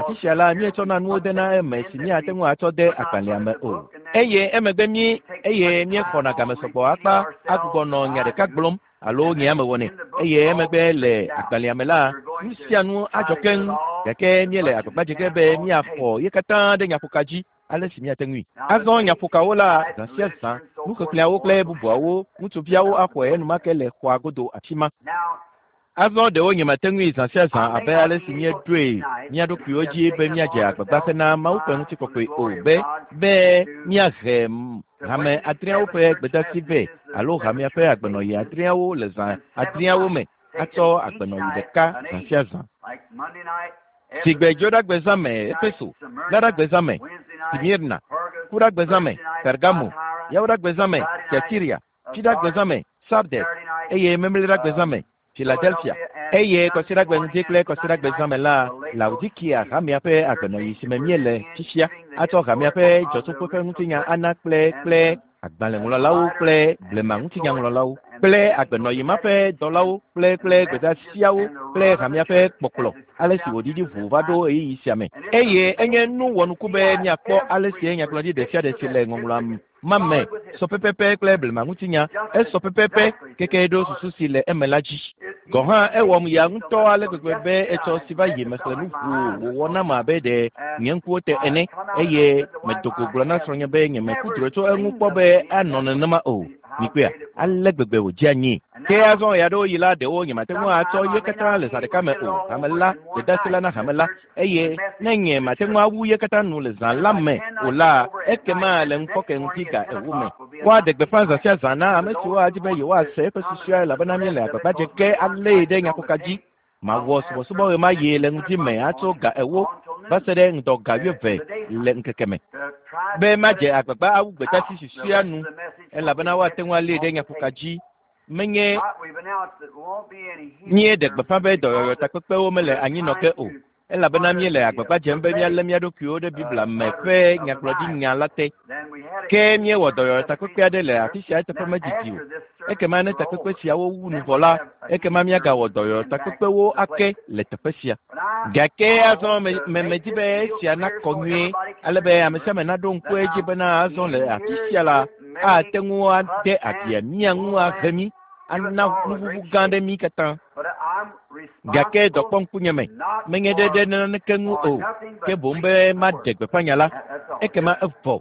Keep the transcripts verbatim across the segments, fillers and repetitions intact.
afi sia la, míetsɔna nuwo dena eme si míate ŋu atsɔ de agbalẽa me o. Eye emegbe mí eye míexɔna game sɔgbɔ akpa agbugbɔ nɔ nya ɖeka gblɔm alo nye ame wɔnɛ. Eye emegbe le agbalẽa me la, nu sia nu adzɔ keŋ gake míele agbagba dze ge be míaxɔ ye katã ɖe nyaƒoka dzi ale si míate ŋui. Azɔ nyaƒokawo la zã sia zã, nuxexlẽawo kple bubuawo, ŋutsuviawo axɔe enumake le xɔa godo afi ma. Azɔ ɖewo nyemate ŋui zã sia zã abe ale si míeɖoe mía ɖokuiwo dzi be míadze agbagba hena Mawu ƒe ŋutikɔkɔe o be be míahe hame adreawo ƒe gbedeasi vɛ alo hamea ƒe agbenɔɣi adreawo le zã adreawo me atsɔ agbenɔɣi ɖeka zã sia zã. Sigbe Dzoɖagbezã me Efeso, Laɖagbezã me Smirna, Kuɖagbezã me Pergamo, Yawoɖagbezã me Tiatira, Fiɖagbezã me Sardes eye Memleɖagbezã me Philadelphia. Eye kɔsiɖagbe ŋdi kple kɔsiɖagbezã me la, Laodikia hamea ƒe agbenɔɣi si me míele fifia atsɔ hamea ƒe dzɔtsoƒe ƒe ŋutinya ana kple kple agbalẽŋlɔlawo kple blema ŋutinyaŋlɔlawo kple agbenɔɣi ma ƒe dɔlawo kple kple gbedeasiawo kple hamea ƒe kpɔkplɔ ale si wòɖiɖi ʋu va ɖo ɣeyiɣi sia me. Eye enye nu wɔnuku be míakpɔ ale si nyagblɔɖi ɖe sia ɖe si le ŋɔŋlɔa ma me sɔ pɛpɛpɛ kple blema ŋutinya esɔ pɛpɛpɛ keke ɖo susu si le eme la dzi. Gɔ̃ hã ewɔm ya ŋutɔ ale gbegbe be etsɔ si va yi mexlẽ nu ʋuu wòwɔ nam abe ɖe nye ŋkuwo te ene eye medo go gblɔ na srɔ̃nye be nyemeku drɔ̃e tso eŋu kpɔ be anɔ nenema o. Mikpɔea, ale gbegbe wòdze anyi. Ke azɔ ɣe aɖewo yi la ɖewo nyemate ŋu atsɔ ye katã le zã ɖeka me o. Hame la, gbedeasi la na hame la eye ne nye mate ŋu awu ye katã nu le zã la me o la, ekema le ŋufɔke ŋdi ga ewo me. Woaɖe gbeƒã zã sia zã na ame siwo adi be yewoase eƒe susua elabena míele agbagba dze ge alée ɖe nyaƒoka dzi. Mawɔ subɔsubɔ ɣe ma ɣi le ŋdi me atso ga ewo va se ɖe ŋdɔ ga wuieve le ŋkeke me. Be madze agbagba awu gbedeasi susɔea nu elabena woate ŋu alée ɖe nyaƒoka dzi. Menye míeɖe gbeƒã be dɔyɔyɔ takpekpewo mele anyi nɔ ge o elabena míele agbagba dzem be míalé mía ɖokuiwo ɖe Biblia me ƒe nyagblɔɖinya la te. Ke míewɔ dɔyɔyɔ takpekpe aɖe le afi sia eteƒe medidi o. Ekema ne takpekpe siawo wu nu vɔ la, ekema míagawɔ dɔyɔyɔ takpekpewo ake le teƒe sia. Gake azɔ me me medi be esia nakɔ nyuie ale be ame sia ame naɖo ŋku edzi bena azɔ le afi sia la, ate ŋu ade abia mía ŋu ahe mí ana nuʋuʋu gã ɖe mí katã. Gake dɔ kpɔ ŋkunye me, menye ɖe ɖe naneke ŋu o, ke boŋ be maɖe gbeƒã nya la, ekema evɔ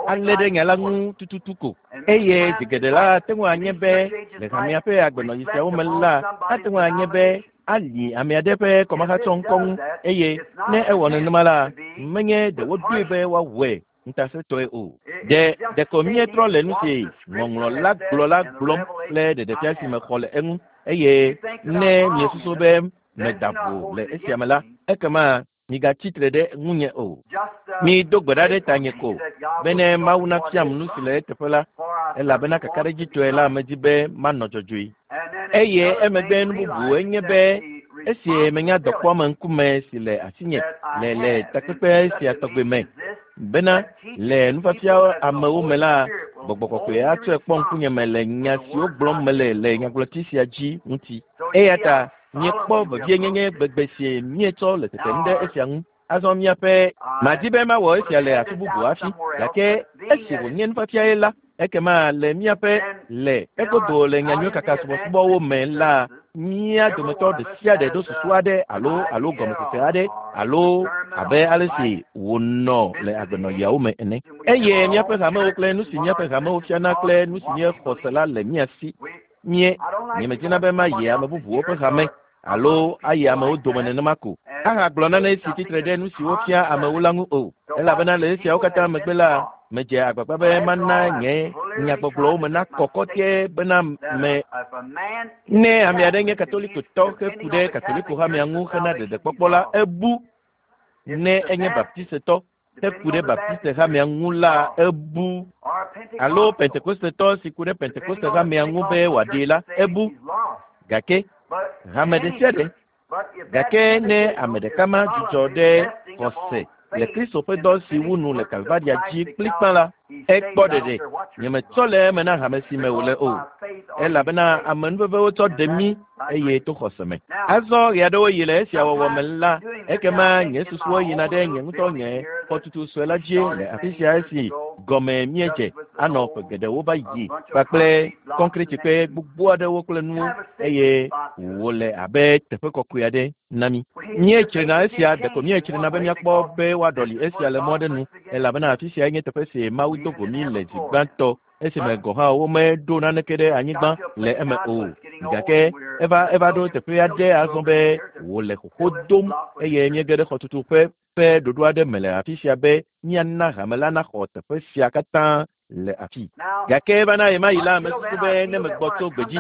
alé ɖe nya la ŋu tututu ko. Eye zi geɖe la ate ŋu anye be le hamea ƒe agbenɔɣi siawo me la, ate ŋu anye be ali ame aɖe ƒe kɔmahatsɔ ŋkɔ ŋu eye ne ewɔ nenema la, menye ɖe woɖoe be woawɔe ŋutasẽtɔe o. Ɖe ɖeko míetrɔ le nu si ŋɔŋlɔ la gblɔ la gblɔm kple ɖeɖefia si mexɔ le eŋu eye ne miesusu be meda vo le esia me la, ekema migatsi tre ɖe ŋunye o. Mido gbe ɖa ɖe tanye ko bene Mawu nafiam nu si le eteƒe la elabena kakaɖedzitɔe la medi be manɔ dzɔdzɔe. Eye emegbe nu bubu enye be esi menya dɔkpɔame ŋkume si le asinye le le takpekpe sia tɔgbe me bena le nufiafia amewo me la, gbɔgbɔ kɔkɔe atsɔe kpɔ ŋkunye me le nya siwo gblɔm mele le nyagblɔti sia dzi ŋuti. Eya ta míekpɔ vevienyenye gbegbe si míetsɔ le tetem ɖe esia ŋu. Azɔ míaƒe madi be mawɔ esia le afi bubu hafi gake esi wònye nufiafiae la, ekema le míaƒe le egodo le nyanyui kaka subɔsubɔwo me la, mía dometɔ ɖe sia ɖe ɖo susu aɖe alo alo gɔmesese aɖe alo abe ale si wònɔ le agbenɔɣiawo me ene. Eye míaƒe hamewo kple nu si míaƒe hamewo fiana kple nu si míexɔ se la le mía si. Mie nyemedina be mayi ame bubuwo ƒe hame alo ayi amewo dome nenema ko ahagblɔ nane si tsitre ɖe nu si wofia amewo la ŋu o. Elabena le esiawo katã megbe la, medze agbagba be mana nye nyagbɔgblɔwo me nakɔ kɔtɛe bena me ne ame aɖe nye katolikotɔ heku ɖe katoliko hamea ŋu hena ɖeɖekpɔkpɔ la, ebu. Ne enye baptistetɔ heku ɖe baptiste hamea ŋu la, ebu. Alo pentekostetɔ si ku ɖe pentekoste hamea ŋu be wòaɖee la, ebu. Gake hame ɖe sia ɖe gake ne ame ɖeka ma dzudzɔ ɖe xɔse le Kristo ƒe dɔ si wu nu le Kalvaria dzi kplikpã la, ekpɔ ɖeɖe. Nyemetsɔ le eme na hame si me wòle o. Elabena amenuveve wotsɔ ɖe mí eye to xɔse me. Azɔ ɣe aɖewo yi le esia wɔwɔ me la, ekema nye susuwo yina ɖe nye ŋutɔ nye xɔtutu sue la dzi le afi sia esi gɔme míedze anɔ ƒe geɖewo va yi kpakple kɔnkritikpe gbogbo aɖewo kple nuwo eye wòle abe teƒe kɔkɔe aɖe na mí. Míetsrina esia ɖeko míetsrina be míakpɔ be woaɖɔli esia le mɔ aɖe nu elabena afi sia nye teƒe si Mawu do go mí le zi gbãtɔ esime gɔ̃ hã womeɖo naneke ɖe anyigba le eme o. Gake eva eva ɖo teƒe aɖe azɔ be wòle xoxo dom eye míege ɖe xɔtutu ƒe ƒe ɖoɖo aɖe me le afi sia be míana hame la naxɔ teƒe sia katã le afi. Gake eva na ɣemaɣi la, mesusu be ne megbɔ tso gbedzi,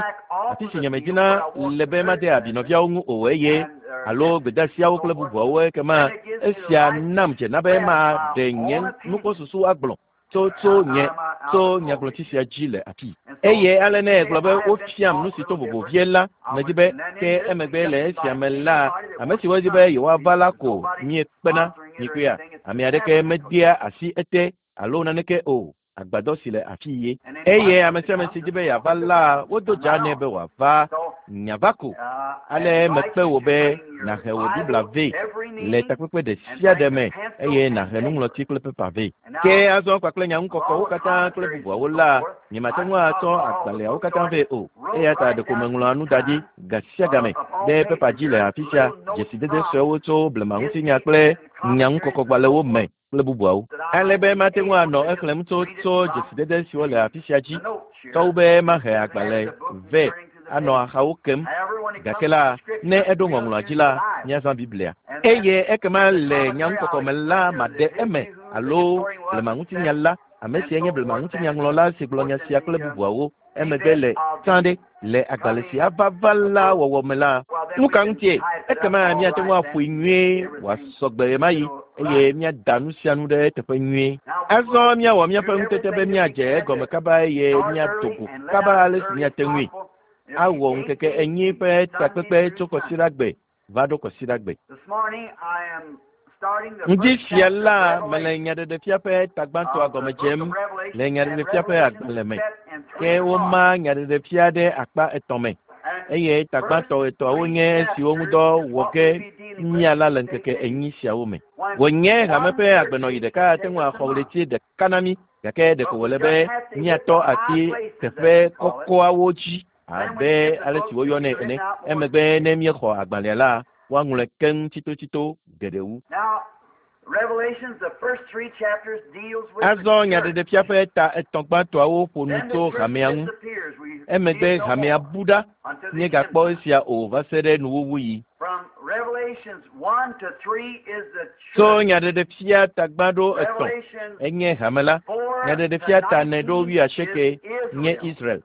afi si nyemedina le be made abi nɔviawo ŋu o eye alo gbedeasiawo kple bubuawo ekema esia nam dzena be maɖe nye nukpɔsusu agblɔ tso tso nye tso nyagblɔtsi sia dzi le afi. Eye ale ne egblɔ be wofiam nu si to vovo vie la, medi be ke emegbe le esia me la, ame siwo di be yewoava la ko míekpena mikpea. Ame aɖeke medea asi ete alo naneke o. Agbadɔ si le afi ye. Eye ame sia ame si di be yeava la, wodo dza nɛ be wòava nyava ko. Ale mekpe wò be nàhe wò Biblia vɛ le takpekpe ɖe sia ɖe me eye nàhe nuŋlɔti kple pepa vɛ. Ke azɔ kpakple nyaŋukɔkɔwo katã kple bubuawo la, nyemate ŋu atsɔ agbalẽawo katã vɛ o. Eya ta ɖeko meŋlɔa nu da ɖi ga sia game ɖe pepa dzi le afi sia, dzesidede suewo tso blemaŋutinya kple nyaŋukɔkɔgbalẽwo me kple bubuawo. Ale be mate ŋu anɔ exlẽm tso tso dzesidede siwo le afi sia dzi, tɔwu be mahe agbalẽ vɛ anɔ axawo kem. Gake la, ne eɖo ŋɔŋlɔa dzi la, míazã Biblia. Eye ekema le nyaŋukɔkɔ me la maɖe eme alo blemaŋutinya la, ame sia nye blemaŋutinyaŋlɔla si gblɔ nya sia kple bubuawo emegbe le tsã ɖe le agbalẽ si ava va la wɔwɔ me la, nu ka ŋutie? Ekema míate ŋu aƒoe nyuie wòasɔ gbe ɣemaɣi eye míada nu sia nu ɖe teƒe nyuie. Azɔ míawɔ míaƒe ŋutete be míadze egɔme kaba eye míado go kaba ale si míate ŋui. Awɔ ŋkeke enyi ƒe takpekpe tso kɔsiɖagbe va ɖo kɔsiɖagbe. Ŋdi sia la mele nyaɖeɖefia ƒe tagbãtɔa gɔme dzem le nyaɖeɖefia ƒe agbalẽ me. Ke woma nyaɖeɖefia ɖe akpa etɔ̃ me eye tagbãtɔ etɔ̃awo nye esiwo ŋudɔ wɔ ge míala le ŋkeke enyi siawo me. Wònye hame ƒe agbenɔɣi ɖeka ate ŋu axɔ ɣleti ɖeka na mí gake ɖeko wòle be míatɔ asi teƒe kɔkɔawo dzi abe ale si woyɔnɛ ene. Emegbe ne míexɔ agbalẽa la, woaŋlɔe keŋ tsitotsito geɖe wu. Azɔ nyaɖeɖefia ƒe ta etɔ̃ gbãtɔawo ƒo nu tso hamea ŋu. Emegbe hamea bu ɖa, míegakpɔ esia o va se ɖe nuwuwuɣi. Tso nyaɖeɖefia ta gbã ɖo etɔ̃ enye hame la. Nyaɖeɖefia ta ene ɖo wuiasieke nye Israel,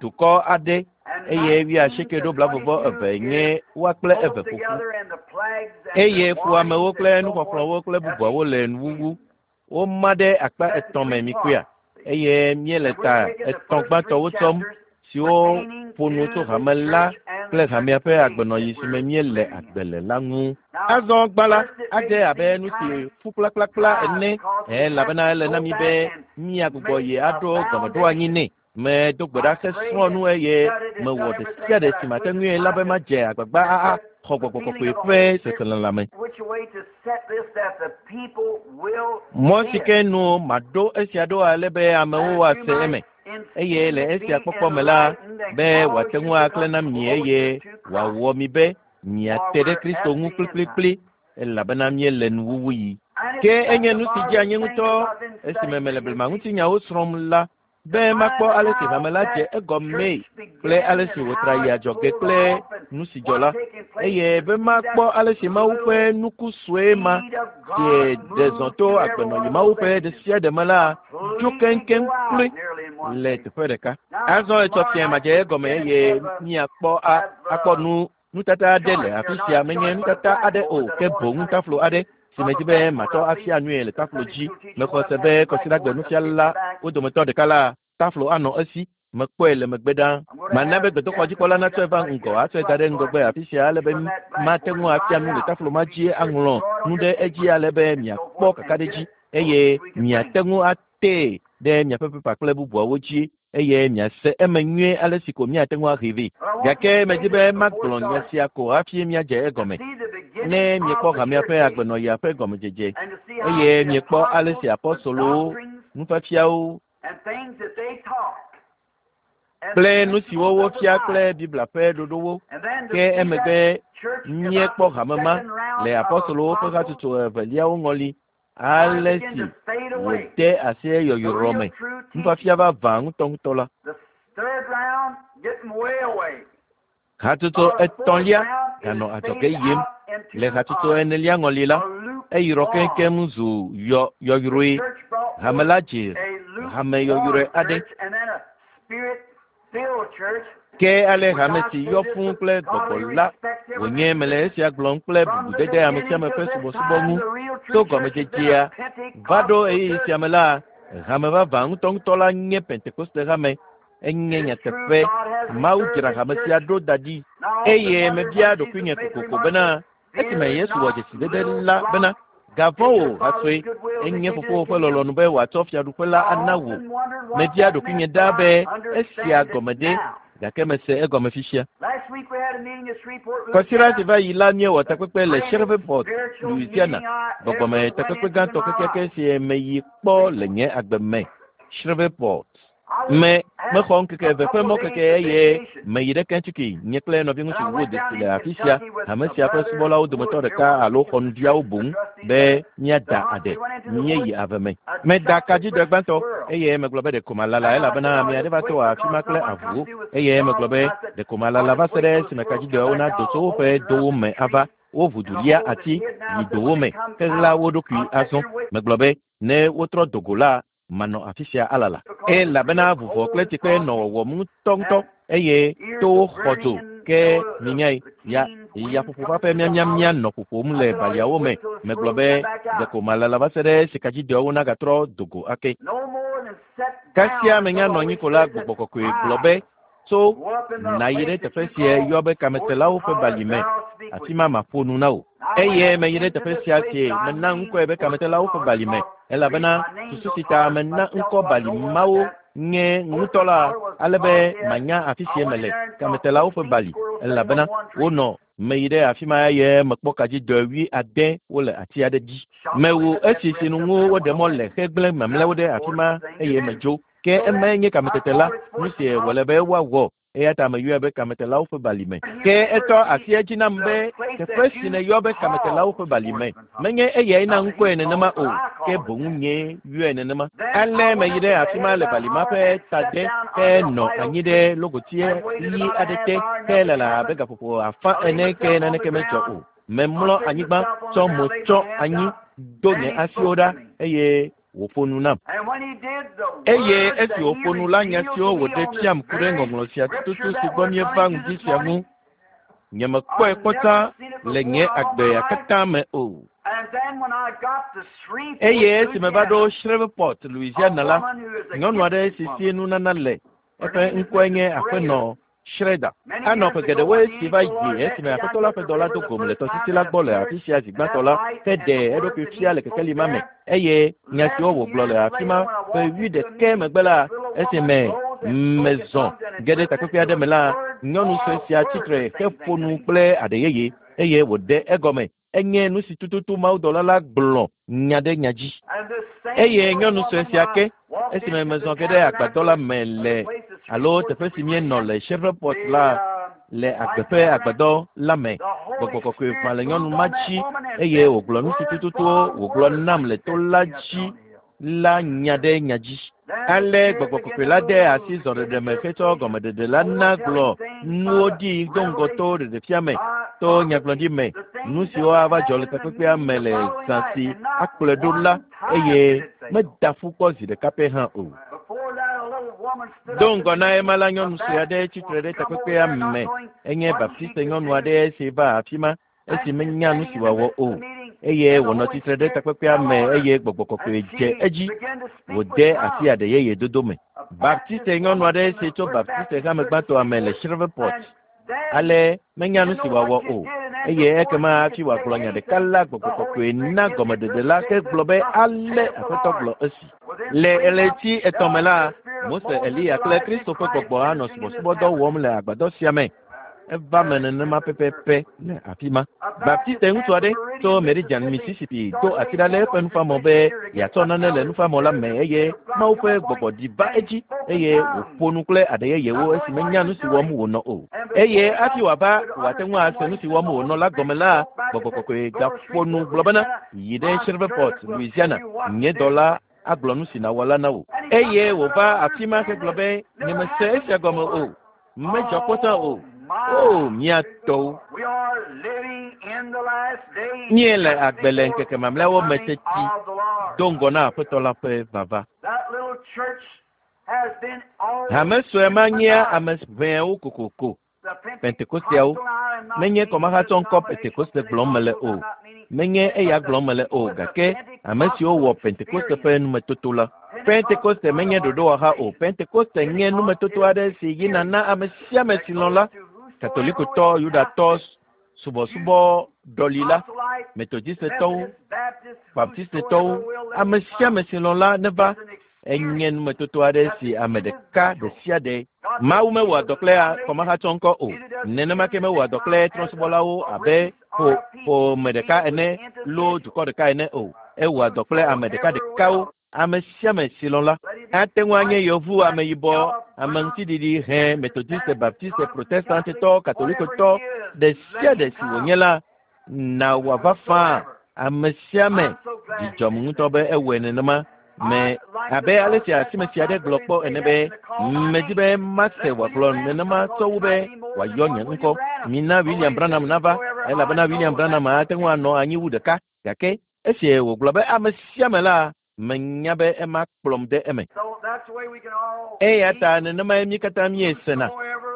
dukɔ aɖe eye wuiasieke ɖo blaeve eve nye woa kple eve ƒoƒu. Eye fuamewo kple nuxɔxlɔ̃wo kple bubuawo le nuwuwu. Woma ɖe akpa etɔ̃ me mikpɔea eye míele ta etɔ̃ gbãtɔwo tsɔm siwo ƒo nu tso hame la kple hamea ƒe agbenɔɣi si me míele agbe le la ŋu. Azɔ gbã la, adze abe nu si ƒu kplakplakpla ene elabena ele na mí be míagbugbɔ yi aɖo gɔmeɖoanyi nɛ. Medo gbe ɖa hesrɔ̃ nu eye mewɔ ɖe sia ɖe si mate ŋui la be madze agbagba axɔ gbɔgbɔ kɔkɔe ƒe seselelãme. Mɔ si ke nu maɖo esia ɖo ale be amewo woase eme eye le esia kpɔkpɔ me la be wòate ŋu aklẽ na mi eye wòawɔ mi be miate ɖe Kristo ŋu kplikplikpli elabena míele nuwuwuɣi. Ke enye nu si dzea nye ŋutɔ esime mele blemaŋutinyawo srɔ̃m la be makpɔ ale si hame la dze egɔmee kple ale si wòtra yi adzɔge kple nu si dzɔ la eye be makpɔ ale si Mawu ƒe nuku sue ma si ɖe zɔ to agbenɔɣi Mawu ƒe ɖe sia ɖe me la dzo keŋkeŋ kloe le teƒe ɖeka. Azɔ etsɔ fiẽ madze egɔme eye míakpɔ a akpɔ nu nutata aɖe le afi sia menye nutata aɖe o ke boŋ taflo aɖe si medzi be matɔ afia nui le taflo dzi. Mexɔ se be kɔsiɖagbe nufiala wo dometɔ ɖeka la taflo anɔ esi mekpɔe le megbe ɖa. Mana be gbedoxɔdzikpɔla natsɔe va ŋgɔ atsɔe da ɖe ŋgɔgbe afi sia ale be mate ŋu afia nu le taflo ma dzi aŋlɔ nu ɖe edzi ale be miakpɔ kakaɖedzi eye miate ŋu atee ɖe miaƒe pepa kple bubuawo dzi eye miase eme nyuie ale si ko miate ŋu ahe vɛ. Gake medi be magblɔ nya sia ko hafi míadze egɔme. Ne miekpɔ hamea ƒe agbenɔɣia ƒe gɔmedzedze eye miekpɔ ale si apɔstolowo, nufiafiawo kple nu siwo wofia kple Biblia ƒe ɖoɖowo, ke emegbe míekpɔ hame ma le apɔstolowo ƒe hatsotso eveliawo ŋɔli ale si wòde asi yɔyrɔ me nufiafia vavã ŋutɔŋutɔ la. Hatsotso etɔ̃lia ganɔ adzɔge yim le hatsotso enelia ŋɔli la, eyrɔ keŋkeŋ zu yɔ yɔyrɔe. Hame la dze hame yɔyrɔe aɖe. Ke ale hame si yɔ fũu kple gbɔgbɔ la wònye mele esia gblɔm kple bubudede ame sia ame ƒe subɔsubɔ ŋu tso gɔmedzedzea va ɖo ɣeyiɣi sia me la, hame vavã ŋutɔŋutɔ la nye Pentekoste hame. Enye nyateƒe. Mawu dzra hame sia ɖo da ɖi eye mebia ɖokuinye kokoko bena esime Yesu wɔ dzesidede la bena gavɔ̃ wò hasɔe enye fofowò ƒe lɔlɔ̃nu be wòatsɔ fiaɖuƒe la ana wò. Mebia ɖokuinye ɖa be esia gɔme ɖe gake mese egɔme fifia. Kɔsiɖa si va yi la míewɔ takpekpe le Shreveport, Louisiana, gbɔgbɔme takpekpe gãtɔ kekeake si meyi kpɔ le nye agbe me. Shreveport. Me mexɔ ŋkeke eve ƒe mɔkeke eye meyi ɖe Kentucky nye kple nɔviŋutsu Wood si le afi sia hame sia ƒe subɔlawo dometɔ ɖeka alo xɔnuviawo boŋ be míada aɖe míeyi ave me. Meda kadzidɔ gbãtɔ eye megblɔ be ɖeko malala elabena ame aɖe va to afi ma kple avuwo eye megblɔ be ɖeko malala va se ɖe esime kadzidɔawo nado tso woƒe dowo me ava wo ʋu du lia ati yi dowo me heɣla wo ɖokui azɔ. Megblɔ be ne wotrɔ do go la manɔ afi sia alala. Elabena vuvɔ kple tsikpe nɔ wɔwɔm ŋutɔŋutɔ eye towo xɔ dzo ke minyae ya yaƒoƒo ƒe miamiamia nɔ ƒoƒom le baliawo me. Megblɔ be ɖeko malala va se ɖe sikadzidɔawo nagatrɔ do go ake. Kasia menya nɔ anyi ko la gbɔgbɔ kɔkɔe gblɔ be tso nàyi ɖe teƒe sia yɔ be kametelawo ƒe bali me afi ma maƒo nu na wò. Eye meyi ɖe teƒe sia si mena ŋkɔe be kametelawo ƒe bali me elabena susu si ta mena ŋkɔ bali mawo nye ŋutɔ la ale be manya afi si mele kametelawo ƒe bali elabena wonɔ meyi ɖe afi ma eye mekpɔ kadzidɔ wui ade wole ati aɖe dzi. Mewu esi si nu ŋu woɖe mɔ le hegblẽ mamlɛawo ɖe afi ma eye medzo. Ke emae nye kametete la, nu si wòle be woawɔ eya ta meyɔe be kametelawo ƒe bali me. Ke etɔ asi edzi nam be teƒe si nèyɔ be kametelawo ƒe bali me menye eyae na ŋkɔe nenema o, ke boŋ nye yɔe nenema. Ale meyi ɖe afi ma le bali ma ƒe tade henɔ anyi ɖe logoti ɣi aɖe te helala abe gaƒoƒo afã ene ke naneke medzɔ o. Memlɔ anyigba tsɔ mo tsɔ anyi do nye asiwo ɖa eye wòƒo nu nam. Eye esi wòƒo nu la nya siwo wòɖe fiam ku ɖe ŋɔŋlɔ sia tututu si gbɔ míeva ŋdi sia ŋu, nyemekpɔe kpɔ tsã le nye agbea katã me o. Eye esi meva ɖo Shreveport, Louisiana la, nyɔnu aɖe si si nunana le, eƒe ŋkɔe nye Aƒenɔ Schroeder. Anɔ ƒe geɖewoe si va yi esime aƒetɔ la ƒe dɔla do gom le tɔsisi la gbɔ le afi sia zi gbãtɔ la heɖe eɖokui fia le kekeli ma me eye nya siwo wògblɔ le afi ma ƒe wuiɖekɛ megbe la esime mezɔ ge ɖe takpekpe aɖe me la nyɔnu sue sia tsitre heƒo nu kple aɖe yeye eye wòɖe egɔme enye nu si tututu mawudɔla la gblɔ nya ɖe nya dzi. Eye nyɔnu sue sia ke esime mezɔ ge ɖe agbadɔ la me le alo teƒe si míenɔ le Shreveport la le agbe ƒe agbadɔ la me gbɔgbɔ kɔkɔe ʋã le nyɔnu ma dzi eye wògblɔ nu si tututu wògblɔ nam le to la dzi la nya ɖe nya dzi. Ale gbɔgbɔ kɔkɔe la de asi zɔɖeɖe me hetsɔ gɔmeɖeɖe la na gblɔ nuwo ɖi do ŋgɔ to ɖeɖefia me to nyagblɔɖi me nu siwo ava dzɔ le takpekpea me le zã si akplɔe ɖo la eye meda ƒu kpɔ zi ɖeka pɛ hã o. Do ŋgɔ na ema la nyɔnu sue aɖe tsitre ɖe takpekpea me enye Baptiste nyɔnu aɖe si va afi ma esi menya nu si wòawɔ o eye wònɔ tsitre ɖe takpekpea me eye gbɔgbɔ kɔkɔe dze edzi wòde asi aɖe yeye dodo me. Baptiste nyɔnu aɖe si tso Baptiste hame gbãtɔa me le Shreveport ale menya nu si wòawɔ o Eye ekema hafi wòagblɔ nya ɖeka la gbɔgbɔ kɔkɔe na gɔmeɖeɖe la ke gblɔ be ale Aƒetɔ gblɔ esi. Le ɣleti etɔ̃ me la, Mose, Eliya kple Kristo ƒe gbɔgbɔ anɔ subɔsubɔdɔ wɔm le agbadɔ sia me. Eva me nenema pɛpɛpɛ le afi ma. Baptiste ŋutsu aɖe tso Meridian, Mississippi do asi ɖa le eƒe nufamɔ be yeatsɔ nane le nufamɔ la me eye Mawu ƒe gbɔgbɔ ɖi va edzi eye wòƒo nu kple aɖe yeyewo esi menya nu si wɔm wònɔ o. Eye hafi wòava wòate ŋu ase nu si wɔm wònɔ la gɔme la, gbɔgbɔ kɔkɔe gaƒo nu gblɔ bena yi ɖe Shreveport, Louisiana, nye dɔla agblɔ nu si nàwɔ la na wò. Eye wòva afi ma hegblɔ be nyemese esia gɔme o, medzɔ kpɔtɔ o. O, mía tɔwo. Míele agbe le ŋkeke mamlɛawo me teti do ŋgɔ na Aƒetɔ la ƒe vava. Hame sue ma nyea ame ʋɛwo kokoko. Pentekosteawo. Menye kɔmahatsɔ ŋkɔ Pentekoste gblɔm mele o. Menye eya gblɔm mele o gake ame siwo wɔ Pentekoste ƒe numetoto la. Pentekoste menye ɖoɖowɔha o. Pentekoste nye numetoto aɖe si yina na ame sia ame si lɔ̃ la. Katolikotɔ, Yudatɔ, subɔsubɔ ɖɔlila, Metodistetɔwo, Baptistetɔwo, ame sia ame si lɔ̃ la neva. Enye numetoto aɖe si ame ɖeka ɖe sia ɖe. Mawu mewɔa dɔ kple kɔmahatsɔ ŋkɔ o. Nenema ke mewɔa dɔ kple trɔ̃subɔlawo abe ƒo ƒome ɖeka ene loo dukɔ ɖeka ene o. Ewɔa dɔ kple ame ɖekaɖekawo. Ame sia ame si lɔ̃ la ate ŋu anye yevu, ameyibɔ, ame ŋutiɖiɖi, hẽ, Metodiste, Baptiste, Protestantetɔ, Katolikotɔ, ɖe sia ɖe si wònye la, na wòava faa. Ame sia ame dzidzɔm ŋutɔ be ewɔe nenema. Me abe ale si asime sia aɖe gblɔ kpɔ ene be medi be mase wòagblɔ nenema sɔ wu be wòayɔ nye ŋkɔ. Mina William Branham nava elabena William Branham ate ŋu anɔ anyi wu ɖeka gake esi wògblɔ be ame sia ame la menya be ema kplɔm de eme. Eya ta nenemae mí katã míesena.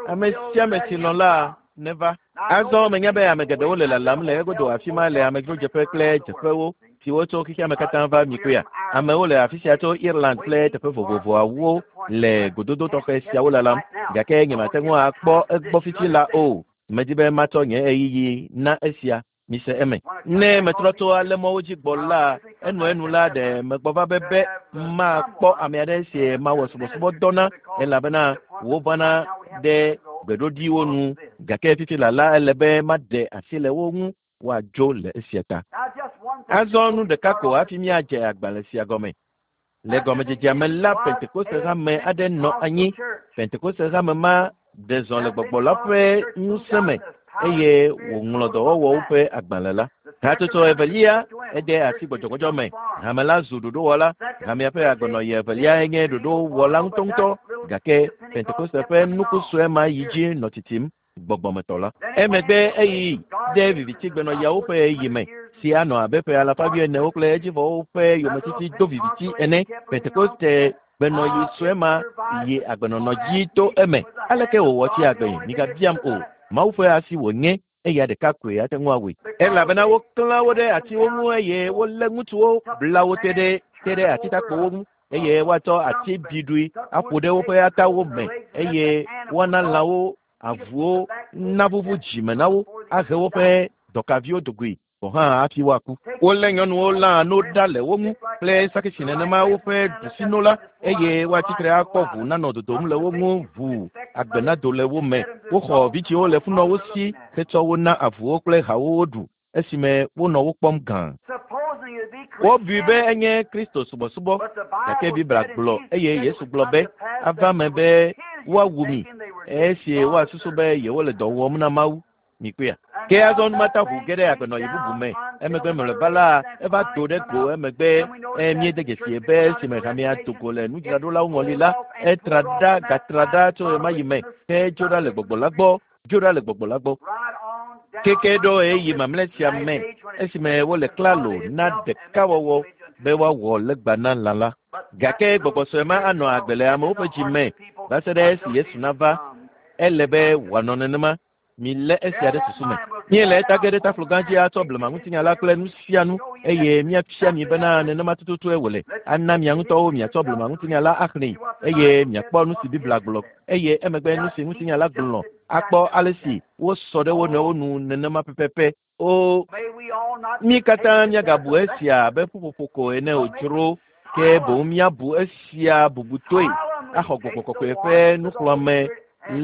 Ame sia ame si lɔ̃ la neva. Azɔ menya be ame geɖewo le lalam le egodo afi ma le amedzrodzeƒe kple dzeƒewo siwo tso xexea me katã va mikpea. Amewo le afi sia tso Ireland kple teƒe vovovoawo le gododo tɔxɛ siawo lalam gake nyemate ŋu akpɔ egbɔ fifi la o. Medi be matsɔ nye ɣeyiɣi na esia. Mise eme. Ne metrɔ tso ale mɔwo dzi gbɔ la, enuenu la ɖe megbɔ va be be makpɔ ame aɖe si mawɔ subɔsubɔdɔ na elabena wovana ɖe gbeɖoɖiwo nu gake fifi la la ele be maɖe asi le wo ŋu woadzo le esia ta. Azɔ nu ɖeka ko hafi míadze agbalẽ sia gɔme. Le gɔmedzedzea me la, Pentekoste hame aɖe nɔ anyi. Pentekoste hame ma ɖe zɔ le gbɔgbɔ la ƒe ŋusẽ me eye wòŋlɔ dɔwɔwɔwo ƒe agbalẽ la. Hatsotso evelia ede asi gbɔdzɔgbɔdzɔ me. Hame la zu ɖoɖowɔla. Hamea ƒe agbenɔɣi evelia nye ɖoɖowɔla ŋutɔŋutɔ gake Pentekoste ƒe nuku sue ma yi dzi nɔ titim gbɔgbɔmetɔ la. Emegbe eyi ɖe vivitigbenɔɣiawo ƒe ɣeyiɣi me si anɔ abe ƒe alafa wuienewo kple edzivɔwo ƒe yometiti do viviti ene. Pentekoste gbenɔɣi sue ma yi agbenɔnɔ dzi to eme. Aleke wòwɔ tsi agbe? Migabiam o. Mawu ƒe asi wònye eya ɖeka koe ate ŋu awɔe. Elabena woklã wo ɖe atiwo ŋu eye wolé ŋutsuwo bla wo te ɖe te ɖe atitakpowo ŋu eye woatsɔ ati biɖoe aƒo ɖe woƒe atawo me eye woana lãwo avuwo navuvu dzime na wo ahe woƒe dɔkaviwo dogoe gɔ̃ hã hafi woaku. Wolé nyɔnuwo lã no ɖa le wo ŋu kple sakisi nenema woƒe ɖusino la eye woatsitre akpɔ ʋu nanɔ dodom le wo ŋu ʋu agbe nado le wo me. Woxɔ vidzĩwo le funɔwo si hetsɔ wo na avuwo kple hawo woɖu esime wonɔ wo kpɔm gã. Wobui be enye Kristo subɔsubɔ gake Biblia gblɔ eye Yesu gblɔ be ava me be woawu mi esi woasusu be yewole dɔ wɔm na Mawu. Mikpɔea. Ke azɔ numata ʋu ge ɖe agbenɔɣi bubu me. Emegbe mlɔeba la eva do ɖe go emegbe míede dzesi be esime hamea do go le nudzraɖolawo ŋɔli la, etra ɖa gatra ɖa tso ɣemaɣi me ke dzo ɖa le gbɔgbɔ la gbɔ, dzo ɖa le gbɔgbɔ la gbɔ. Keke ɖo ɣeyiɣi mamlɛ sia me esime wole klalo na ɖekawɔwɔ be woawɔ legba na lã la. Gake gbɔgbɔ sue ma anɔ agbe le amewo ƒe dzi me va se ɖe esi Yesu nava. Ele be wòanɔ nenema. Milé esia ɖe susu me. Míele eta ge ɖe taflo gã dzi atsɔ blemaŋutinya la kple nu sia nu eye míafia mi bena nenema tututue wòle. Ana mia ŋutɔwo miatsɔ blemaŋutinya la axlẽe eye miakpɔ nu si Biblia gblɔ eye emegbe nu si ŋutinya la gblɔ akpɔ ale si wosɔ ɖe wo nɔewo nu nenema pɛpɛpɛ. O mí katã míagabu esia abe ƒuƒoƒo ko ene o dzro ke boŋ míabu esia bubutɔe axɔ gbɔgbɔ kɔkɔe ƒe nuxlɔ̃ame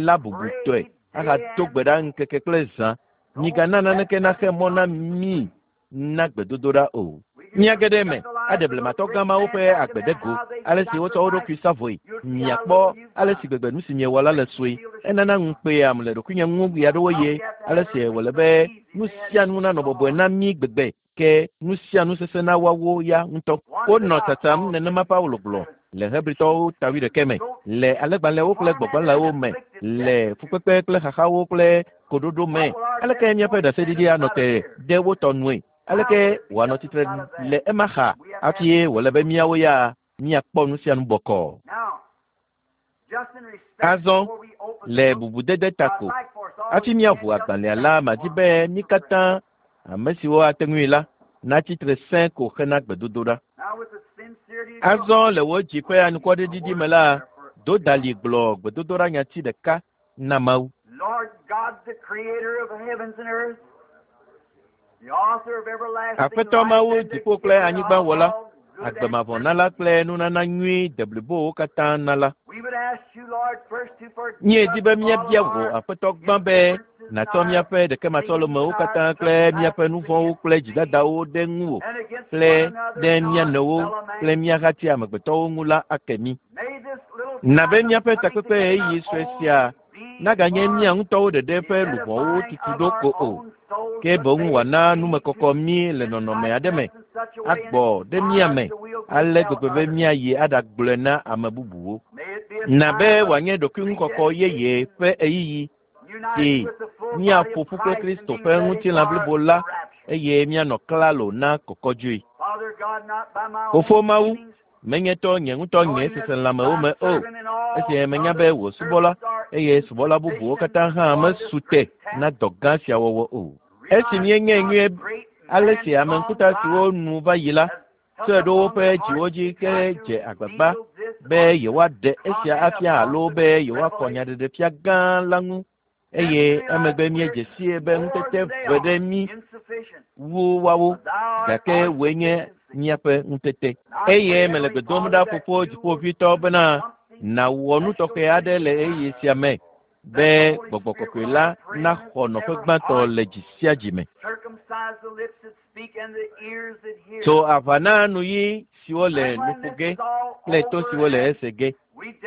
la bubutɔe ahado gbe ɖa ŋkeke kple zã. Migana naneke naxe mɔ na mí na gbedodoɖa o. Míage ɖe eme aɖe blematɔ gã mawo ƒe agbe ɖe go, ale si wotsɔ wo ɖokui sa vɔe. Miakpɔ ale si gbegbe nu si miewɔ la le sue. Enana ŋukpeam le ɖokuinye ŋu ɣeaɖewoɣi ale si wòle be nu sia nu nanɔ bɔbɔe na mí gbegbe ke nu sia nu sesẽ na woawo ya ŋutɔ. Wonɔ tsatsam nenema Paulo gblɔ le Hebritɔwo ta wuiɖekɛ me, le alẽgbalẽwo kple gbɔgbalẽwo me, le fukpekpe kple xaxawo kple koɖoɖo me. Aleke míaƒe ɖaseɖiɖi anɔ te ɖe wo tɔ nue? Aleke wòanɔ tsitre le ema xa hafi wòle be míawo ya míakpɔ nu sia nu bɔkɔɔ? Azɔ le bubudede ta ko hafi míaʋu agbalẽa la, madi be mí katã ame siwo ate ŋui la natsi tre sẽ ko hena gbedodoɖa. Azɔ le wò dzi ƒe anukwaɖiɖi me la, do dali gblɔ gbedodoɖa nyati ɖeka na Mawu. Aƒetɔ Mawu dziƒo kple anyigba wɔla, agbemavɔnala kple nunana nyui deblibowo katã nala. Míedi be míabia wò Aƒetɔ gbã be nàtsɔ míaƒe ɖekematsɔlemewo katã kple míaƒe nu vɔ̃wo kple dzidadawo ɖe ŋuwò kple ɖe mía nɔewo kple mía hati amegbetɔwo ŋu la ake mí. Na be míaƒe takpekpe ɣeyiɣi sue sia naganye mía ŋutɔwo ɖeɖe ƒe luʋɔwo tutu ɖo ko o, ke boŋ wòana numekɔkɔ mí le nɔnɔme aɖe me agbɔ ɖe mía me ale gbegbe be míayi aɖagblɔe na ame bubuwo. Na be wòanye ɖokuiŋukɔkɔ yeye ƒe ɣeyiɣi si míaƒo ƒu kple Kristo ƒe ŋutilã blibo la eye míanɔ klalo na kɔkɔdzoe. Fofo Mawu, menye tɔ nye ŋutɔ nye seselãmewo me o, esi menya be wò subɔla eye subɔla bubuwo katã hã mesu te na dɔ gã sia wɔwɔ o. Esi míenyae nyuie ale si ame ŋkuta siwo nu va yi la tsɔe ɖo woƒe dziwo dzi ke dze agbagba be yewoaɖe esia afia alo be yewoakɔ nyaɖeɖefia gã la ŋu eye emegbe míedze sie be ŋutete ve ɖe mí wu woawo, gake wòe nye míaƒe ŋutete. Eye mele gbe dom ɖa Fofo Dziƒoʋĩtɔ bena nàwɔ nu tɔxɛ aɖe le ɣeyiɣi sia me be gbɔgbɔ kɔkɔe la naxɔ nɔƒe gbãtɔ le dzi sia dzi me. Tso aʋa na nuyi siwo le nu ƒo ge kple to siwo le ese ge.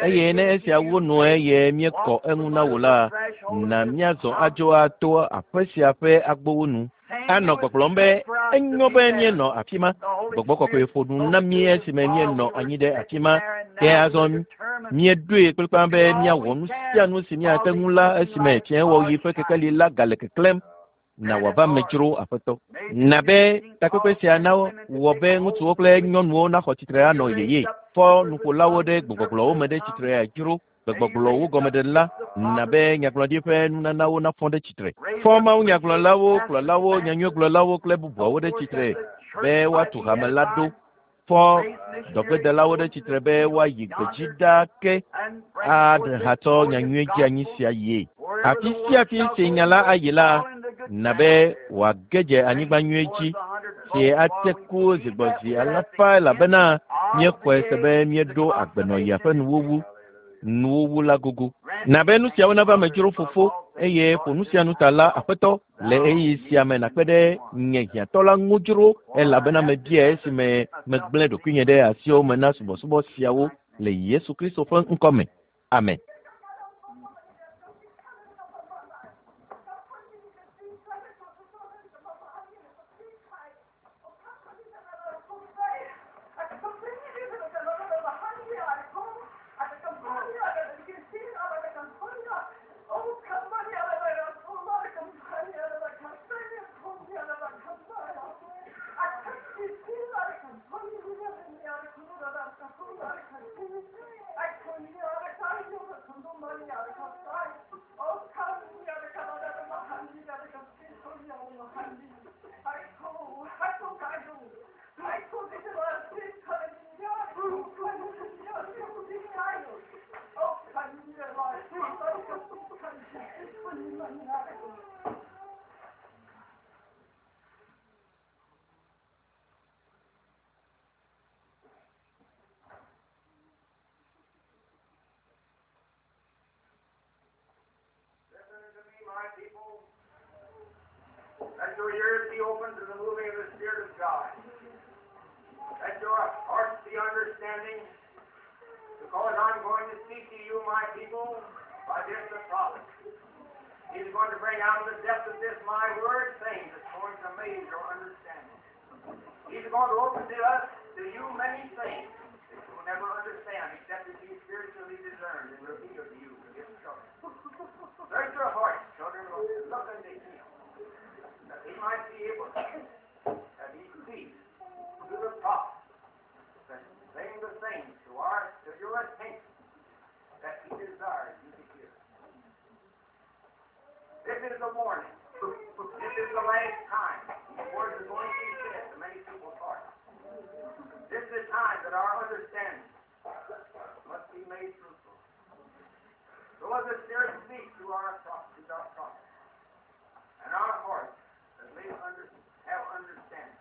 Eye ne esia wu nu eye míekɔ eŋu na wò la, na míazɔ adzo ato aƒe sia ƒe agbowo nu. Anɔ gbɔgblɔm be enyo be míenɔ afi ma. Gbɔgbɔ kɔkɔe ƒo nu na mí esime míenɔ anyi ɖe afi ma. Ke azɔ míeɖoe kplikpaa be míawɔ nu sia nu si míate ŋu la esime fiẽwɔɣi ƒe kekeli la gale keklẽm. Na wòava me dzro Aƒetɔ. Na be takpekpe sia nawɔ be ŋutsuwo kple nyɔnuwo naxɔ tsitre anɔ yeye. Fɔ nuƒolawo ɖe gbegbɔgblɔwo me ɖe tsitre dzro. Gbegbɔgblɔwo gɔmeɖela na be nyagblɔɖi ƒe nunanawo nafɔ ɖe tsitre. Fɔ Mawu nyagblɔlawo, kplɔlawo, nyanyuigblɔlawo kple bubuawo ɖe tsitre be woatu hame la ɖo. Fɔ dɔgbedelawo ɖe tsitre be woayi gbedzi ɖaa ke ahatsɔ nyanyui dzeanyi sia yie. Afi sia afi si nya la ayi la, na be wòage dze anyigba nyui dzi si ate ku zigbɔzi alafa elabena míexɔe se be míeɖo agbenɔɣia ƒe nuwuwu nuwuwu la gogo. Na be nu siawo nava me dzro Fofo eye ƒo nu sia nu ta la Aƒetɔ le ɣeyiɣi sia me nàkpe ɖe nye hiãtɔ la ŋu dzro elabena mebia esime megblẽ ɖokuinye ɖe asiwò me na subɔsubɔ siawo le Yesu Kristo ƒe ŋkɔ me. Amen. Listen to me, my people. Let your ears be open to the moving of the Spirit of God. Let your hearts be understanding, because I'm going to speak to you, my people, by this the prophet. He's going to bring out of the depth of this my word things that's going to amaze your understanding. He's going to open to us, to you, many things that you will never understand except it be spiritually discerned and revealed to you in His children. Search your hearts, children, and look unto Him, that He might be able to, that He speaks to the prophet, that bring the things to our to your attention that He desires you to hear. This is the warning. This is the last time these words are going to be said to many people's hearts. This is the time that our understanding must be made fruitful. So as the Spirit speaks to our prophets, to our prophets, and our hearts that may under, have understanding,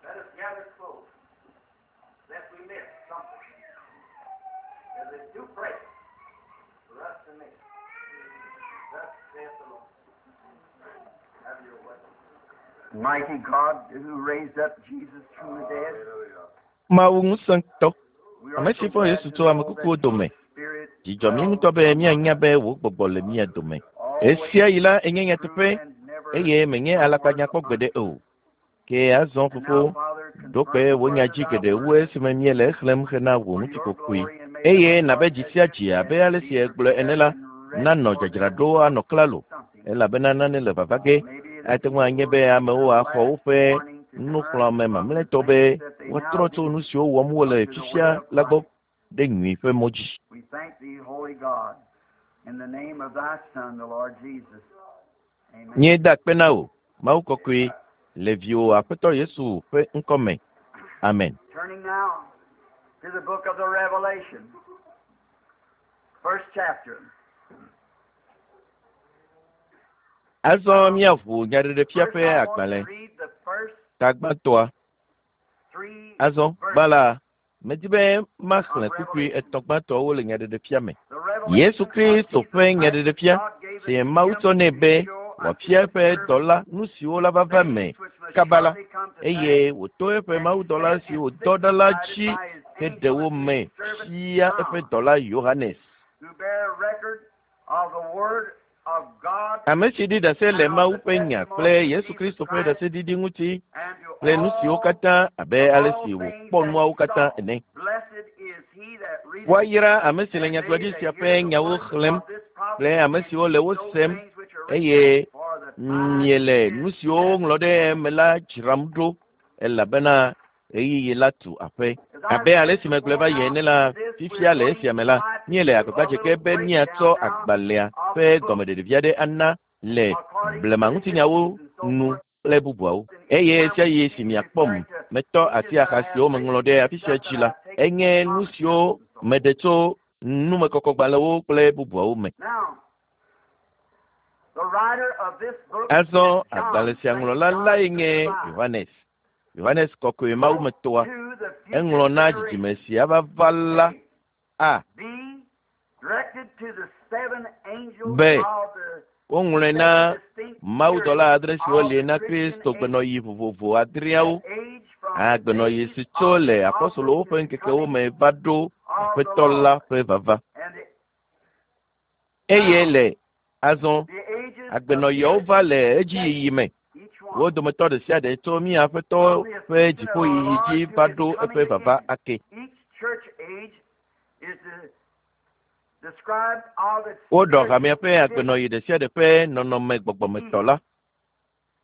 let us gather close, lest we miss something that is too precious for us to miss. Thus saith the Lord. Have your way. Mighty God who raised up Jesus from the dead. Mawu ŋusẽtɔ, We are ame so si fɔ glad Yesu to tso ame know kukuwo that your dome. Spirit Dzidzɔ mí dwells ŋutɔ be míanya among be us, wò gbɔgbɔ le mía dome. always Esia yi la enye true nyateƒe and never eye menye a word alakpanya kpɔ gbeɖe untruth. o. Ke azɔ And now, fofo, Father, ɖo confirm kpe the wò nya words of dzi thy geɖe wu word esime míele exlẽm hena wò for your ŋutikɔkɔe. glory, and may the Eye nabe hearts dzi as sia you dzi said abe ale be si ègblɔe ene prepared la, and ready nanɔ for there dzadzraɖo will anɔ klalo something. elabena nane le vava ge. Maybe the Ate ŋu people anye will be take amewo their axɔ last woƒe warning to turn nuxlɔ̃ame from the mamlɛtɔ be things that they now woatrɔ tso do nu siwo wɔm wole unto the way fifia of la gbɔ Christ. ɖe nyui ƒe mɔ dzi. We thank thee, holy God, in the name of thy Son, the Lord Jesus. Amen. Míeda akpe na wò, Mawu kɔkɔe, le viwò Aƒetɔ Yesu ƒe ŋkɔ me. Amen. Turning now to the book of the Revelation, first chapter. Azɔ míaʋu Nyaɖeɖefia First, ƒe I want to agbalẽ read the first ta gbãtɔa. three Azɔ gbã verses la, medi be maxlẽ of kpukpui Revelation. etɔ̃ gbãtɔwo le Nyaɖeɖefia me. The Yesu revelation of Kristo Jesus ƒe Christ which Nyaɖeɖefia God gave si unto Mawu him tsɔ nɛ to be show unto wòafia his eƒe servants dɔla nu siwo la va va me things which must kaba la, shortly come to pass. eye wòto eƒe And he mawudɔla sent si and wòdɔ ɖa la signified it dzi by his heɖe angel wo unto me his servant fia eƒe John, dɔla Yohanes. who bare record of the word of God Ame si ɖi ɖase le and of Mawu the ƒe nya testimony kple of Yesu Jesus Kristo ƒe Christ, ɖaseɖiɖi ŋuti and to kple nu siwo all katã abe of ale all si things wòkpɔ that nuawo he katã saw. ene. Blessed is he that readeth, Woayra ame si le and they nyagblɔɖi that sia hear ƒe the nyawo words xlẽm of this kple prophecy ame and siwo le keep wo those sem things which are written in eye it, for the time miele is nu siwo at woŋlɔ ɖe hand. eme la dzram ɖo elabena ɣeyiɣi la tu aƒe. As I Abe ale said si megblɔe before va yi now, ene la, in this we're fifia le going esia to me la, try to míele do a agbagba dze little ge be míatsɔ breakdown now agbalẽa of ƒe the book gɔmeɖeɖevi aɖe ana le according to blema the ŋutinyawo histories and so nu forth. kple bubuawo. And Eye each time sia we yi see si miakpɔm referring to metɔ pages asi that axa I have siwo meŋlɔ written, ɖe afi sia stuff dzi that la, I've taken enye from nu commentaries siwo and so forth. meɖe tso numekɔkɔgbalẽwo kple bubuawo me. Now, the writer of this book Azɔ is John, agbalẽ sia Saint ŋlɔla John lae the nye Divine, Yohanes. Yohanes kɔkɔe wrote mawumetɔa. to the future Eŋlɔ na generation. dzidzime sia va va la A, a B, directed to the seven angels be of the woŋlɔe seven na distinct mawudɔla periods adre siwo of li the na Christian Kristo age, gbenɔɣi vovovo adreawo the age from the agbenɔɣi days si tso of le the apɔstolowo apostles ƒe to the ŋkekewo coming me va ɖo of the Aƒetɔ la Lord. ƒe vava. And the, Eye now, le azɔ the ages agbenɔɣiawo appear va in le succession, edziyiyi me. each Wo one, dometɔ ɖe sia ɖe tso mía Aƒetɔ from the ƒe ascension of our dziƒoyiyi Lord dzi to va his ɖo eƒe coming vava again. ake. Each church age is the, described of its Woɖɔ hamea spiritual ƒe condition. agbenɔɣi ɖe sia ɖe ƒe nɔnɔme gbɔgbɔmetɔ E. la.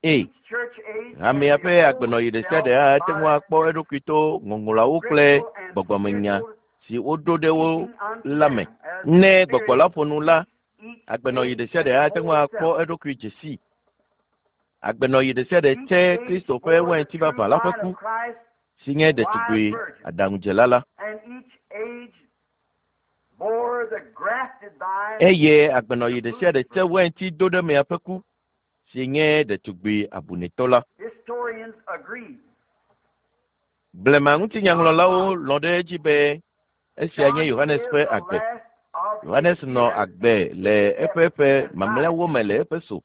E. Each church age can Hamea ƒe behold agbenɔɣi ɖe sia itself ɖe ate ŋu by akpɔ eɖokui to ŋɔŋlɔawo kple scriptural and gbɔgbɔmenya spiritual si woɖo ɖe wo teaching unto la me. them as the Ne gbɔgbɔ Spirit la ƒo nu la, teach each agbenɔɣi age ɖe sia and ɖe ate ŋu behold akpɔ itself. eɖokui dze sii. Agbenɔɣi ɖe sia ɖe Each tse age Kristo ƒe bore the wainti true vavã la ƒe vine ku of Christ, si nye the wise ɖetugbui virgin. aɖaŋudzela la. And each age bore the grafted vine, Eye agbenɔɣi the ɖe sia ɖe foolish tse virgin. wainti do ɖe mea ƒe ku si nye ɖetugbui abunɛtɔ la. Historians agree. Blema John ŋutinyaŋlɔlawo Gospel. lɔ̃ ɖe edzi be esia nye John Yohanes is ƒe the agbe. last of his Yohanes nɔ years agbe le at eƒe ƒe this time. mamlɛawo me le Efeso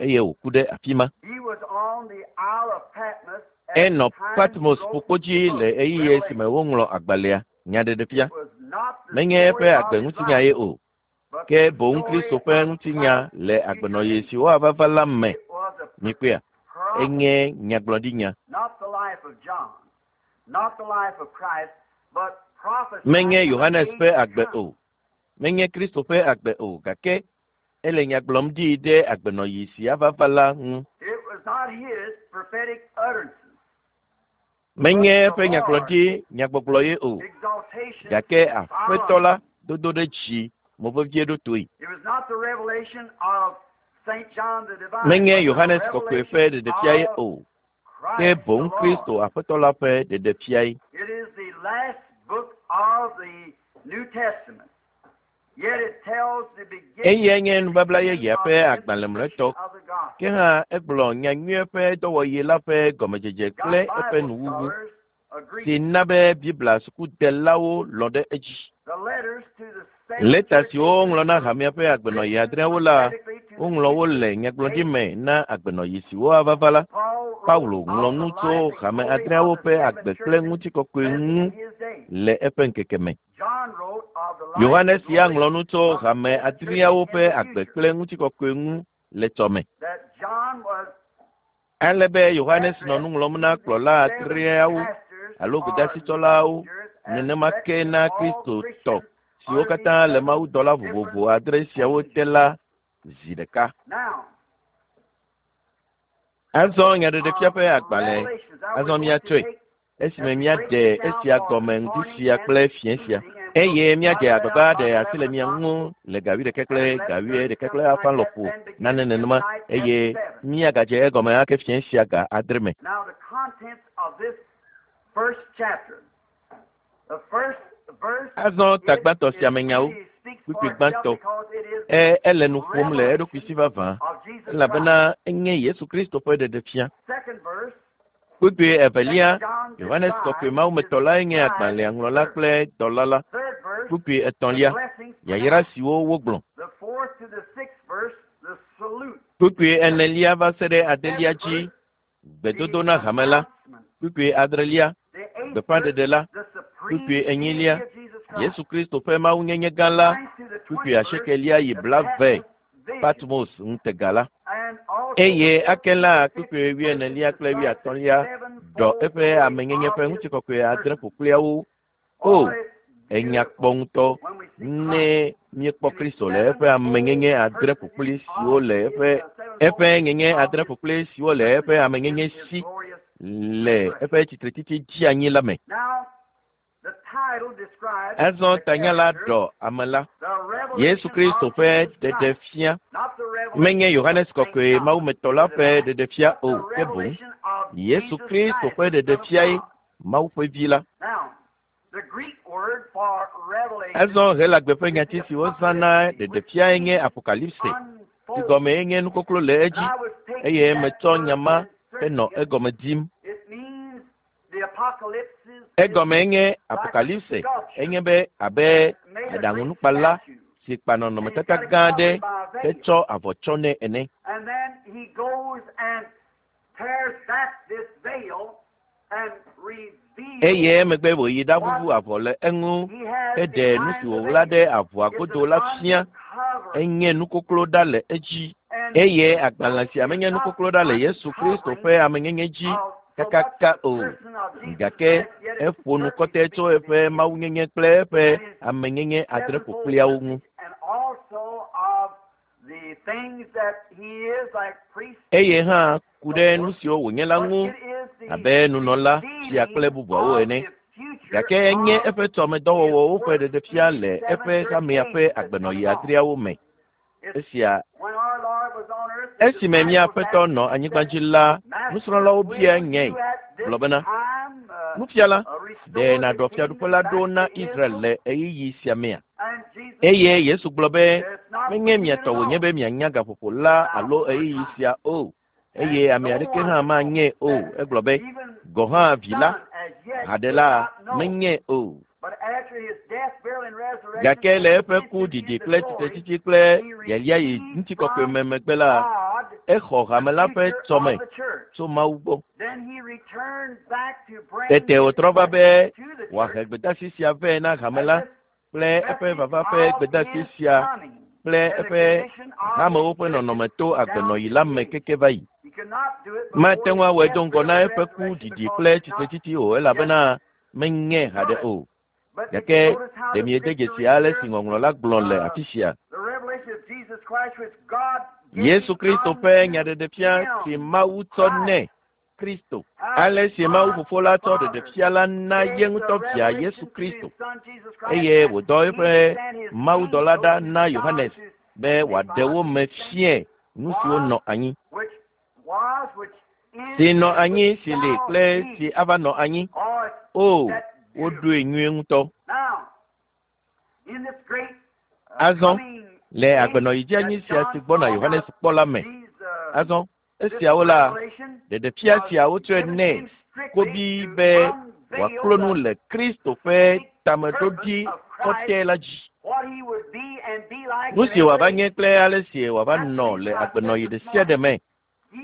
eye wòku ɖe afi ma. He was on the Isle of Patmos at the Enɔ time he Patmos wrote the ƒukpo dzi book, le ɣeyiɣi si me Revelation. woŋlɔ agbalẽa Nyaɖeɖefia. It was not the Menye story eƒe of agbe his ŋutinya life, ye o, but ke the boŋ story Kristo ƒe of ŋutinya Christ's le future agbenɔɣi age. si woava va la me. It was a Mikpɔea, prophecy, enye nyagblɔɖinya. not the life of John, not the life of Christ, but Menye prophesying of an Yohanes age ƒe to agbe come. o, menye Kristo ƒe agbe o, gake ele nya gblɔm ɖi ɖe agbenɔɣi si ava va la ŋu. It was not his prophetic utterances, but Menye the eƒe Lord's nyagblɔɖi nyagbɔgblɔ ye o, exaltation gake Aƒetɔ followed la him. dodo ɖe dzi mo vevie ɖo toe. It was not the revelation of Saint John the Divine, Menye but the Yohanes kɔkɔe ƒe revelation ɖeɖefia ye of o, ke Christ the boŋ Lord. Kristo Aƒetɔ la ƒe ɖeɖefia ye. It is the last book of the New Testament. Yet it tells the beginning, Eyae nye the nubabla beginning yeyea of ƒe the agbalẽ institution mlɔetɔ. of the gospel. Ke hã egblɔ nyanyuie ƒe dɔwɔɣi la ƒe gɔmedzedze Got kple eƒe Bible nuwuwu scholars si agree. na be Biblia sukudelawo lɔ̃ ɖe edzi. The letters to the seven Lɛta church siwo ages woŋlɔ na were hamea ƒe agbenɔɣi written adreawo la, prophetically to the woŋlɔ wo future le nyagblɔɖi age. me na agbenɔɣi siwo ava va la. Paul wrote Paulo ŋlɔ of nu the tso life and hame glory of adreawo the ƒe seven agbe kple churches ŋutikɔkɔe present ŋu in his day. le eƒe ŋkeke me. John wrote of the life and Yohanes ya glory ŋlɔ nu tso of the hame seven churches adreawo in ƒe the agbe future. kple ŋutikɔkɔe ŋu le tsɔme. That John was Ale be Yohanes nɔ addressed nu ŋlɔm na to the kplɔla seven adreawo pastors alo or gbedasitsɔlawo, leaders as nenema ke directed na all Kristotɔ Christians siwo under these katã le seven mawudɔla different vovovo adre siawo te angels. la zi ɖeka. Now, the Azɔ book Nyaɖeɖefia of ƒe agbalẽ, Revelations. Now azɔ we're going to míatsɔe take esime and break míaɖe it down esia for gɔme this ŋdi morning sia and kple this fiẽ sia evening, and we'll eye míadze start right agbagba out aɖe about asi le eleven mia o'clock ŋu le ga wuiɖekɛ and kple eleven ga thirty, wuiɖekɛ kple something afã like that, lɔƒo then begin nane nenema tonight at eye seven. míagadze egɔme ake fiẽ sia ga adre me. Now, the contents of this first chapter. The first verse, Azɔ it, tagbãtɔ sia it me nyawo, really speaks for kpukpui itself gbãtɔ, because it is e the ele nu ƒom le eɖokui si revelation vavã of Jesus Christ. elabena enye Yesu Kristo ƒe ɖeɖefia. Second verse, Kpukpui evelia, Saint John Yohanes kɔkɔe describes his mawumetɔ lae nye wise agbalẽa ŋlɔla servant. kple dɔla la. Third verse, Kpukpui the etɔ̃lia, blessings yayra pronounced. siwo wogblɔ. The fourth to the sixth verse, the salute. Kpukpui enelia va se ɖe adelia Seventh dzi, verse, gbedodo the na hame la. announcement. Kpukpui adrelia, The eighth verse, gbeƒãɖeɖe la. the Kpukpui supreme enyilia, deity of Jesus Christ. Yesu Kristo ƒe mawunyenye gã la. Ninth to the Kpukpui twentieth verse, asiekelia yi the blave, Patmos vision. Patmos ŋutega la. And also the Eye ake fifteenth la to kpukpui sixteenth verses wuienelia kple describe the wuiatɔ̃lia ɖɔ sevenfold eƒe glory amenyenye of ƒe his ŋutikɔkɔe adre person. ƒokpliawo. O, Oh, it's enya kpɔ beautiful ŋutɔ when we see ne Christ míekpɔ in his Kristo le eƒe amenyenye sevenfold adre personage ƒokpli siwo of le his eƒe uh, eƒe sevenfold nyenye of adre his ƒokpli siwo le eƒe personage in amenyenye his si glorious le resurrection. eƒe tsitretsitsi dzi anyi la me. Now, the title describes Azɔ the tanya la character, ɖɔ ame la, the Yesu revelation Kristo of ƒe Jesus Christ, ɖeɖefia. not the Menye revelation of Yohanes Saint kɔkɔe John mawumetɔ la the ƒe Divine, ɖeɖefia but o, the ke boŋ revelation of Yesu Jesus Kristo Christ, ƒe the Son of ɖeɖefiae God. Mawu ƒe vi la. Now, the Greek word for revelation Azɔ Helagbe ƒe is nyati the si wozã na apocalypse, which ɖeɖefiae nye means apokalipse, si unfold. gɔmee nye nukoklo le And edzi I was taking eye that metsɔ word nya ma and henɔ searching it. egɔme dim. It means the apocalypse is Egɔmee nye like a apokalipse, sculpture enye be abe that made a great aɖaŋunukpala statue. si kpa And he's nɔnɔmetata got it gã aɖe covered by a veil. hetsɔ avɔ tsɔ nɛ ene. And then he goes and tears back this veil and reveals Eye emegbe wòyi ɖaʋuʋu what avɔ le eŋu he has heɖe nu behind si the wòɣla veil. ɖe avɔa It's godo an la fia. uncovering. Enye nukoklo ɖa le edzi. And Eye this agbalẽ book sia is menye not nukoklo the ɖa le Yesu Kristo uncovering ƒe amenyenye dzi of so much kakaka the o, person of Jesus gake Christ, yet it eƒo nu certainly kɔtɛ tso speaks of eƒe his mawunyenye kple eƒe and his amenyenye adre sevenfold ƒokpliawo ŋu. message, and also of the things that he is, like priest, Eye hã ku so ɖe nu forth. siwo wònye la But ŋu it is the abe nunɔla, fia kple revealing bubuawo of ene. the future Gake enye of eƒe his tɔmedɔwɔwɔwo ƒe work ɖeɖefia in le the seven eƒe church hamea ƒe ages that's agbenɔɣi coming on. adreawo me. It's Esia when our Lord was on earth, Esime mía Aƒetɔ nɔ anyigba dzi la, nusrɔ̃lawo bia nyae gblɔ bena, Nufiala, ɖe nàɖɔ fiaɖuƒe la ɖo na Israel le ɣeyiɣi sia mea? Eye Yesu gblɔ be, menye mia tɔ wònye be mianya gaƒoƒo la alo ɣeyiɣi sia o, eye ame aɖeke hã manyae o. Egblɔ be, gɔ̃ hã vi la, haɖe la, menyae o. Gake le eƒe ku didi kple tsitretsitsi kple yayia yi ŋutikɔkɔe me megbe la, exɔ hame la ƒe tsɔme tso Mawu gbɔ. Tete wòtrɔ va be wòahe gbedeasi sia vɛ na hame la kple eƒe vava ƒe gbedeasi sia kple eƒe hamewo ƒe nɔnɔme to agbenɔɣi la me keke va yi. Mate ŋu awɔe do ŋgɔ na eƒe ku didi kple tsitretsitsi o elabena menyae haɖe o. Gake ɖe miede dzesi ale si ŋɔŋlɔ la gblɔ le afi sia. Yesu Kristo ƒe nyaɖeɖefia si Mawu tsɔ nɛ Kristo. Ale si Mawu Fofo la tsɔ ɖeɖefia la na ye ŋutɔ via Yesu Kristo eye wòdɔ eƒe mawudɔla ɖa na Yohanes be wòaɖe wo me fiae nu siwo nɔ anyi. Si nɔ anyi, si li kple si ava nɔ anyi. O, woɖoe nyuie ŋutɔ. Azɔ, le agbenɔɣi dzeanyi sia si gbɔna Yohanes kpɔ la me. Azɔ, esiawo la, ɖeɖefia sia wotsɔe nɛ kobi be wòaklo nu le Kristo ƒe tameɖoɖi kɔtɛ la dzi. Nu si wòava nye kple ale si wòava nɔ le agbenɔɣi ɖe sia ɖe me.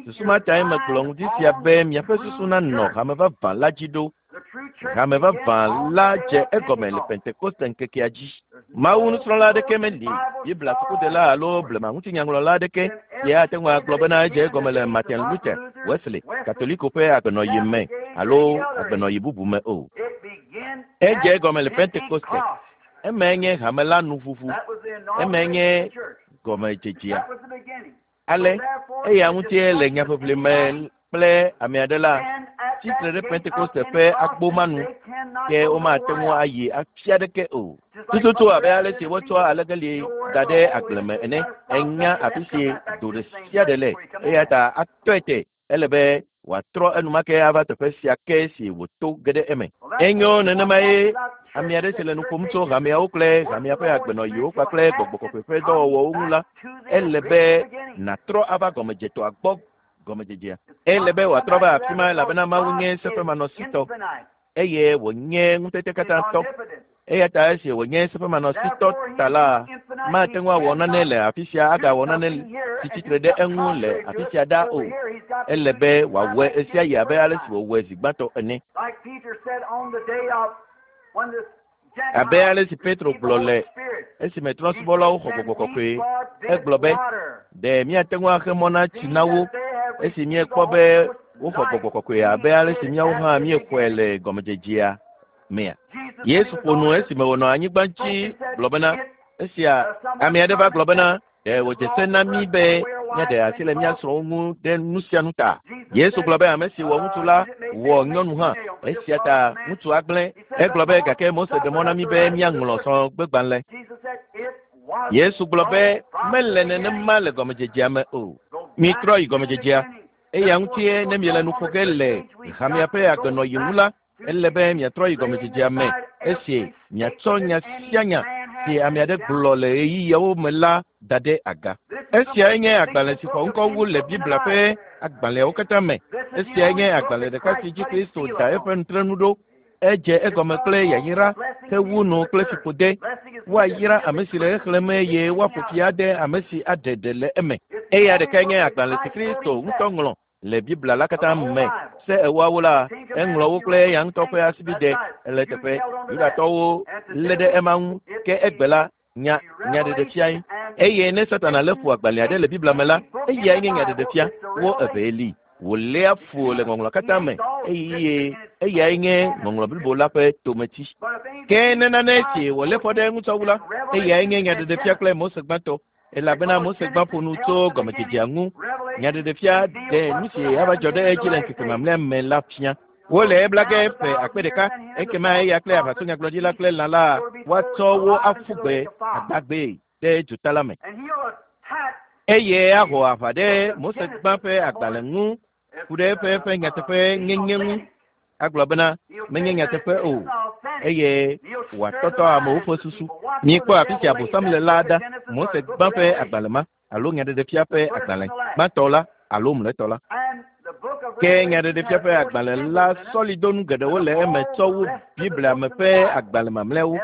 Susu ma tae megblɔ ŋdi sia be miaƒe susu nanɔ hame vavã la dzi ɖo. Hame vavã la dze egɔme le Pentekoste ŋkekea dzi. Mawu nusrɔ̃la aɖeke meli, Biblia sukudela alo blema ŋutinyaŋlɔla aɖeke si ate ŋu agblɔ bena edze egɔme le Martin Luther, Wesley, Katoliko ƒe agbenɔɣi me alo agbenɔɣi bubu me o. Edze egɔme le Pentekoste. Emae nye hame la nuʋuʋu. Emae nye gɔmedzedzea. Ale eya ŋutie le nyaʋiʋli me kple ame aɖe la, tsitre ɖe Pentekoste ƒe agbo ma nu, ke womate ŋu ayi afi aɖeke o. Tututu abe ale si wotsɔ alegeli da ɖe agble me ene, enya afi si do ɖe sia ɖe le, eya ta atɔe te ele be wòatrɔ enumake ava teƒe sia ke si wòto ge ɖe eme. Enyo nenema ye ame aɖe si le nu ƒom tso hameawo kple hamea ƒe agbenɔɣiwo kpakple gbɔgbɔ kɔkɔe ƒe dɔwɔwɔwo ŋu la, ele be nàtrɔ ava gɔmedzetɔa gbɔ gɔmedzedzea. Ele be wòatrɔ va afi ma elabena Mawu nye seƒemanɔsitɔ eye wònye ŋutete katã tɔ. Eya ta esi wònye seƒemanɔsitɔ ta la, mate ŋu awɔ nane le afi sia agawɔ nane si tsitre ɖe eŋu le afi sia ɖa o. Ele be wòawɔe ɣesia ɣi abe ale si wòwɔe zi gbãtɔ ene. Abe ale si Petro gblɔ le esime trɔ̃subɔlawo xɔ gbɔgbɔ kɔkɔe, egblɔ be, ɖe míate ŋu axe mɔ na tsi na wo esi míekpɔ be woxɔ gbɔgbɔ kɔkɔe abe ale si míawo hã míexɔe le gɔmedzedzea mea? Yesu ƒo nu esime wònɔ anyigba dzi gblɔ bena, esia ame aɖe va gblɔ bena, ɖe wòdze se na mí be míaɖe asi le mía srɔ̃wo ŋu ɖe nu sia nu ta. Yesu gblɔ be ame si wɔ ŋutsu la wɔ nyɔnu hã. Esia ta ŋutsu agblẽ. Egblɔ be gake Mose ɖe mɔ na mí be míaŋlɔ srɔ̃gbegbalẽ. Yesu gblɔ be mele nenema le gɔmedzedzea me o. Mitrɔ yi gɔmedzedzea. Eya ŋutie ne miele nu ƒo ge le hamea ƒe agbenɔɣi ŋu la, ele be miatrɔ yi gɔmedzedzea me esi miatsɔ nya sia nya si ame aɖe gblɔ le ɣeyiɣiawo me la da ɖe aga. Esiae nye agbalẽ si xɔ ŋkɔ wu le Biblia ƒe agbalẽawo katã me. Esiae nye agbalẽ ɖeka si dzi Kristo da eƒe nutrenu ɖo. Edze egɔme kple yayra hewu nu kple fiƒode. Woayra ame si le exlẽm eye woaƒo fi ade ame si aɖe ɖe le eme. Eya ɖekae nye agbalẽ si Kristo ŋutɔ ŋlɔ le Biblia la katã me. Se ewoawo la, eŋlɔ wo kple eya ŋutɔ ƒe asibide le teƒe. Yudatɔwo lé ɖe ema ŋu ke egbe la, nya nyaɖeɖefiae. Eye ne Satana lé fu agbalẽ aɖe le Biblia me la, eyae nye nyaɖeɖefia. Wo evee li. Wòléa fu le ŋɔŋlɔ katã me eye eyae nye ŋɔŋlɔ blibo la ƒe tometsi. Ke ne nane si wòlé fɔ ɖe ŋutɔ wu la, eyae nye nyaɖeɖefia kple Mose gbãtɔ. Elabena Mose gbã ƒo nu tso gɔmedzedzea ŋu. Nyaɖeɖefia ɖe nu si ava dzɔ ɖe edzi le ŋkeke mamlɛa me la fia. Wole ebla ge ƒe akpe ɖeka, ekema eya kple aʋatsonyagblɔɖila kple lã la woatsɔ wo aƒu gbe agbagbee ɖe dzota la me. Eye axɔ aʋa ɖe Mose gbã ƒe agbalẽ ŋu ku ɖe eƒe eƒe nyateƒe nyenye ŋu. Agblɔ bena menye nyateƒe o eye wòatɔtɔ amewo ƒe susu. Míekpɔ afi si Abosam le la ɖa. Mose gbã ƒe agbalẽ ma alo Nyaɖeɖefia ƒe agbalẽ gbãtɔ la alo mlɔetɔ la. Ke Nyaɖeɖefia ƒe agbalẽ la sɔlidonu geɖewo le eme tsɔ wu Biblia me ƒe agbalẽ mamlɛawo.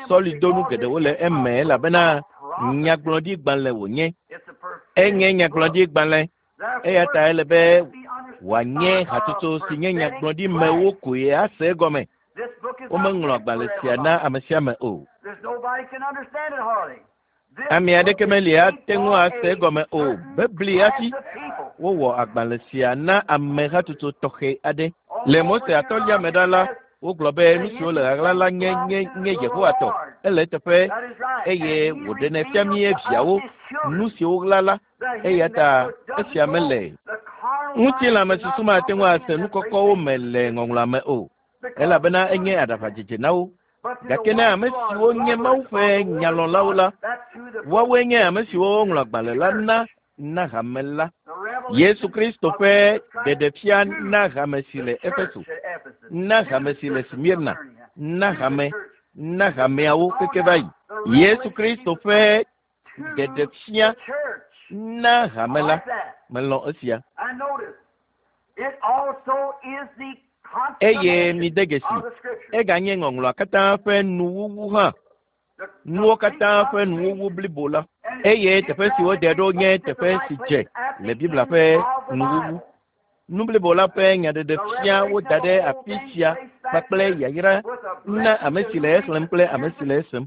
Sɔlidonu geɖewo le eme elabena nyagblɔɖigbalẽ wònye. Enye nyagblɔɖigbalẽ eya ta ele be wòanye hatsotso si nye nyagblɔɖimewo koe ase egɔme. Womeŋlɔ agbalẽ sia na ame sia ame o. Ame aɖeke meli ate ŋu ase egɔme o. Bebli hafi wowɔ agbalẽ sia na ame hatsotso tɔxɛ aɖe. Le Mose atɔ̃lia me ɖa la, wogblɔ be nu siwo le ɣaɣla la nye nye nye Yehowa tɔ. Ele eteƒe eye wòɖenɛ fia mí viawo nu siwo ɣla la. Eya ta esia mele. Ŋutilãmesusu mate ŋu ase nu kɔkɔwo me le ŋɔŋlɔa me o, elabena enye aɖaʋadzedze na wo. Gake ne ame siwo nye Mawu ƒe nyalɔ̃lawo la, woawoe nye ame siwo woŋlɔ agbalẽ la na na hame la. Yesu Kristo ƒe ɖeɖefia na hame si le Efeso, na hame si le Smirna, na hame, na hameawo keke va yi. Yesu Kristo ƒe ɖeɖefia na hame la. Melɔ̃ esia. Eye mide dzesi, eganye ŋɔŋlɔa katã ƒe nuwuwu hã. Nuwo katã ƒe nuwuwu blibo la. Eye teƒe si wode ɖo nye teƒe si dze le Biblia ƒe nuwuwu. Nu blibo la ƒe nyaɖeɖefia woda ɖe afi sia kpakple yayra na ame si le exlẽm kple ame si le esem.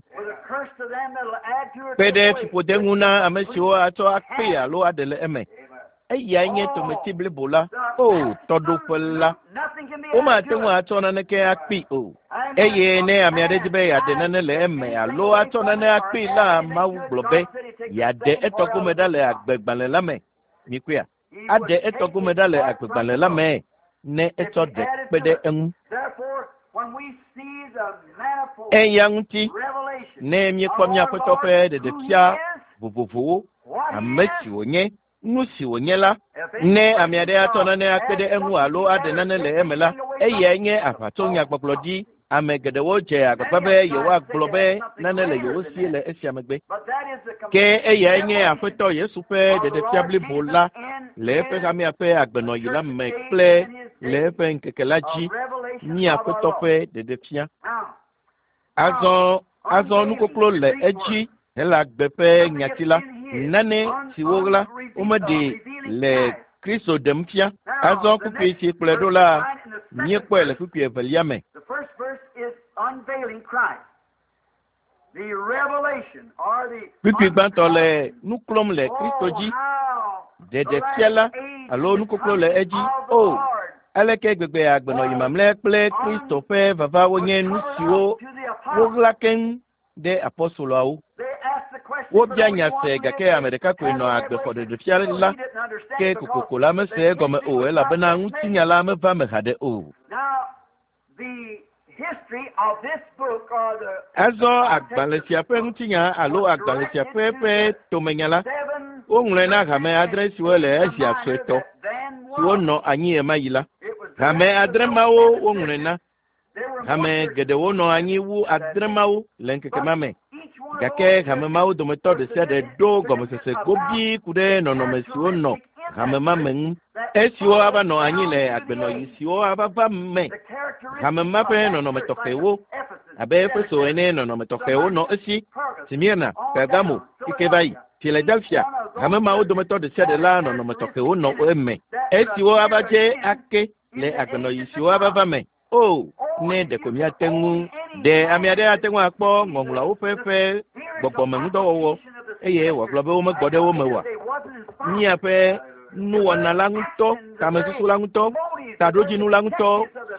Kpe ɖe fiƒode ŋu na ame siwo atsɔ akpee alo aɖe le eme. Eyae nye tometi blibo la, o tɔɖoƒe la. Womate ŋu atsɔ naneke akpee o. Eye ne ame aɖe di be yeaɖe nane le eme alo atsɔ nane akpee la, Mawu gblɔ be yeaɖe etɔ gome ɖa le agbegbalẽ la me. Mikpɔea? Aɖe etɔ gome ɖa le agbegbalẽ la me ne etsɔ ɖe kpe ɖe eŋu. Eya ŋuti ne míekpɔ mía Aƒetɔ ƒe ɖeɖefia vovovowo, ame si wònye, nu si wònye la, ne ame aɖe atsɔ nane akpe ɖe eŋu alo aɖe nane le eme la, eyae nye aʋatsonyagbɔgblɔ dzi. Ame geɖewo dze agbagba be yewoagblɔ be nane le yewo si le esia megbe. Ke eyae nye Aƒetɔ Yesu ƒe ɖeɖefia blibo la le eƒe hamea ƒe agbenɔɣi la me kple le eƒe ŋkeke la dzi, mía Aƒetɔ ƒe ɖeɖefia. Azɔ azɔ nukoklo le edzi Helagbe ƒe nyati la, nane si woɣla womeɖe le Kristo ɖem fia. Azɔ kpukpui si kplɔe ɖo la, míekpɔe le kpukpui evelia me. Kpukpui gbãtɔ le nu klom le Kristo dzi, ɖeɖefia la alo nukoklo le edzi. O, aleke gbegbe agbenɔɣi mamlɛ kple Kristo ƒe vava wonye nu siwo woɣla keŋ ɖe apɔstoloawo. Wobia nya se gake ame ɖeka koe nɔ agbe xɔ ɖeɖefia la, ke kokoko la mese egɔme o elabena ŋutinya la meva me haɖe o. Azɔ agbalẽ sia ƒe ŋutinya alo agbalẽ sia ƒe ƒe tomenya la, woŋlɔe na hame adre siwo le Asia suetɔ siwo nɔ anyi ɣemaɣi la. Hame adre mawo woŋlɔe na. Hame geɖewo nɔ anyi wu adre mawo le ŋkeke ma me. Gake hame mawo dometɔ ɖe sia ɖe ɖo gɔmesese gobii ku ɖe nɔnɔme siwo nɔ hame ma me ŋu. Esiwo ava nɔ anyi le agbenɔɣi siwo ava va me. Hame ma ƒe nɔnɔme tɔxɛwo abe Efeso ene nɔnɔme tɔxɛwo nɔ esi, Smirna, Pergamo, keke va yi, Philadelphia. Hame mawo dometɔ ɖe sia ɖe la nɔnɔme tɔxɛwo nɔ eme. Esiwo ava dze ake le agbenɔɣi siwo ava va me. O, ne ɖeko míate ŋu ɖe ame aɖe ate ŋu akpɔ ŋɔŋlɔawo ƒe ƒe gbɔgbɔmeŋudɔwɔwɔ eye wòagblɔ be womegbɔ ɖe wo me oa? Míaƒe nuwɔna la ŋutɔ, tamesusu la ŋutɔ, taɖodzinu la ŋutɔ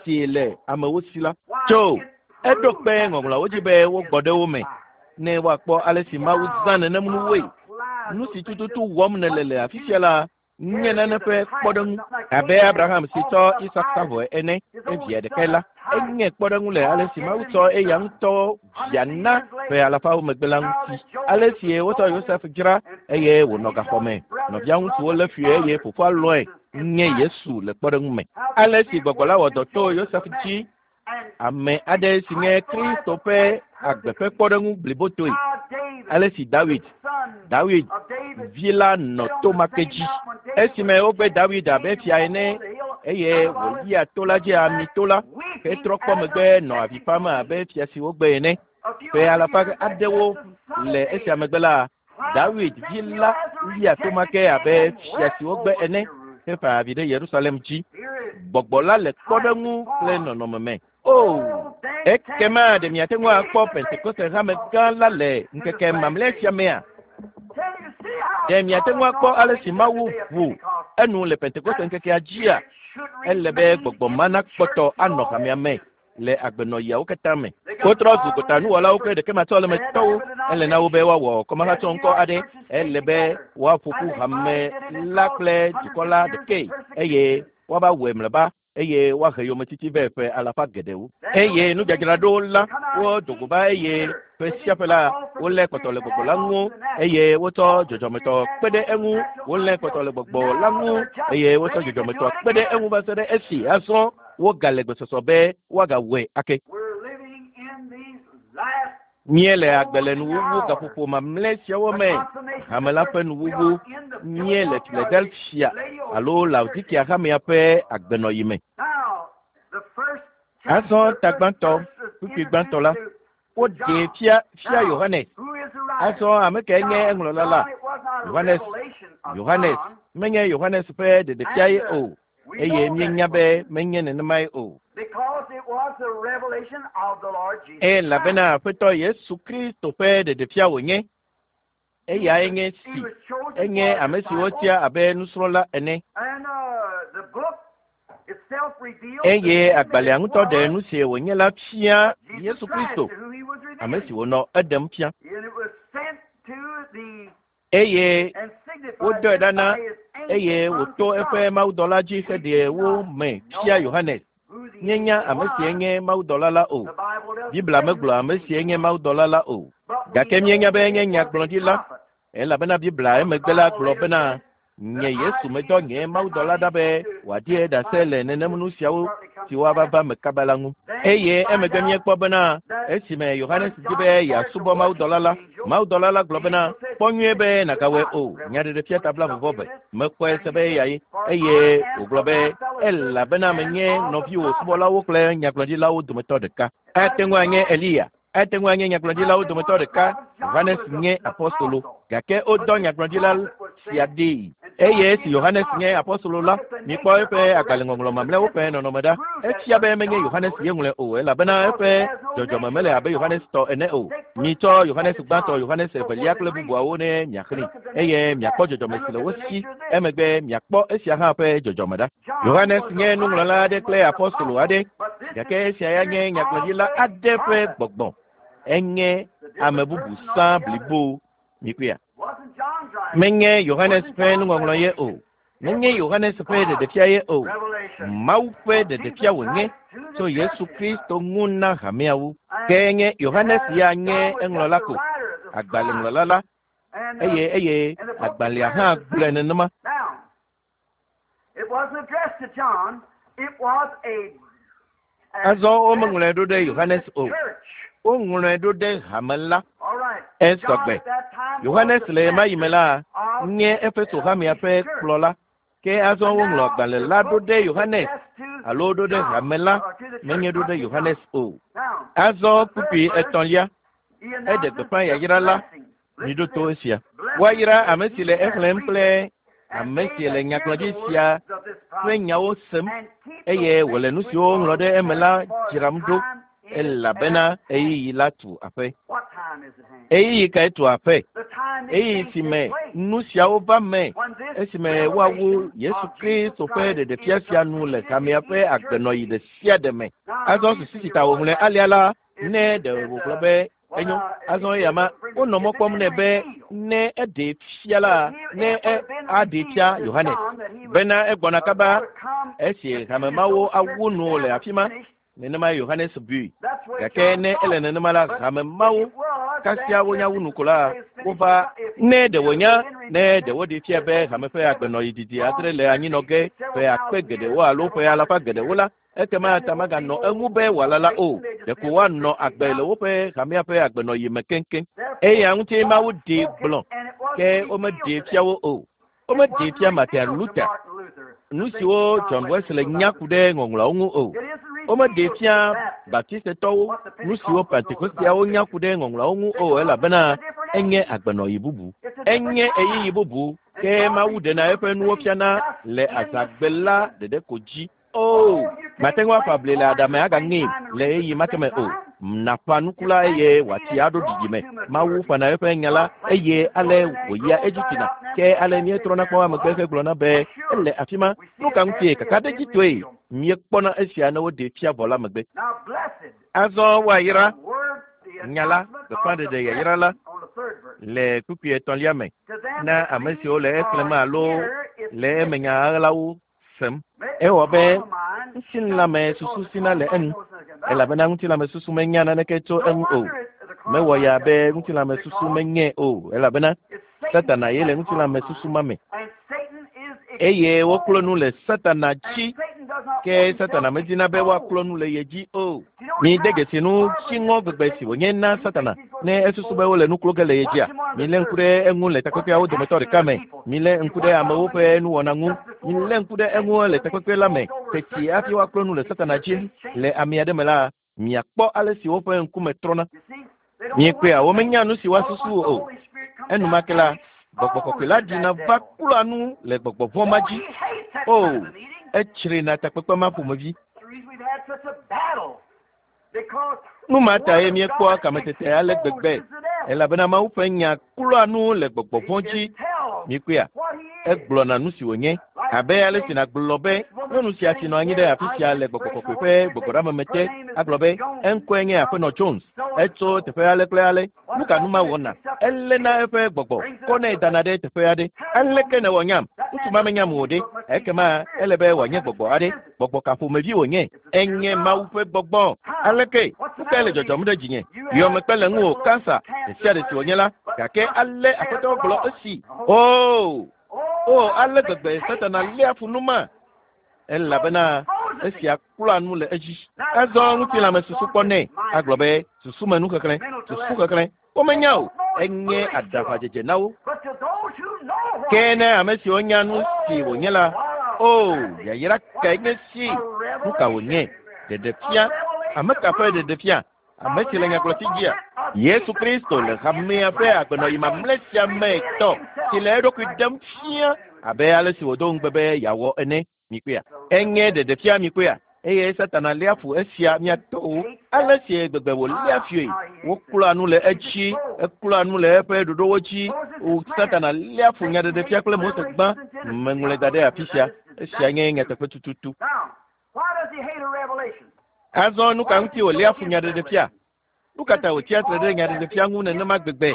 si le amewo si la. Tso eɖo kpe ŋɔŋlɔawo dzi be wogbɔ ɖe wo me ne woakpɔ ale si Mawu zã nenem nuwoe. Nu si tututu wɔm nèle le afi sia la, Nye nane ƒe kpɔɖeŋu abe Abraham si tsɔ Isak sa vɔe ene evia ɖekae la enye kpɔɖeŋu le ale si Mawu tsɔ eya ŋutɔ via na ƒe alafawo megbe la ŋuti. Ale si wotsɔ Yosef dzra eye wònɔ gaxɔ me. Nɔvia ŋutsuwo lé fui eye fofoa lɔ̃e nye Yesu le kpɔɖeŋu me. Ale si gbɔgbɔ la wɔ dɔ to Yosef dzi ame aɖe si nye Kristo ƒe agbe ƒe kpɔɖeŋu blibotoe. Ale si Dawid Dawid vi la nɔ to ma ke dzi. Esime wogbe Dawid abe fia ene eye wòyia to la dzi amito la hetrɔ kpɔ megbe nɔ avi fam abe fia si wogbe ene. Ƒe alafa aɖewo le esia megbe la Dawid vi la lia to ma ke abe fia si wogbe ene hefa avi ɖe Yerusalem dzi. Gbɔgbɔ la le kpɔɖeŋu kple nɔnɔme me. O, ekema ɖe miate ŋu akpɔ Pentekoste hame gã la le ŋkeke mamlɛ sia mea? Ɖe miate ŋu akpɔ ale si Mawu ʋu enu le Pentekoste ŋkekea dzia? Ele be gbɔgbɔ ma nakpɔtɔ anɔ hamea me le agbenɔɣiawo katã me. Wotrɔ zu gotanuwɔlawo kple ɖekematsɔlemetɔwo. Ele na wo be woawɔ kɔmahatsɔŋkɔ aɖe. Ele be woaƒo ƒu hame la kple dukɔ la ɖekae eye woava wɔe mlɔeba eye woahe yometiti vɛ ƒe alafa geɖewo. Eye nudzadzraɖo la wodo go va eye ƒe sia ƒe la wolé kpɔtɔ le gbɔgbɔ la ŋu eye wotsɔ dzɔdzɔmetɔ kpe ɖe eŋu. Wolé kpɔtɔ le gbɔgbɔ la ŋu eye wotsɔ dzɔdzɔmetɔ kpe ɖe eŋu va se ɖe esi azɔ wogale gbesɔsɔ be woagawɔe ake. We're living in these last Míele agbe le nuwuwu gaƒoƒo mamlɛ siawo me. Hame la ƒe nuwuwu míele Philadelphia alo Laodikea hamea ƒe agbenɔɣi me. Now, the first Azɔ ta gbãtɔ, kpukpui gbãtɔ la, woɖee fia fia Yohanes. Who is the writer? Azɔ ame kae nye eŋlɔla la? John, it was not a Yohanes. revelation of Yohanes John. menye Yohanes ƒe ɖeɖefia ye o We eye know that míenya it be wasn't, menye nenemae o. because it was the revelation of the Lord Jesus Elabena Aƒetɔ Yesu Kristo ƒe ɖeɖefia wònye. Eyae nye He si was chosen enye for ame si disciple, wotia abe nusrɔ̃la ene. and uh, the book itself reveals Eye to him agbalẽa that it ŋutɔ ɖe was nu si wònye la fia Jesus Yesu Christ Kristo, to whom he was ame revealing. si wònɔ eɖem fia. And it was sent to the Eye and signified wodɔe this ɖa na by his angel eye unto wòto eƒe John, mawudɔla dzi heɖe wo me fia Yohanes. who the Míenya angel ame sie was. nye mawudɔla la o. The Bible doesn't Biblia say who megblɔ the ame sie angel nye was. mawudɔla la o. But we Gake know míenya be that enye it was a nyagblɔɖila prophet. elabena Biblia The emegbe la Bible gblɔ later bena said nye that I, Yesu medɔ Jesus, nye sent my mawudɔla ɖa be angel to wòaɖie ɖase testify le nenem this nu siawo shortly come to siwo ava pass. va me kaba la ŋu. Then Eye we find emegbe out míekpɔ bena that esime Yohanes when di be John started to yeasubɔ worship mawudɔla la, the angel, mawudɔla la gblɔ the bena angel said, kpɔ nyuie be "This nàgawɔe not." o. Nyaɖeɖefia Revelation ta twenty-two, blaeve vɔ eve. I believe it is. Mekpɔe And se he be said, eyae "For I eye am wògblɔ of be thy fellow servants elabena and menye of the nɔviwò prophets." subɔlawo kple nyagblɔɖilawo dometɔ ɖeka. Ate ŋu anye Eliya, ate ŋu anye nyagblɔɖilawo Might be dometɔ one of the ɖeka. prophets. John Yohanes was a, nye an apostolo apostle. gake But wodɔ this nyagblɔɖila prophet was sia sent, ɖee. and John Eye esi being an Yohanes nye apostle, apostolo la, look at the mikpɔ nature eƒe of the rest agbalẽŋɔŋlɔ of his mamlɛawo ƒe epistle. nɔnɔme ɖa. Prove that it Efia be wasn't menye John Yohanes wrote ye it, ŋlɔe o elabena because eƒe it has no dzɔdzɔme nature mele like abe Yohanes John's. tɔ ene o. Take first Mitsɔ John, Yohanes second gbãtɔ, John, Yohanes so forth evelia and kple read. bubuawo ne And miaxlẽ look at the eye nature of miakpɔ that, dzɔdzɔme and si look le at wo the si nature of this. emegbe miakpɔ esia hã ƒe dzɔdzɔme ɖa. John Yohanes was a nye nuŋlɔla writer aɖe and kple was an apostolo apostle, aɖe but this is gake the esia ya nye spirit of nyagblɔɖila the aɖe ƒe prophet. gbɔgbɔ. Enye The ame different bubu person sã altogether. blibo. Mikpɔea? Wasn't John's writing. Menye Yohanes Wasn't ƒe John's nuŋɔŋlɔ ye o. revelation. It Menye was Yohanes ƒe God's ɖeɖefia ye o. revelation Mawu ƒe of ɖeɖefia Jesus wònye Christ to the tso Yesu churches. Kristo ŋu na hameawo. And Ke nye Yohanes uh, ya nye John was just eŋlɔla the ko, writer, the scribe. agbalẽŋlɔla la And, uh, eye eye and the book agbalẽa hã declares the gblɔe same. nenema. Now, it wasn't addressed to John. It was a Azɔ womeŋlɔe addressed ɖo ɖe to the Yohanes o. church. Woŋlɔe ɖo ɖe hame la. All right. Esɔ John gbe. at that time was Yohanes the le ɣemaɣi me pastor la of nye Efeso hamea his ƒe church. kplɔla. Ke azɔ And woŋlɔ now agbalẽ the la ɖo book ɖe is Yohanes addressed to alo ɖo ɖe John, hame la, or to the church, menye ɖo not ɖe to John. Yohanes o. Now, Azɔ the third kpukpui verse, etɔ̃lia he eɖe announces gbeƒã the yayra la. blessing. Listen Miɖo to to this. esia. Blessed Woayra is ame si he le that exlẽm kple readeth, and ame they si le that hear the nyagblɔɖi sia words of this ƒe prophecy, nyawo sem and keep eye those wòle things nu which siwo are woŋlɔ ɖe eme written la therein, for the dzram ɖo time is elabena at hand. ɣeyiɣi la tu aƒe. What time is at hand? Ɣeyiɣi kae tu aƒe? The time these Ɣeyiɣi things si take me place. nu siawo va me When this esime woawu revelation Yesu of Jesus Kristo ƒe Christ ɖeɖefia is sia nu le completed in hamea ƒe each church agbenɔɣi age. ɖe sia ɖe me. Now, Azɔ the susu reason si you ta wrote wòŋlɔe like alea la is ne he ɖe said, wògblɔ uh, be well, enyo uh, if azɔ he eya ma said, wonɔ mɔ if it kpɔm had nɛ be revealed, ne eɖee fia if la he, ne it would e have been aɖee revealed fia to Yohanes John Bena egbɔna kaba esi hamemawo awu nu le afi ma. Nenema Yohanes bui. Gake ne ele nenema la, hamemawo kasia wonya wu nu ko la, wova ne ɖe wònya ne ɖe woɖee fia be hame ƒe agbenɔɣi didi adre le anyinɔ ge ƒe akpe geɖewo alo ƒe alafa geɖewo la, ekema ta maganɔ eŋu be wòalala o. Ɖeko woanɔ agbe le woƒe hamea ƒe agbenɔɣi me keŋkeŋ. Eya ŋuti Mawu ɖee gblɔ, ke womeɖee fia wo o. Womeɖee fia Martin Luther nu siwo John Wesley nya ku ɖe ŋɔŋlɔawo ŋu o. Womeɖee fia Baptistetɔwo nu siwo Pentekosteawo nya ku ɖe ŋɔŋlɔawo ŋu o, elabena enye agbenɔɣi bubu, enye ɣeyiɣi bubu. Ke Mawu ɖena eƒe nuwo fiana le azãgbe la ɖeɖe ko dzi. O, mate ŋu aƒa bli le aɖame agaŋe le ɣeyiɣi ma ke me o. Naƒã nuku la eye wòatsi aɖo dzidzime. Mawu ƒãna eƒe nya la eye ale wòyia edzi tsina. Ke ale míetrɔna kpɔ megbe hegblɔna be ele afi ma. Nu ka ŋutie kakaɖedzitɔe míekpɔna esia ne woɖee fia vɔ la megbe. Azɔ woayra nya la, gbeƒãɖeɖe yayra la le kpukpui etɔ̃lia me na ame siwo le exlẽm alo le eme nya ɣaɣlawo sem. Ewɔ be ŋutilãme susu sina le enu, elabena ŋutilãme susu menya naneke tso eŋu o. Mewɔ ya be ŋutilãme susu menye o, elabena Satana ye le ŋutilãme susu ma me. Eye woklɔ nu le Satana dzi, ke Satana medina be woaklɔ nu le ye dzi o. Mide dzesi nu dziŋɔ gbegbe si wònye na Satana ne esusu be wole nu klo ge le ye dzia. Milé ŋku ɖe eŋu le takpekpeawo dometɔ ɖeka me. Milé ŋku ɖe amewo ƒe nuwɔna ŋu. Milé ŋku ɖe eŋu le takpekpe la me. Teti hafi woaklɔ nu le Satana dzi le ame aɖe me la, miakpɔ ale si woƒe ŋkume trɔna. Miekpɔea, womenya nu si woasusu o. Enumake la, gbɔgbɔ kɔkɔe la ɖina va klɔa nu le gbɔgbɔ vɔ̃ ma dzi. O, etsrina takpekpe ma ƒomevi. Nu ma tae míekpɔa kametete ale gbegbe, elabena Mawu ƒe nya klɔa nu le gbɔgbɔ vɔ̃ dzi. Miekpɔea, egblɔna nu si wònye. Abe ale si nàgblɔ be nyɔnu sia si nɔ anyi ɖe afi sia le gbɔgbɔ kɔkɔe ƒe gbɔgbɔɖeameme te agblɔ be eŋkɔe nye Aƒenɔ Jones, etso teƒe ale kple ale. Nu ka nu ma wɔna? Eléna eƒe gbɔgbɔ kɔnɛ dana ɖe teƒe aɖe. Aleke nèwɔ nyam? Ŋutsu ma menyam o ɖe. Ekema ele be wòanye gbɔgbɔ aɖe. Gbɔgbɔ ka ƒomevi wònye? Enye Mawu ƒe gbɔgbɔ. Aleke? Nu kae le dzɔdzɔm ɖe dzinye? Yɔmekpe le ŋuwò, kansa ɖe sia ɖe si wònye la, gake ale Aƒetɔ gblɔ esi. O, o, ale gbegbe Satana léa fu nu ma, elabena esia klɔa nu le edzi. Azɔ ŋutilãme susu kpɔ nɛ agblɔ be susume nuxexlẽ, susu xexlẽ. Womenya o, enye aɖaʋadzedze na wo. Ke ne ame siwo nya nu si wònye la, o, yayra kae nye si? Nu ka wònye? Ɖeɖefia. Ame ka ƒe ɖeɖefia? Ame si le nyagblɔti dzia? Yesu Kristo le hamea ƒe agbenɔɣi mamlɛ sia me tɔ si le eɖokui ɖem fia abe ale si wòdo ŋugbe be yeawɔ ene. Mikpɔea, enye ɖeɖefia. Mikpɔea, eye Satana léa fu esia miatɔwo. Ale si gbegbe wòléa fue, woklɔa nu le edzi, eklɔa nu le eƒe ɖoɖowo dzi. O, Satana léa fu nyaɖeɖefia kple Mose gbã. Meŋlɔe da ɖe afi sia. Esia nye nyateƒe tututu. Azɔ nu ka ŋuti wòléa fu nyaɖeɖefia? Nu ka ta wòtsia tre ɖe nyaɖeɖefia ŋu nenema gbegbe?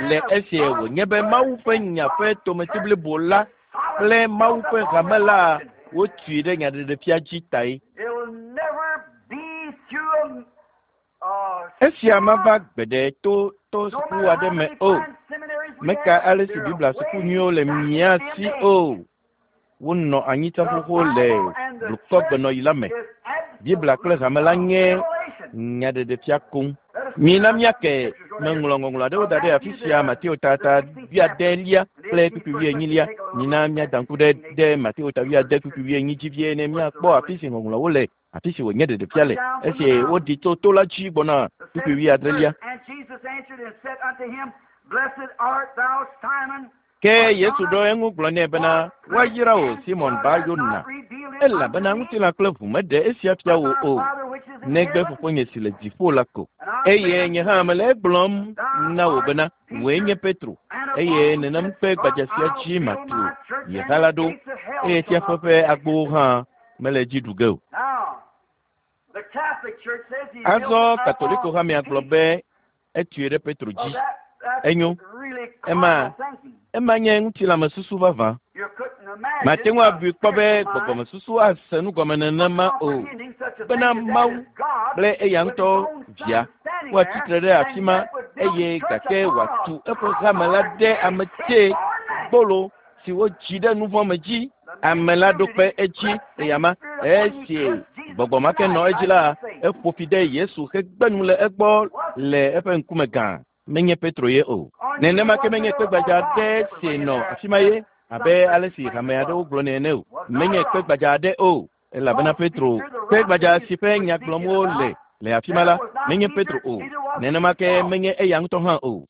Le esi wònye be Mawu ƒe nya ƒe tometi blibo la kple Mawu ƒe hame la wotui ɖe nyaɖeɖefia dzi tae. Esia mava gbeɖe to to suku aɖe me o. Meka ale si Biblia suku nyuiwo le mía si o. Wonɔ anyi tsã xoxo le blukɔgbenɔɣi la me. Biblia kple hame la nye nyaɖeɖefia koŋ. Mina míake meŋlɔ ŋɔŋlɔ aɖewo da ɖe afi sia Mateo tata wuiadelia kple kpukpui wuienyilia. Mina míada ŋku ɖe ɖe Mateo ta wuiade kpukpui wuienyi dzi vie ne míakpɔ afi si ŋɔŋlɔwo le, afi si wònye ɖeɖefia le. Esi woɖi tso to la dzi gbɔna kpukpui wuiadrelia. Ke Yesu ɖo eŋu gblɔ nɛ bena, woayra wò Simon Bar Yona, elabena ŋutilã kple ʋu meɖe esia fia wò o, negbe fofonye si le dziƒo la ko. Eye nye hã mele egblɔm na wò bena, wòe nye Petro, eye nenem ƒe gbadza sia dzi matu nye ha la ɖo, eye tsiaƒe ƒe agbowo hã mele dzi ɖu ge o. Azɔ Katoliko hamea gblɔ be etui ɖe Petro dzi. Enyo, ema ema nye ŋutilãmesusu vavã. Mate ŋu abui kpɔ be gbɔgbɔmesusu ase nu gɔme nenema o. Bena Mawu kple eya ŋutɔ via woatsi tre ɖe afi ma eye gake wòatu eƒe hame la ɖe ame tsɛ gbolo si wodzi ɖe nu vɔ̃ me dzi. Ame la ɖo kpe edzi eyama esi gbɔgbɔ ma ke nɔ edzi la eƒo fi ɖe Yesu hegbe nu le egbɔ le eƒe ŋkume gã. Menye Petro ye o. Nenema ke menye kpe gbadza aɖe si nɔ afi ma ye abe ale si hame aɖewo gblɔnɛ ene o. Menye kpe gbadza aɖe o elabena Petro kpe gbadza si ƒe nya gblɔm wole le afi ma la menye Petro o. Nenema ke menye eya ŋutɔ hã o.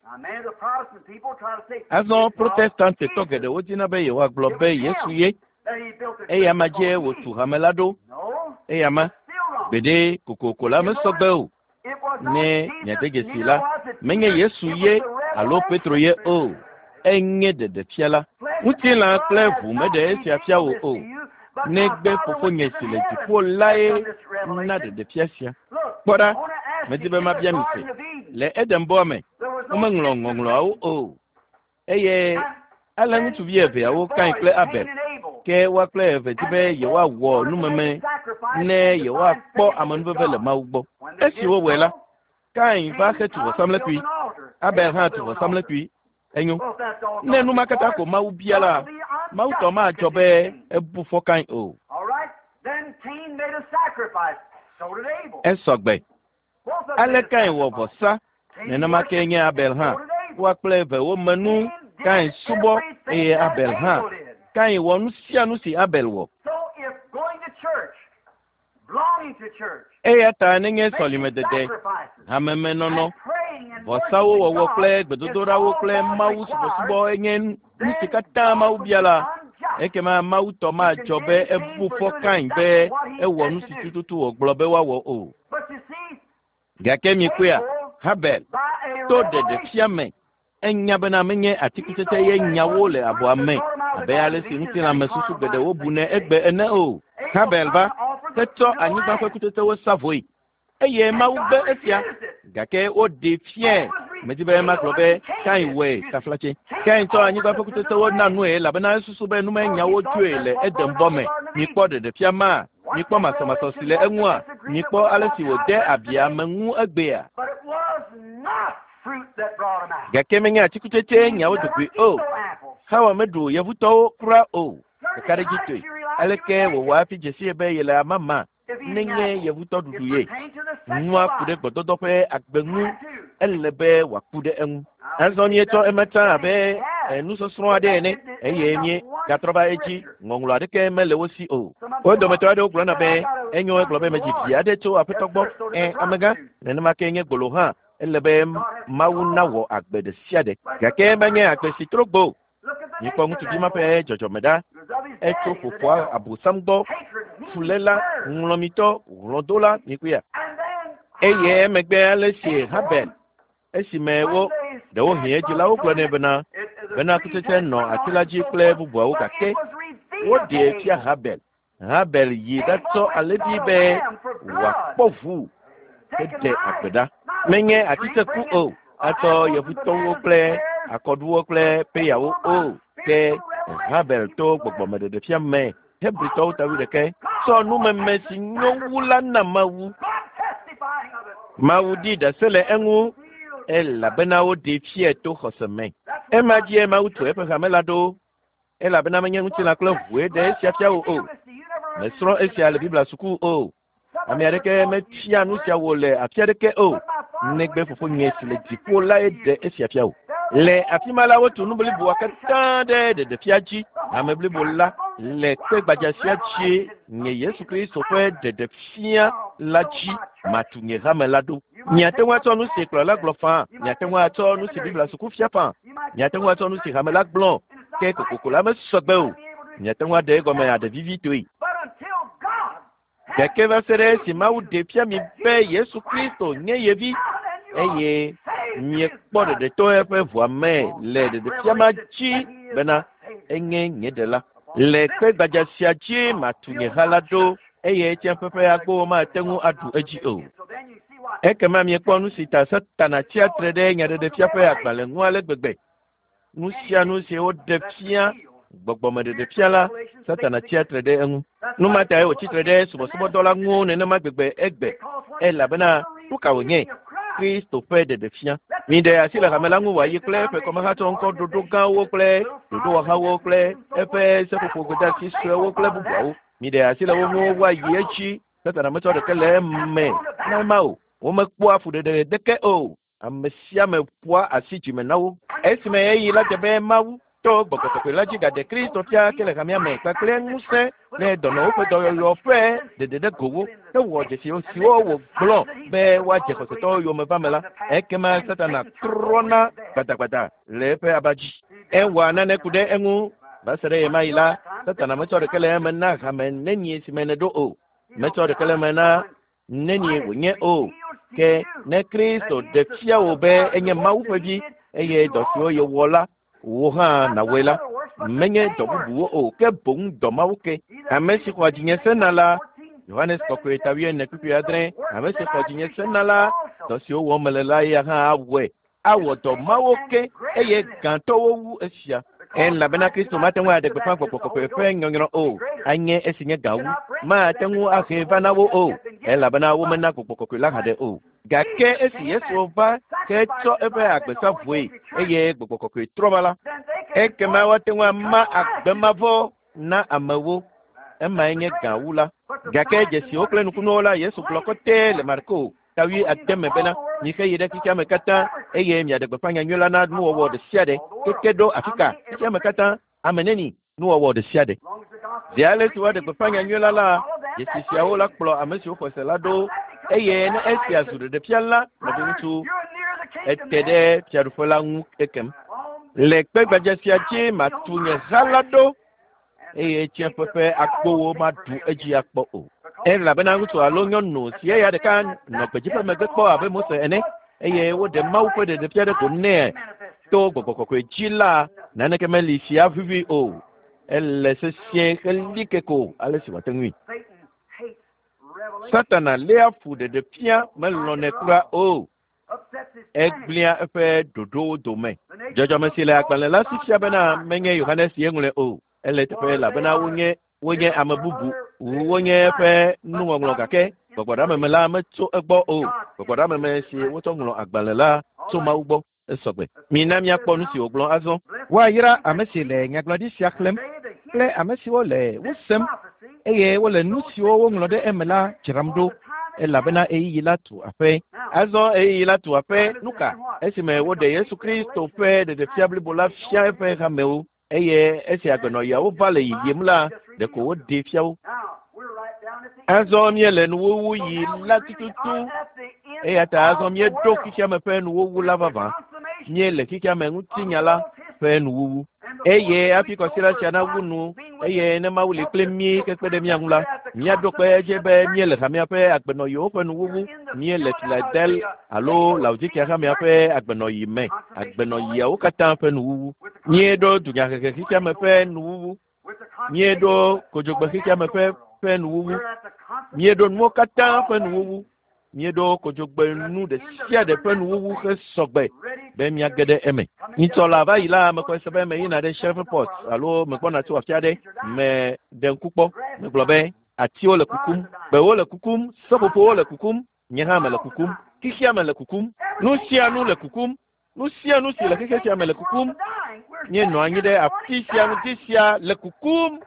Azɔ Protestantitɔ geɖewo dina be yewoagblɔ be Yesu ye eya ma dzie wòtu hame la ɖo. Eya ma gbeɖe kokoko la mesɔgbe o. Ne miade dzesi la, menye Yesu ye alo Petro ye o. Enye ɖeɖefia la. Ŋutilã kple ʋu meɖe esia fia wò o. Negbe fofonye si le dziƒo lae na ɖeɖefia sia. Kpɔ ɖa, medi be mabia mi se. Le Edenbɔa me, womeŋlɔ ŋɔŋlɔawo o. Eye ale ŋutsuvi eveawo Kain kple Abel ke woa kple eve di be yewoawɔ numeme ne yewoakpɔ amenuveve le Mawu gbɔ. Esi wowɔe la, Kain va hetu vɔsamlekpui, Abel hã tu vɔsamlekpui. Enyo. Ne nu ma katã ko Mawu bia la, Mawu tɔ madzɔ be ebu fɔ Kain o. Esɔgbe. Ale Kain wɔ vɔsa, nenema ke nye Abel hã. Woa kple eve wome nu, Kain subɔ eye Abel hã. Kain wɔ nu sia nu si Abel wɔ. Eya ta nenye sɔlimedede, hamemenɔnɔ, vɔsawo wɔwɔ kple gbedodoɖawo kple Mawu subɔsubɔ enye nu si katã Mawu bia la, ekema Mawu tɔ madzɔ be ebu fɔ Kain be ewɔ nu si tututu wògblɔ be woawɔ o. Gake mikpɔea, Habel to ɖeɖefia me enya bena menye atikutsetse ye nyawo le abɔa me abe ale si ŋutilãmesusu geɖewo bunɛ egbe ene o. Habel va hetsɔ anyigba ƒe kutsetsewo sa vɔe eye Mawu gbe esia gake woɖee fiae. Medi be magblɔ be Kain wɔe taflatse. Kain tsɔ anyigba ƒe kutsetsewo na nue elabena esusu be numenyawo tsoe le Edenbɔ me. Mikpɔ ɖeɖefia ma, mikpɔ masɔmasɔ si le eŋua, mikpɔ ale si wòde abi ame ŋu egbea. Gake menye atikutsetse nyawo dogoe o. Hawa meɖu yevutɔwo kura o. Ɖekaɖedzitɔe. Aleke wòwɔ hafi dze sie be yele amama nenye yevutɔ ɖuɖu ye? Nua ku ɖe gbɔdɔdɔ ƒe agbe ŋu, ele be wòaku ɖe eŋu. Azɔ míetsɔ ema tsã abe nusɔsrɔ̃ aɖe ene eye míegatrɔ va edzi. Ŋɔŋlɔ aɖeke mele wo si o. Wo dometɔ aɖewo gblɔna be enyo egblɔ be medzi vi aɖe tso aƒetɔ gbɔ. Ɛ amegã, nenema ke nye gbolo hã. Ele be Mawu nawɔ agbe ɖe sia ɖe. Gake menye agbe si trɔ gbo o. Mikpɔ ŋutsuvi ma ƒe dzɔdzɔme ɖa. Etso fofoa Abosam gbɔ, fuléla, ŋlɔmitɔ, hlɔ̃dola, mikpɔea. Eye emegbe ale si Habel esime wo ɖewohĩ edzilawo gblɔ nɛ bena bena kutsetse nɔ ati la dzi kple bubuawo gake woɖee fia Habel. Habel yi ɖatsɔ alẽvi be wòakpɔ ʋu heɖe agbe ɖa. Menye atitseku o, atsɔ yevutɔwo kple akɔɖuwo kple peyawo o. Ke Habel to gbɔgbɔmeɖeɖefia me Hebritɔwo ta wuiɖekɛ tsɔ numeme si nyo wu la na Mawu. Mawu ɖi ɖase le eŋu elabena woɖee fiae to xɔse me. Ema dzie Mawu tu eƒe hame la ɖo elabena menye ŋutilã kple ʋue ɖe esia fia wò o. Mesrɔ̃ esia le Biblia suku o. Ame aɖeke mefia nu sia wò le afi aɖeke o. Negbe fofonye si le dziƒo lae ɖe esia fia wò. Le afi ma la wotu nu bliboa katã ɖe ɖeɖefia dzi. Ame blibo la le kpe gbadza sia dzi nye Yesu Kristo ƒe ɖeɖefia la dzi matu nye hame la ɖo. Miate ŋu atsɔ nu si kplɔla gblɔ faa, miate ŋu atsɔ nu si Biblia suku fia faa, miate ŋu atsɔ nu si hame la gblɔ, ke kokoko la mesɔgbe o. Miate ŋu aɖe egɔme aɖe vivitoe. Gake va se ɖe esi Mawu ɖe fia mi be Yesu Kristo nye ye vi eye miekpɔ ɖeɖe to eƒe ʋua me le ɖeɖefia ma dzi bena enye nye ɖela. Le kpe gbadza sia dzi matu nye ha la ɖo eye tsiaƒe ƒe agbowo mate ŋu aɖu edzi o. Ekema miekpɔ nu si ta Satana tsia tre ɖe nyaɖeɖefia ƒe agbalẽ ŋu ale gbegbe. Nu sia nu si woɖe fia Gbɔgbɔmeɖeɖefia la, Satana tsia tre ɖe eŋu. Nu ma tae wòtsi tre ɖe subɔsubɔdɔ la ŋu nenema gbegbe egbe elabena nu ka wònye? Kristo ƒe ɖeɖefia. Miɖe asi le hame la ŋu wòayi kple eƒe kɔmehatsɔ ŋkɔ ɖoɖo gãwo kple ɖoɖowɔhawo kple eƒe seƒoƒo gbedeasi suewo kple bubuawo. Miɖe asi le wo ŋu woayi edzi. Satana metsɔ ɖeke le eme na ema o. Womekpɔa fuɖeɖe ɖeke o. Ame sia ame ƒoa asi dzime na wo. Esime ɣeyiɣi la dze be Mawu to gbɔgbɔ kɔkɔe la dzi gaɖe Kristo fia ke le hamea me kpakple ŋusẽ ne dɔnɔwo ƒe dɔyɔyɔ ƒe ɖeɖe ɖe go wo hewɔ dzesi siwo wògblɔ be woadze xɔsetɔwo yome va me la, ekema Satana trɔna gbadagbada le eƒe aba dzi. Ewɔa nane ku ɖe eŋu va se ɖe ɣemaɣi la, Satana metsɔ ɖeke le eme na hame nenie si me nèɖo o. Metsɔ ɖeke le eme na nenie wònye o. Ke ne Kristo ɖe fia wò be enye Mawu ƒe vi eye dɔ siwo yewɔ la wò hã nàwɔe la, menye dɔ bubuwo o, ke boŋ dɔ mawo ke. Ame si xɔa dzinye sena la, Yohanes kɔkɔe ta wuiene kpukpui adre, ame si xɔ dzinye sena la, dɔ siwo wɔm mele la eya hã awɔe. Awɔ dɔ mawo ke eye gãtɔwo wu esia. Elabena Kristo mate ŋu aɖe gbeƒã gbɔgbɔ kɔkɔe ƒe nyɔnyrɔ o, anye esi nye gã wu. Mate ŋu ahe va na wo o, elabena womena gbɔgbɔ kɔkɔe la haɖe o. Gake esi Yesu va hetsɔ eƒe agbe sa vɔe eye gbɔgbɔ kɔkɔe trɔ va la, ekema woate ŋu ama agbe mavɔ na amewo. Emae nye gã wu la. Gake dzesiwo kple nukunuwo la, Yesu gblɔ kɔtɛ le Marko ta wuiade me bena, mixe yi ɖe xexea me katã eye miaɖe gbeƒã nyanyui la na nuwɔwɔ ɖe sia ɖe. Keke ɖo afi ka? Xexea me katã, ame neni? Nuwɔwɔ ɖe sia ɖe. Zi ale si woaɖe gbeƒã nyanyui la la, dzesi siawo la kplɔ ame siwo xɔ se la ɖo eye ne esia zu ɖeɖefia la, nɔviŋutsu, ete ɖe fiaɖuƒe la ŋu kekem. Le kpe gbadza sia dzi matu nye ha la ɖo eye tsiẽƒe ƒe agbowo maɖu edzi akpɔ o. Elabena ŋutsu alo nyɔnu si eya ɖeka nɔ gbedzi ƒe megbe kpɔ abe Mose ene eye woɖe Mawu ƒe ɖeɖefia ɖe go nɛ to gbɔgbɔ kɔkɔe dzi la, naneke meli si avivi o. Ele sesĩe heli ke ko ale si wòate ŋui. Satana léa fu ɖeɖefia melɔ̃nɛ kura o. Egblẽa eƒe ɖoɖowo dome. Dzɔdzɔme si le agbalẽ la si fia bena menye Yohanes ye ŋlɔe o. Ele teƒe elabena wonye wonye ame bubu, wonye eƒe nuŋɔŋlɔ gake gbɔgbɔɖeameme la metso egbɔ o. Gbɔgbɔɖeameme si wotsɔ ŋlɔ agbalẽ la tso Mawu gbɔ. Esɔgbe. Mina míakpɔ nu si wògblɔ azɔ. Woayra ame si le nyagblɔɖi sia xlẽm kple ame siwo le wo sem eye wole nu siwo woŋlɔ ɖe eme la dzram ɖo elabena ɣeyiɣi la tu aƒe. Azɔ ɣeyiɣi la tu aƒe. Nu ka? Esime woɖe Yesu Kristo ƒe ɖeɖefia blibo la fia eƒe hamewo eye esi agbenɔɣiawo va le yiyim la, ɖeko woɖee fia wo. Azɔ míele nuwuwuɣi la tututu eya ta azɔ míeɖo xexea me ƒe nuwuwu la vavã. Míele xexea me ŋutinya la ƒe nuwuwu. Eye hafi kɔsiɖa sia nawu nu eye ne Mawu li kpli mí hekpe ɖe mía ŋu la, míaɖo kpe edzi be míele hamea ƒe agbenɔɣiwo ƒe nuwuwu. Míele Filadel alo Laodikea hamea ƒe agbenɔɣi me. Agbenɔɣiawo katã ƒe nuwuwu. Míeɖo dunyahehe xexea me ƒe nuwuwu. Míeɖo kodzogbe xexea me ƒe ƒe nuwuwu. Míeɖo nuwo katã ƒe nuwuwu. Míeɖo kodzogbe nu ɖe sia ɖe ƒe nuwuwu hesɔgbe be míage ɖe eme. Nyitsɔ la va yi la, mexɔe se be meyina ɖe Shreveport alo megbɔna tso afi aɖe meɖe ŋku kpɔ. Megblɔ be atiwo le kukum, gbewo le kukum, seƒoƒowo le kukum, nye hã mele kukum, xexea me le kukum, nu sia nu le kukum, nu sia nu si le xexe sia me le kukum. Míenɔ anyi ɖe afi sia ŋuti sia le kukum.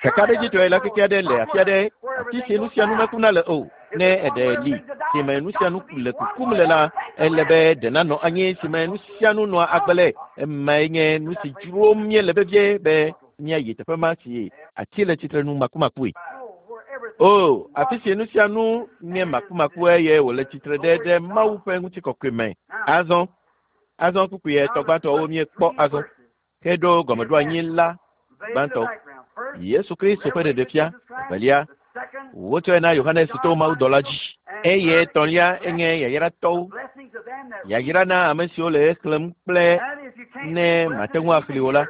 Kakaɖedzitɔe la keke aɖe le afi aɖe, afi si nu sia nu mekuna le o. Ne eɖe li si me nu sia nu le kukum le la, ele be ɖe nanɔ anyi si me nu sia nu nɔa agbe le. Emae nye nu si dzrom míele vevie be míayi teƒe ma si ati le tsitre nu makumakue. O, afi si nu sia nu nye makumaku eye wòle tsitre ɖe ɖe Mawu ƒe ŋutikɔkɔe me. Azɔ, azɔ kpukpui etɔ̃ gbãtɔwo míekpɔ azɔ heɖo gɔmeɖoanyi la gbãtɔ. Yesu Kristo ƒe ɖeɖefia. Evelia, wotsɔe na Yohanes to mawudɔla dzi. Eye etɔ̃lia enye yayratɔwo. Yayra na ame siwo le exlẽm kple ne mate ŋu axlẽe o la,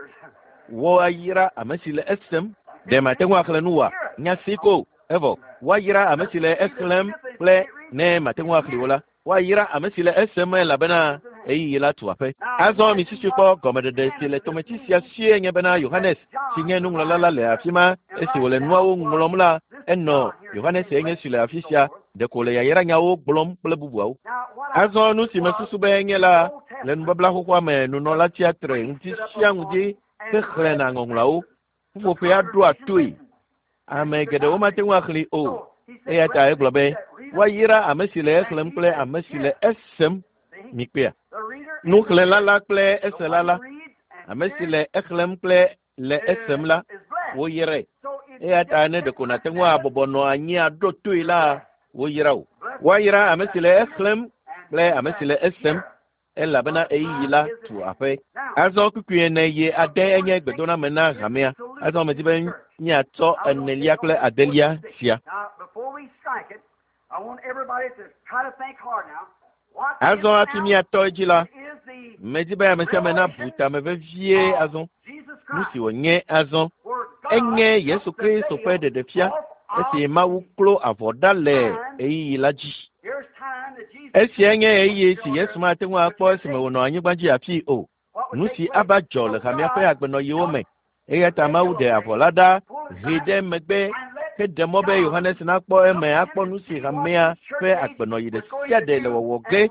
woayra ame si le esem. Ɖe mate ŋu axlẽ nu oa? Nya si ko evɔ. Woayra ame si le exlẽm kple ne mate ŋu axlẽe o la, woayra ame si le esem elabena Ɣeyiɣi la tu aƒe. Azɔ mi sisi kpɔ gɔmeɖeɖe si le tometsi sia sie nye bena Yohanes si nye nuŋlɔla la le afi ma esi wòle nuawo ŋlɔm la enɔ Yohanes enye si le afi sia ɖeko le yayranyawo gblɔm kple bubuawo. Azɔ nu si mesusu be nye la le nubabla xoxoa me nunɔla tsia tre ŋuti sia ŋuti hexlẽna ŋɔŋlɔawo. Ƒuƒoƒea ɖoa toe. Ame geɖewo mate ŋu axlẽe o. Eya ta egblɔ be woayra ame si le exlẽm kple ame si le esem. Mikpea. Nuxlẽla la kple esela la, ame si le exlẽm kple le esem la, woyrae. Eya ta ne ɖeko nàte ŋu abɔbɔ nɔ anyi aɖo toe la, woyra wò. Woayra ame si le exlẽm kple ame si le esem elabena ɣeyiɣi la tu aƒe. Azɔ kpukpui ene yi ade enye gbedoname na hamea. Azɔ medi be míatsɔ enelia kple adelia sia. Azɔ hafi míatɔ edzi la, medi be ame sia ame nabu tame vevie azɔ. Nu si wònye azɔ enye Yesu Kristo ƒe ɖeɖefia esi Mawu klo avɔ ɖa le ɣeyiɣi la dzi. Esia nye ɣeyiɣi si Yesu mate ŋu akpɔ esime wònɔ anyigba dzi afii o. Nu si ava dzɔ le hamea ƒe agbenɔɣiwo me. Eya ta Mawu ɖe avɔ la ɖa hee ɖe megbe heɖe mɔ be Yohanes nakpɔ eme akpɔ nu si hamea ƒe agbenɔɣi ɖe sia ɖe le wɔwɔ ge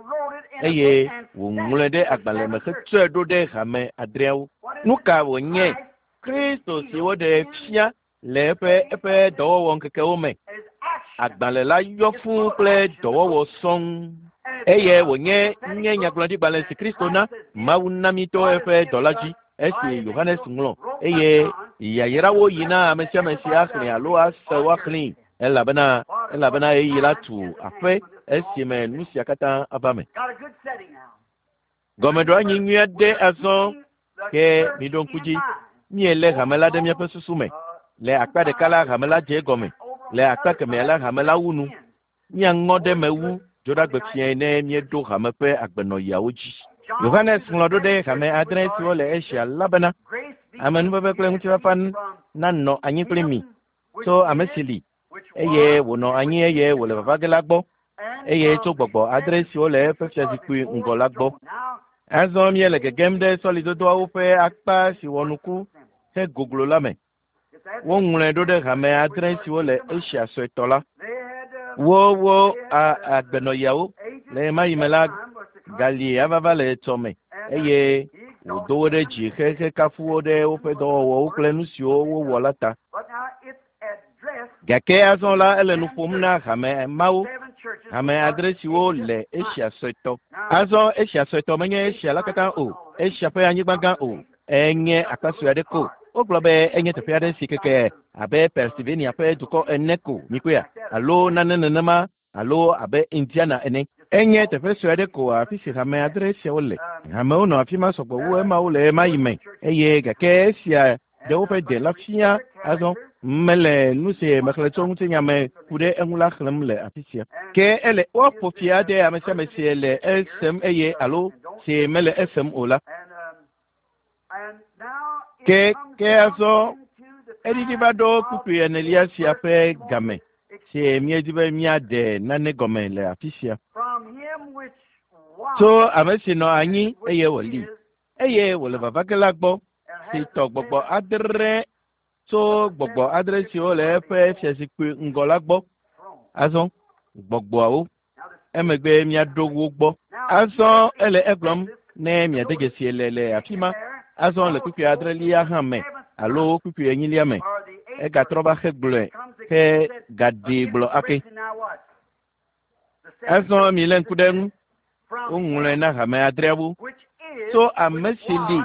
eye wòŋlɔe ɖe agbalẽ me hetsɔe ɖo ɖe hame adreawo. Nu ka wònye? Kristo si woɖe fia le eƒe eƒe dɔwɔwɔ ŋkekewo me. Agbalẽ la yɔ fũu kple dɔwɔwɔ sɔŋ. Eye wònye nye nyagblɔɖigbalẽ si Kristo na Mawu na mí to eƒe dɔla dzi esi Yohanes ŋlɔ eye yayrawo yi na ame sia ame si axlẽ alo ase woaxlẽe elabena elabena ɣeyiɣi la tu aƒe esime nu sia katã ava me. Gɔmeɖoanyi nyui aɖe azɔ ke miɖo ŋku dzi míelé hame la ɖe míaƒe susu me. Le akpa ɖeka la hame la dze egɔme, le akpa kemɛa la hame la wu nu. Míaŋɔ ɖe me wu dzoɖagbe fiae ne míeɖo hame ƒe agbenɔɣiawo dzi. Yohanes ŋlɔ ɖo ɖe hame adre siwo le Asia la bena amenuveve kple ŋutifafa nanɔ anyi kpli mi tso ame si li eye wònɔ anyi eye wòle vava ge la gbɔ eye tso gbɔgbɔ adre siwo le eƒe fiazikpui ŋgɔ la gbɔ. Azɔ míele gegem ɖe sɔlidodoawo ƒe akpa si wɔ nuku hegoglo la me. Woŋlɔe ɖo ɖe hame adre siwo le Asia suetɔ la. Wo wo a agbenɔɣiawo le ɣemaɣi me la gali ava le etsɔ me eye wòdo wo ɖe dzi hekafu wo ɖe woƒe dɔwɔwɔwo kple nu siwo wowɔ la ta. Gake azɔ la ele nu ƒom na hame mawo, hame adre siwo le Asia suetɔ. Azɔ Asia suetɔ menye Asia la katã o, Asia ƒe anyigba gã o, enye akpa sue aɖe ko. Wogblɔ be enye teƒe aɖe si keke abe Pennsylvania ƒe dukɔ ene ko mikpɔea alo nane nenema alo abe Indiana ene. Enye teƒe sue aɖe ko afi si hame adre siawo le. Hamewo nɔ afi ma sɔgbɔ wu emawo le ɣemaɣi me eye gake esia ɖe woƒe de la fia azɔ mele nu si mexlẽ tso ŋutinya me ku ɖe eŋu la xlẽm le afi sia. Ke ele woaƒo fi ade ame sia ame si le esem eye alo si mele esem o la. Ke ke azɔ eɖiɖi va ɖo kpukpui enelia sia ƒe game si míedi be míaɖe nane gɔme le afi sia. Tso ame si nɔ anyi eye wòli eye wòle vava ge la gbɔ si tɔ gbɔgbɔ adre tso gbɔgbɔ adre siwo le eƒe fiazikpui ŋgɔ la gbɔ. Azɔ gbɔgbɔawo emegbe míaɖo wo gbɔ. Azɔ ele egblɔm ne miade dzesi le le afi ma. Azɔ le kpukpui adrelia hã me alo kpukpui enyilia me egatrɔ va hegblɔe he gaɖee gblɔ ake. Azɔ milé ŋku ɖe eŋu. Woŋlɔe na hame adreawo tso ame si li,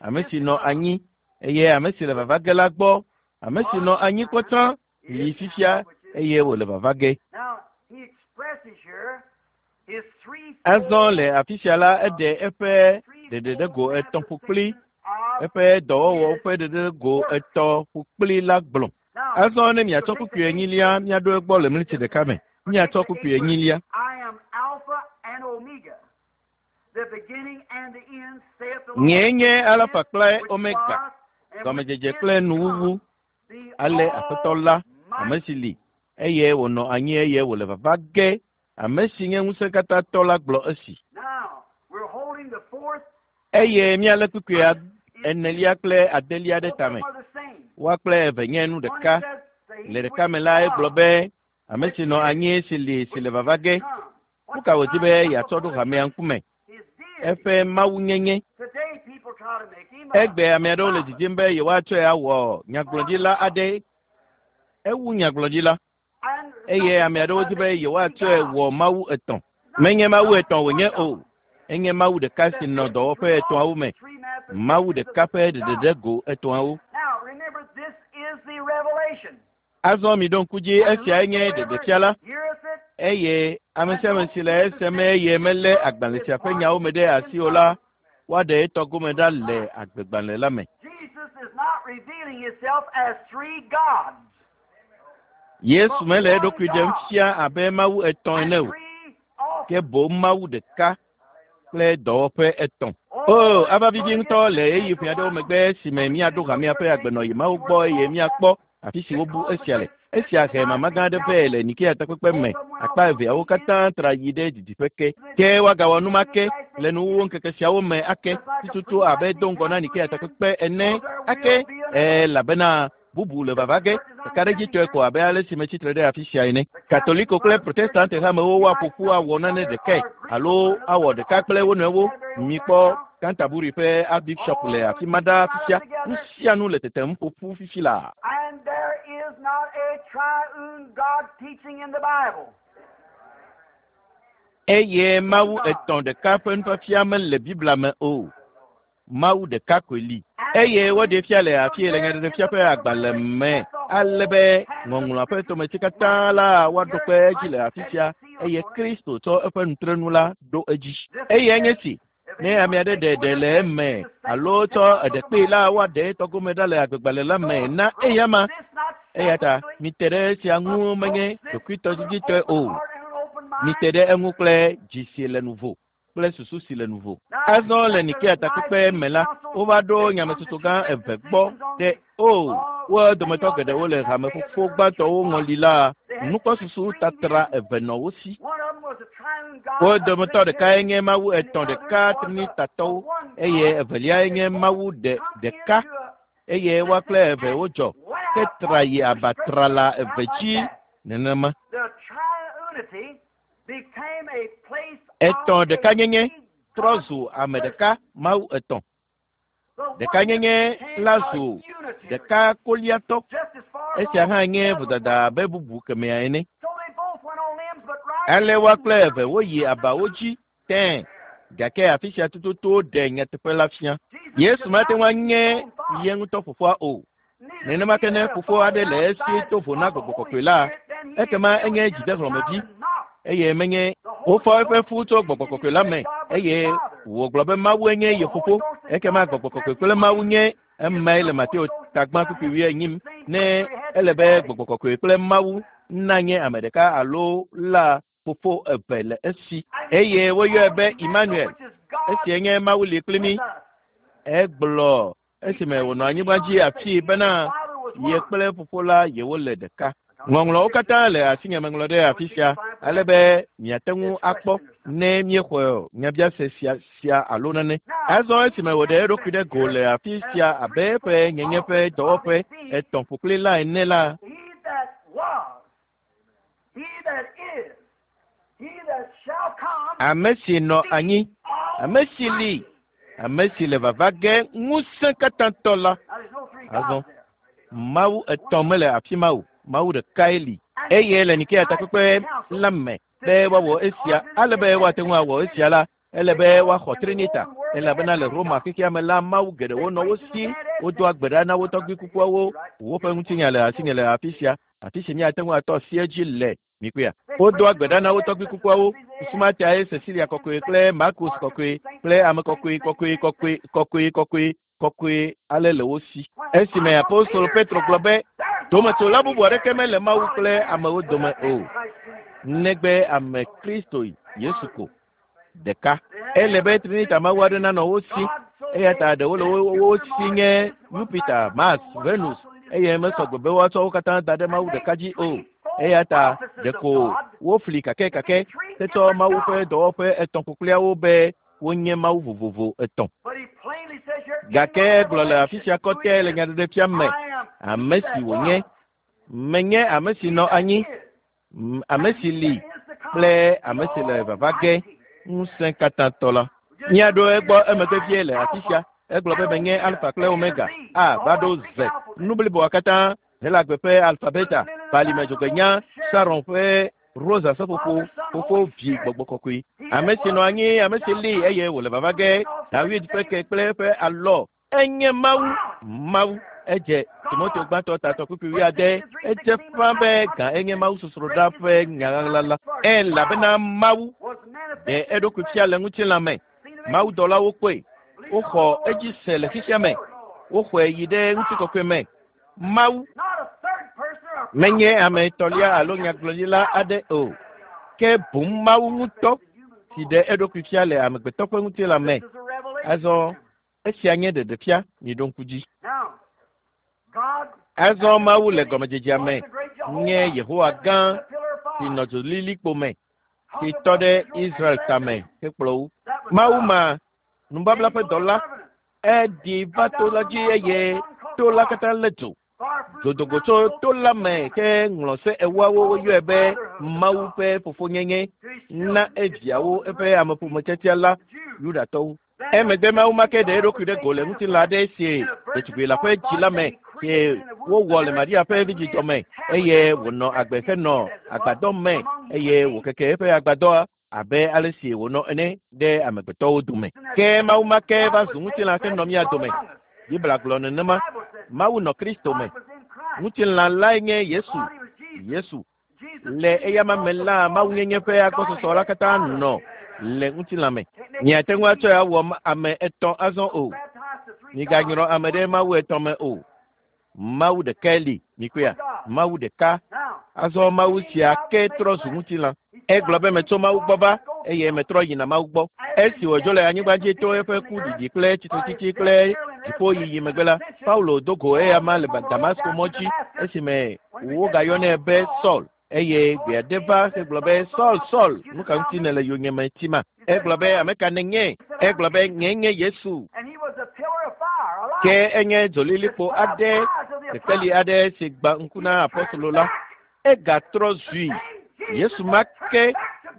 ame si nɔ anyi eye ame si le vava ge la gbɔ. Ame si nɔ anyi kpɔtɔ li fifia eye wòle vava ge. Azɔ le afi sia la eɖe eƒe ɖeɖeɖego etɔ̃ ƒokpli eƒe dɔwɔwɔ ƒe ɖeɖeɖego etɔ̃ ƒokpli la gblɔ. Azɔ ne miatsɔ kpukpui enyilia míaɖo egbɔ le mliti ɖeka me. Míatsɔ kpukpui enyilia. Nyee nye Alfa kple Omega, gɔmedzedze kple nuwuwu. Ale Aƒetɔ la, ame si li eye wònɔ anyi eye wòle vava ge, ame si nye ŋusẽkatãtɔ la gblɔ esi. Eye míalé kpukpui enelia kple adelia ɖe tame. Woa kple eve nye nu ɖeka. Le ɖeka me la, egblɔ be ame si nɔ anyi si li si le vava ge. Nu ka wòdi be yeatsɔ ɖo hamea ŋkume? Eƒe mawunyenye. Egbe ame aɖewo le didim be yewoatsɔe awɔ nyagblɔɖila aɖe. Ewu nyagblɔɖila. Eye ame aɖewo di be yewoatsɔe wɔ mawu etɔ̃. Menye mawu etɔ̃ wònye o. Enye mawu ɖeka si nɔ dɔwɔƒe etɔ̃awo me. Mawu ɖeka ƒe ɖeɖeɖe go etɔ̃awo. Azɔ mi ɖo ŋku dzi esiae nye ɖeɖefia la. Eye ame sia ame si le esem eye melé agbalẽ sia ƒe nyawo me ɖe asi o la, woaɖe etɔ gome ɖa le agbegbalẽ la me. Yesu mele eɖokui ɖem fia abe mawu etɔ̃ ene o, ke boŋ mawu ɖeka kple dɔwɔƒe etɔ̃. O, ava vivi ŋutɔ le ɣeyiɣi ƒe aɖewo megbe esime míaɖo hamea ƒe agbenɔɣi mawo gbɔ eye míakpɔ afi si wobu esia le. Esia he mama gã aɖe vɛ le Nikea takpekpe me. Akpa eveawo katã tra yi ɖe didiƒe ke. Ke woagawɔ nu ma ke le nuwuwu ŋkeke siawo me ake tututu abe do ŋgɔ na Nikea takpekpe ene ake elabena bubu le vava ge. Ɖekaɖedzitɔe ko abe ale si metsitre ɖe afi sia ene. Katoliko kple Protestante hamewo woaƒo ƒu awɔ nane ɖekae alo awɔ ɖeka kple wo nɔewo. Mikpɔ Canterbury ƒe Archbishop le afi ma ɖaa fifia. Nu sia nu le tetem ƒo ƒu fifi laa. And there is not a triune God teaching in the Bible. Eye Mawu etɔ̃ ɖeka ƒe nufiafia mele Biblia me o. Mawu ɖeka koe li. Eye woɖee fia le afi le nyaɖeɖefia ƒe agbalẽ me ale be ŋɔŋlɔa ƒe tometsi katã la woaɖo kpe edzi le afi sia eye Kristo tsɔ eƒe nutrenu la ɖo edzi. Eye enye si ne ame aɖe ɖe ɖe le eme alo tsɔ eɖe kpee la woaɖe etɔgome ɖa le agbegbalẽ la me na eyama. Eya ta mite ɖe esia ŋu menye ɖokuitɔdiditɔe o. Mite ɖe eŋu kple dzi si le nuvo kple susu si le nuvo. Azɔ le Nikea takpekpe me la, wova ɖo nyametsotso gã eve gbɔ ɖe o wo dometɔ geɖewo le hame fofo gbãtɔwo ŋɔli la nukpɔsusu tatra eve nɔ wo si. Wo dometɔ ɖekae nye Mawu etɔ̃ ɖeka trinitatɔwo eye eveliae nye Mawu ɖe ɖeka eye woa kple eve wodzɔ ke tra yi abatrala eve dzi nenema. Etɔ̃ ɖekanyenye trɔ zu ame ɖeka Mawu etɔ̃. Ɖekanyenye la zu ɖeka koliatɔ. Esia hã nye vodada abe bubu kemɛa ene. Ale woa kple eve woyi abawo dzi tẽe gake afi sia tututu ɖe nyateƒe la fia. Yesu mate ŋu anye ye ŋutɔ fofoa o. Nenema ke ne fofo aɖe le esi to vo na gbɔgbɔ kɔkɔe la, ekema enye dzidehlɔ̃mevi eye menye wofɔ eƒe fu tso gbɔgbɔ kɔkɔe la me eye wògblɔ be Mawu enye ye fofo. Ekema gbɔgbɔ kɔkɔe kple Mawu nye emae le Mateo tagbã kpukpui wuienyi ne ele be gbɔgbɔ kɔkɔe kple Mawu nanye ame ɖeka alo la fofo eve le esi. Eye woyɔe be Emmanuel. Esia nye Mawu li kpli mí. Egblɔ esime wònɔ anyigba dzi afii bena ye kple fofo la yewole ɖeka. Ŋɔŋlɔwo katã le asinye meŋlɔ ɖe afi sia ale be miate ŋu akpɔ ne míexɔ nyabiase sia sia alo nane. Azɔ esime wòɖe eɖokui ɖe go le afi sia abe eƒe nyenye ƒe dɔwɔƒe etɔ̃ ƒokpli la ene la, ame si nɔ anyi, ame si li, ame si le vava ge ŋusẽ katãtɔ la. Azɔ Mawu etɔ̃ mele afi ma o. Mawu ɖekae li. Eye le Nikea takpekpe la me be woawɔ esia ale be woate ŋu awɔ esia la, ele be woaxɔ Trinita elabena le Roma xexea me la Mawu geɖewo nɔ wo si. Wodoa gbe ɖa na wo tɔgbui kukuawo. Woƒe ŋutinya le asinye le afi sia, afi si míate ŋu atɔ asi edzi le mikpɔea. Wodoa gbe ɖa na wo tɔgbui kukuawo. Susu ma tae Cecilia kɔkɔe kple Marcus kɔkɔe kple ame kɔkɔe kɔkɔe kɔkɔe kɔkɔe kɔkɔe kɔkɔe ale le wo si. Esime apostol Petro gblɔ be dometsola bubu aɖeke mele Mawu kple amewo dome o, negbe ame Kristo Yesu ko ɖeka. Ele be Trinita Mawu aɖe nanɔ wo si. Eya ta ɖewo le wo si nye Jupiter, Mars, Venus eye mesɔgbe be woatsɔ wo katã da ɖe Mawu ɖeka dzi o. Eya ta ɖeko wofli kakɛkakɛ hetsɔ Mawu ƒe dɔwɔƒe etɔ̃ ƒokpliawo be Wonye Mawu vovovo etɔ̃. Gake egblɔ le afi sia kɔtɛ le nyaɖeɖefia me ame si wònye. Menye ame si nɔ anyi, ame si li kple ame si le vava ge ŋusẽ katãtɔ la. Míaɖo egbɔ emegbe vie le afi sia. Egblɔ be menye Alfa kple Omega, A va ɖo Z. Nu bliboa katã Helagbe ƒe alfabeta, balime dzogbenya, Saron ƒe rosa seƒoƒo, fofo vi gbɔgbɔ kɔkɔe. Ame si nɔ anyi, ame si li eye wòle vava ge, David ƒe ke kple eƒe alɔ. Enye Mawu, Mawu. Edze Timoteo gbãtɔ tatɔ kpukpui wuiade. Edze ƒã be gã enye Mawu sosroɖa ƒe nyaɣaɣla la. Elabena Mawu ɖe eɖokui fia le ŋutilã me. Mawudɔlawo kpɔe. Woxɔ edzi se le xexea me. Woxɔe yi ɖe ŋutikɔkɔe me. Mawu menye ame etɔ̃lia alo nyagblɔɖila aɖe o, ke boŋ Mawu ŋutɔ si ɖe eɖokui fia le amegbetɔ ƒe ŋutilã me. Azɔ esia nye ɖeɖefia, miɖo ŋku dzi. Azɔ Mawu le gɔmedzedzea me nye Yehowa gã si nɔ dzolilikpo me, si tɔ ɖe Israel tame hekplɔ wo. Mawu ma nubabla ƒe dɔla eɖi va to la dzi eye to la katã lé dzo. Dzodogo tso to la me ke ŋlɔ se ewoawo woyɔe be Mawu ƒe fofonyenye na eviawo eƒe ameƒometiatia la Yudatɔwo. Emegbe Mawu ma ke ɖe eɖokui ɖe go le ŋutilã aɖe si ɖetugbui la ƒe dzi la me si wowɔ le Maria ƒe vidzidɔ me eye wònɔ agbe henɔ agbadɔ me eye wòkeke eƒe agbadɔa abe ale si wònɔ ene ɖe amegbetɔwo dome. Ke Mawu ma ke va zu ŋutilã henɔ mía dome. Biblia gblɔ nenema. Mawu nɔ Kristo me. Ŋutilã lae nye Yesu. Yesu. Le eyama me la, Mawunyenye ƒe agbɔsɔsɔ la katã nɔ le ŋutilã me. Miate ŋu atsɔe awɔ ame etɔ̃ azɔ o. Miganyrɔ ame ɖe Mawu etɔ̃ me o. Mawu ɖekae li, mikpɔea? Mawu ɖeka. Azɔ Mawu sia ke trɔ zu ŋutilã. Egblɔ be metso Mawu gbɔ va eye metrɔ yina Mawu gbɔ. Esi wòdzo le anyigba dzi to eƒe ku ɖiɖi kple tsitretsitsi kple dziƒoyiyi megbe la, Paulo do go eyama le Damasko mɔ dzi esime wogayɔnɛ be Saul. Eye gbe aɖe va hegblɔ be Saul, Saul, nu ka ŋuti nèle yonyeme tima? Egblɔ be ame ka nènye? Egblɔ be nyee nye Yesu. Ke enye dzolilikpo aɖe, kekeli aɖe si gbã ŋku na apɔstolo la. Egatrɔ zui. Yesu ma ke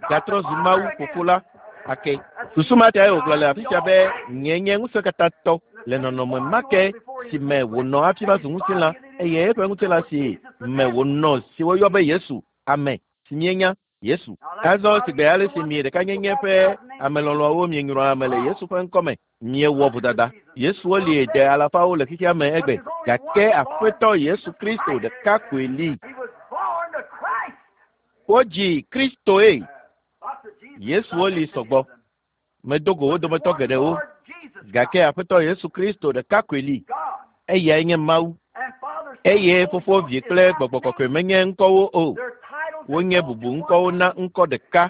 gatrɔ zu Mawu fofo la ake. Susu ma tae wògblɔ le afi sia be nye nye ŋusẽkatãtɔ le nɔnɔme ma ke si me wònɔ hafi va zu ŋutilã eye eƒe ŋutilã si me wònɔ si woyɔ be Yesu, ame si míenya Yesu. Azɔ sigbe ale si mi ɖekanyenye ƒe amelɔlɔ̃wo mienyrɔ ame le Yesu ƒe ŋkɔme, miewɔ vodada. Yesuwo li de alafawo le xexea me egbe, gake Aƒetɔ Yesu Kristo ɖeka koe li. Wodzi Kristoe. Yesuwo li sɔgbɔ. Medo go wo dometɔ geɖewo, gake Aƒetɔ Yesu Kristo ɖeka koe li. Eyae nye Mawu. Eye Fofo, Vi kple Gbɔgbɔ Kɔkɔe menye ŋkɔwo o. Wonye bubu ŋkɔwo na ŋkɔ ɖeka.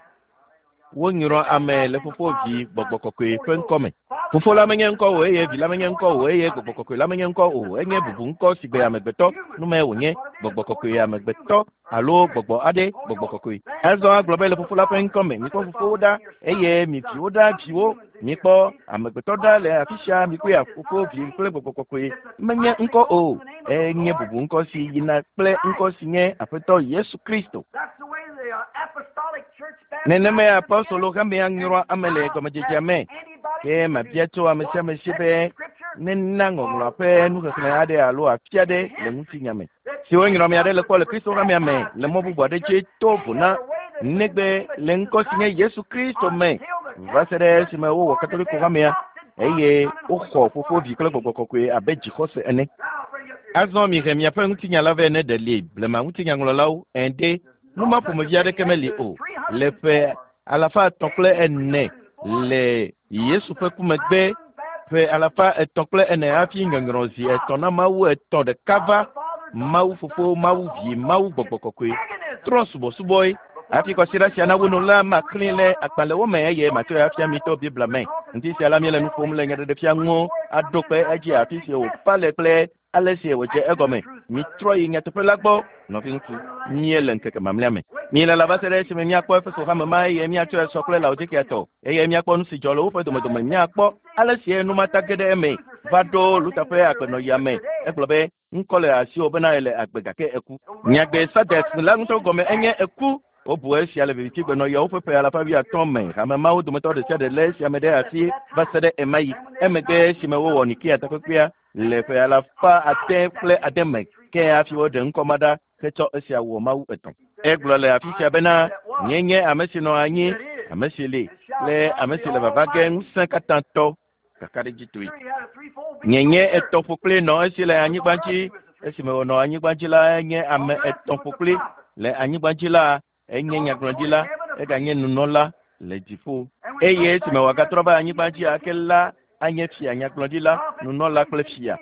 Wonyrɔ ame le Fofo, Vi, Gbɔgbɔ Kɔkɔe ƒe ŋkɔme. Fofo la menye ŋkɔ o eye Vi la menye ŋkɔ o eye Gbɔgbɔ Kɔkɔe la menye ŋkɔ o. Enye bubu ŋkɔ si gbe amegbetɔ nume wònye Gbɔgbɔ Kɔkɔe amegbetɔ alo gbɔgbɔ aɖe Gbɔgbɔ Kɔkɔe. Azɔ agblɔ be le Fofo la ƒe ŋkɔme mikpɔ fofowo ɖa eye mi viwo ɖa viwo mikpɔ amegbetɔ ɖa le afi sia mikpɔe Fofo, Vi kple Gbɔgbɔ Kɔkɔe menye ŋkɔ o. Enye bubu ŋkɔ si yina kple ŋkɔ si nye Aƒetɔ Yesu Kristo. Nenemae apɔstolo hamea nyrɔa ame le gɔmedzedzea me. Ke mabia tso ame sia ame si be nena ŋɔŋlɔa ƒe nuxexlẽ aɖe alo afi aɖe le ŋutinya me. Si wonyrɔ ame aɖe le kpɔ le Kristo hamea me le mɔ bubu aɖe dzi to vo na negbe le ŋkɔ si nye Yesu Kristo me va se ɖe esime wowɔ Katoliko hamea eye woxɔ Fofo, Vi kple Gbɔgbɔ Kɔkɔe abe dzixɔse ene. Azɔ mihe miaƒe ŋutinya la vɛ ne ɖe li blema ŋutinyaŋlɔlawo ende nu ma ƒomevi aɖeke meli o. Le ƒe alafa etɔ̃ kple ene le Yesu ƒe ku megbe, ƒe alafa etɔ̃ kple ene hafi nyɔnyrɔ zi etɔ̃ na Mawu etɔ̃ ɖeka va Mawu Fofo, Mawu Vi, Mawu Gbɔgbɔ Kɔkɔe trɔ subɔsubɔe. Hafi kɔsiɖa sia nawu nu la, maklẽ le agbalẽwo me eye matsɔe afia mi to Biblia me. Ŋuti sia la míele nu ƒom le nyaɖeɖefia ŋu aɖo kpe edzi afi si wòfa le kple ale si wòdze egɔme. Mitrɔ yi nyateƒe la gbɔ, nɔviŋutsu. Míele ŋkeke mamlɛa me. Míelala va se ɖe esime míakpɔ Efeso hame ma eye míatsɔe sɔ kple Laodikea tɔ eye míakpɔ nu si dzɔ le woƒe domedome. Míakpɔ ale si enumata ge ɖe eme va ɖo Luther ƒe agbenɔɣia me. Egblɔ be ŋkɔ le asiwò bena ele agbe gake eku. Nyagbe Sardes la ŋutɔ gɔme enye eku. Wobu esia le vivitsigbenɔɣiawo ƒe ƒe alafa wuiatɔ̃ me. Hame mawo dometɔ ɖe sia ɖe lé esia me ɖe asi va se ɖe ema yi. Emegbe esime wowɔ Nikea takpekpea le ƒe alafa ade kple ade me ke hafi woɖe ŋkɔ ma ɖa hetsɔ esia wɔ mawu etɔ̃. Egblɔ le afi sia bena nye nye ame si nɔ anyi, ame si li kple ame si le vava ge ŋusẽ katã tɔ kakaɖedzitɔe. Nye nye etɔ̃ ƒokpli nɔ esi le anyigba dzi. Esime wònɔ anyigba dzi la, enye ame etɔ̃ ƒokpli le anyigba dzi la, enye nyagblɔɖila, eganye nunɔla le dziƒo. Eye esime wòagatrɔ va anyigba dzi ake la, anye fia nyagblɔɖila, nunɔla kple fia.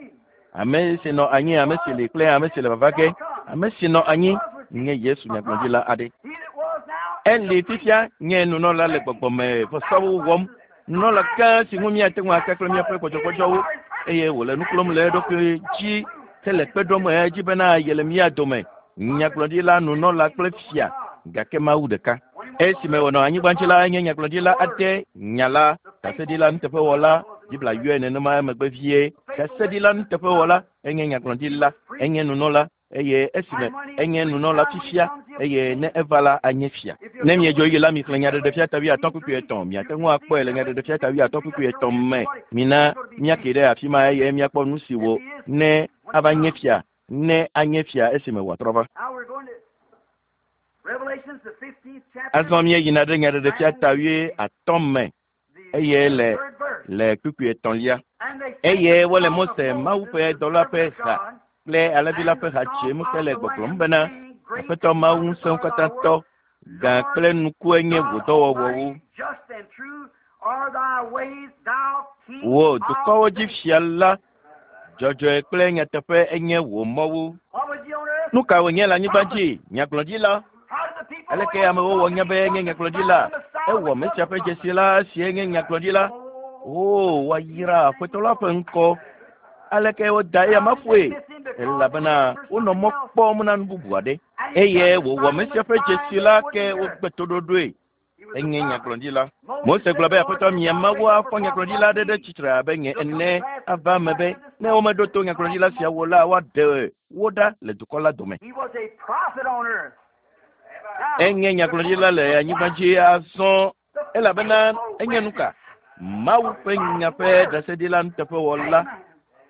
Ame si nɔ anyi, ame si li kple ame si le vava ge. Ame si nɔ anyi nye Yesu nyagblɔɖila aɖe. Eli fifia nye nunɔla le gbɔgbɔme vɔsawo wɔm. Nunɔla gã si ŋu míate ŋu ake kple míaƒe gbɔdzɔgbɔdzɔwo eye wòle nu klɔm le eɖokui dzi hele kpe ɖom edzi bena yele mía dome. Nyagblɔɖila, nunɔla kple fia gake Mawu ɖeka. Esime wònɔ anyigba dzi la, enye nyagblɔɖila aɖe, nyala, ɖaseɖila nuteƒewɔla. Biblia yɔe nenema emegbe vie. Ɖaseɖila nuteƒewɔla, enye nyagblɔɖila, enye nunɔla eye esime enye nunɔla fifia eye ne eva la anye fia. Ne miedzo yi la, mixlẽ Nyaɖeɖefia ta wuiatɔ̃ kpukpui etɔ̃. Miate ŋu akpɔe le Nyaɖeɖefia ta wuiatɔ̃ kpukpui etɔ̃ me. Mina míake ɖe afi ma eye míakpɔ nu si wò ne ava nye fia, ne anye fia esime wòatrɔ va. Azɔ míeyina ɖe Nyaɖeɖefia ta wuiatɔ̃ me eye le le kpukpui etɔ̃lia. Eye wole Mose, Mawu ƒe dɔla ƒe ha kple alẽvi la ƒe ha dzem hele gbɔgblɔm bena, Aƒetɔ Mawu ŋusẽwo katã tɔ, gã kple nukue nye wò dɔwɔwɔwo. Wò dukɔwo dzi fia la, dzɔdzɔe kple nyateƒe enye wò mɔwo. Nu ka wònye le anyigba dzi? Nyagblɔɖila. Aleke amewo wɔ nya be enye nyagblɔɖila? Ewɔ Mesia ƒe dzesi la si enye nyagblɔɖila. O, woayra Aƒetɔ la ƒe ŋkɔ. Aleke woda eya ma ƒoe? Elabena wonɔ mɔ kpɔm na nu bubu aɖe. Eye wòwɔ Mesia ƒe dzesi la ke wogbe toɖoɖoe. Enye nyagblɔɖila. Mose gblɔ be Aƒetɔ mia Mawu afɔ nyagblɔɖila aɖe ɖe tsitre abe nye ene ava eme be ne womeɖo to nyagblɔɖila siawo la, woaɖe wo ɖa le dukɔ la dome. Enye nyagblɔɖila le anyigba dzi azɔ elabena enye nu ka? Mawu ƒe nya ƒe ɖaseɖila nuteƒewɔla.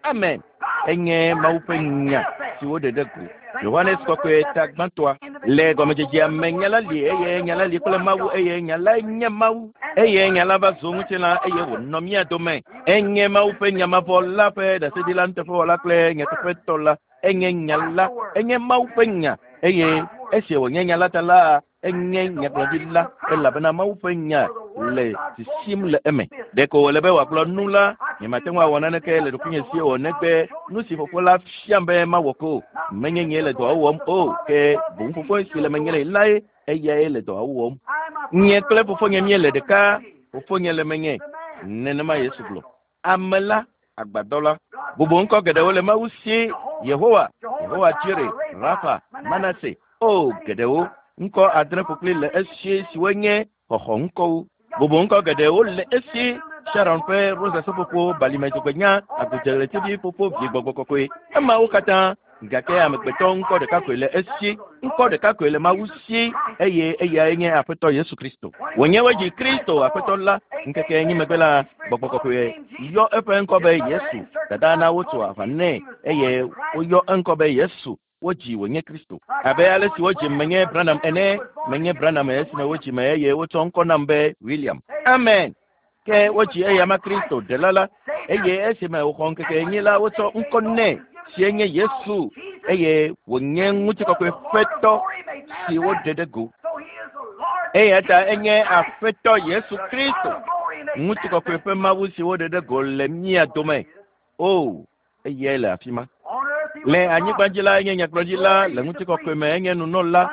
Amen. Enye Mawu ƒe nya si woɖe ɖe go. Yohanes Kɔkɔe ta gbãtɔa. Le gɔmedzedzea me nya la li eye nya la li kple Mawu eye nya lae nye Mawu. Eye nya la va zu ŋutilã eye wònɔ mía dome. Enye Mawu ƒe nya mavɔ la ƒe ɖaseɖila nuteƒewɔla kple nyateƒetɔ la. Enye nya la, enye Mawu ƒe nya eye esi wònye nya la ta la, enye nyagblɔɖila elabena Mawu ƒe nya le sisim le eme. Ɖeko wòle be wòagblɔ nu la, nyemate ŋu awɔ naneke le ɖokuinye si o negbe nu si fofo la fiam be mawɔ ko. Menye nyee le dɔa wɔm o, ke boŋ fofo si le menye lae eyae le dɔa wɔm. Nye kple fofonye míele ɖeka, fofonye le menye. Nenema Yesu gblɔ. Ame la, agbadɔ la. Bubu ŋkɔ geɖewo le Mawu si, Yehowa, Yehowa Jire, Rafa, Manase, o geɖewo. Ŋkɔ adre ƒokpli le esi siwo nye xɔxɔ ŋkɔwo. Bubu ŋkɔ geɖewo le esi, Sharon ƒe rosa seƒoƒo, balime dzogbenya, agudzeɣletivi ƒoƒo, vi gbɔgbɔ kɔkɔe. Emawo katã gake amegbetɔ ŋkɔ ɖeka koe le esi, ŋkɔ ɖeka koe le Mawu si eye eyae nye Aƒetɔ Yesu Kristo. Wònye wodzi Kristo Aƒetɔ la ŋkeke enyi megbe la, gbɔgbɔ kɔkɔe yɔ eƒe ŋkɔ be Yesu. Dada na wotso aʋa nɛ eye woyɔ eŋkɔ be Yesu. Wodzi wònye Kristo. Abe ale si wodzi menye Branham ene, menye Branham esime wodzi me eye wotsɔ ŋkɔ nam be William. Amen. Ke wodzi eyama Kristo ɖela la eye esime wòxɔ ŋkeke enyi la, wotsɔ ŋkɔ nɛ si nye Yesu eye wònye ŋutikɔkɔe ƒetɔ si woɖe ɖe go. Eya ta enye Aƒetɔ Yesu Kristo, ŋutikɔkɔe ƒe Mawu si woɖe ɖe go le mía dome. O, eyae le afi ma. Le anyigba dzi la, enye nyagblɔɖila, le ŋutikɔkɔe me enye nunɔla.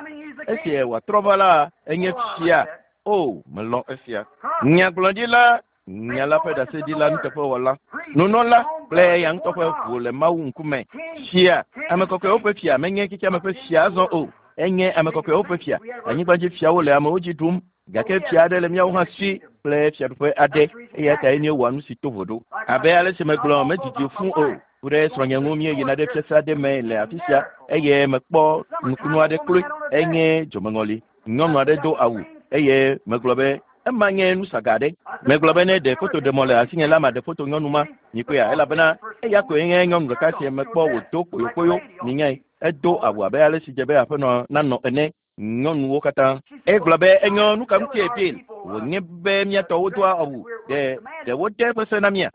Esi wòatrɔ va la, enye fia. O, melɔ̃ esia. Nyagblɔɖila, nya la ƒe ɖaseɖila nuteƒewɔla. Nunɔla, kple eya ŋutɔ ƒe ʋu le Mawu ŋkume. Fia, ame kɔkɔewo ƒe fia menye xexeame ƒe fia azɔ o. Enye ame kɔkɔewo ƒe fia. Anyigbadzi fiawo le amewo dzi ɖum gake fia aɖe le míawo hã si kple fiaɖuƒe aɖe eya tae míewɔa nu si to vo ɖo. Abe ale si megblɔ medidi fũu o. Ku ɖe srɔ̃nye ŋu míeyina ɖe fiase aɖe me le afi sia eye mekpɔ nukunu aɖe kloe. Enye dzomeŋɔli. Nyɔnu aɖe do awu eye megblɔ be ema nye nusaga aɖe. Megblɔ be ne ɖe fotoɖemɔ le asinye la maɖe foto nyɔnu ma. Mikpɔea elabena eya koe nye nyɔnu ɖeka si mekpɔ wòdo kpoyokpoyo. Minyae edo awu abe ale si dze be aƒenɔ nanɔ ene. Nyɔnuwo katã. Egblɔ be enyo nu ka ŋutie Bill wònye be míatɔwo doa awu ɖe ɖe wode eƒe se na mía.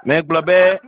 Megblɔ be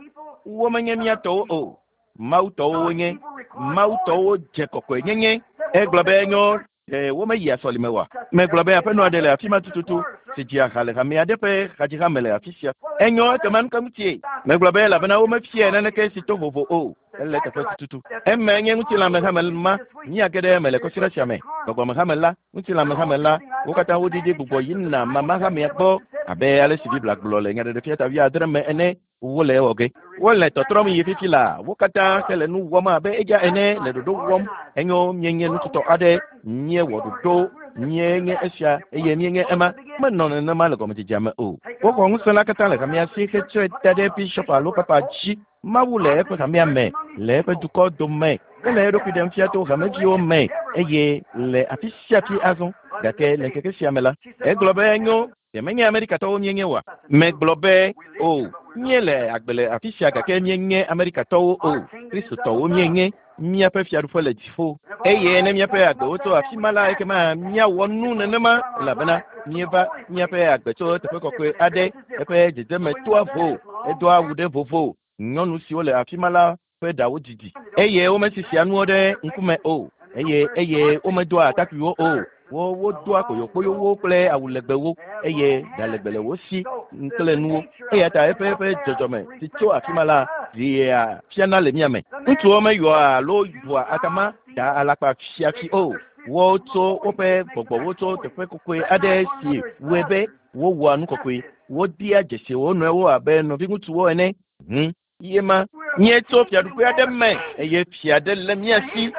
womenye míatɔwo o. Mawutɔwo wonye. Mawutɔwo dze kɔkɔenyenye. Egblɔ be enyo ɖe womeyia sɔlime oa? Megblɔ be aƒenɔ aɖe le afi ma tututu si dzia ha le hame aɖe ƒe hadzihame le afi sia. Enyo ekema nu ka ŋutie? Megblɔ be elabena womefia naneke si to vovo o. Ele teƒe tututu. Eme nye ŋutilãmehame ma míage ɖe eme le kɔsiɖa sia me. Gbɔgbɔmehame la, ŋutilãmehame la, wo katã woɖiɖi gbugbɔ yina mamahamea gbɔ abe ale si Biblia gblɔ le Nyaɖeɖefia ta wuiadre me ene. Wole ewɔ ge. Wole tɔtrɔm yi fifi la. Wo katã hele nu wɔm abe eya ene le ɖoɖo wɔm. Enyo míenye nututɔ aɖe. Míewɔ ɖoɖo. Míenye esia eye míenye ema. Menɔ nenema le gɔmedzedzea me o. Woxɔ ŋusẽ la katã le hamea si hetsɔe da ɖe bishɔp alo papa dzi. Mawu le eƒe hamea me, le eƒe dukɔ dome. Ele eɖokui ɖem fia to hameviwo me eye le afi sia afi azɔ. Gake le ŋkeke sia me la, egblɔ be enyo ɖe menye Amerikatɔwo míenye oa? Megblɔ be o, míele agbe le afi sia gake míenye Amerikatɔwo o. Kristotɔwo míenye. Míaƒe fiaɖuƒe le dziƒo. Eye ne míaƒe agbewo tso afi ma la, ekema míawɔ nu nenema elabena míeva míaƒe agbe tso teƒe kɔkɔe aɖe. Eƒe dzedzeme toa vo, edoa awu ɖe vovo. Nyɔnu siwo le afi ma la ƒe ɖawo didi eye womesisia nuwo ɖe ŋkume o eye eye womedoa atakpuiwo o. Wo wodoa kpoyokpoyowo kple awu legbewo eye ɖa legbe le wo si kple nuwo. Eya ta eƒe eƒe dzɔdzɔme si tso afi ma la ɖea fiana le mía me. Ŋutsuwo meyɔa alo bua atama da alakpa fiafi o. Wotso woƒe gbɔgbɔwo tso teƒe kɔkɔe aɖe si wɔe be wowɔa nu kɔkɔe. Wodea dzesi wo nɔewo abe nɔviŋutsuwo ene. Hm. Ye ma míetso fiaɖuƒe aɖe me eye fia aɖe le mía si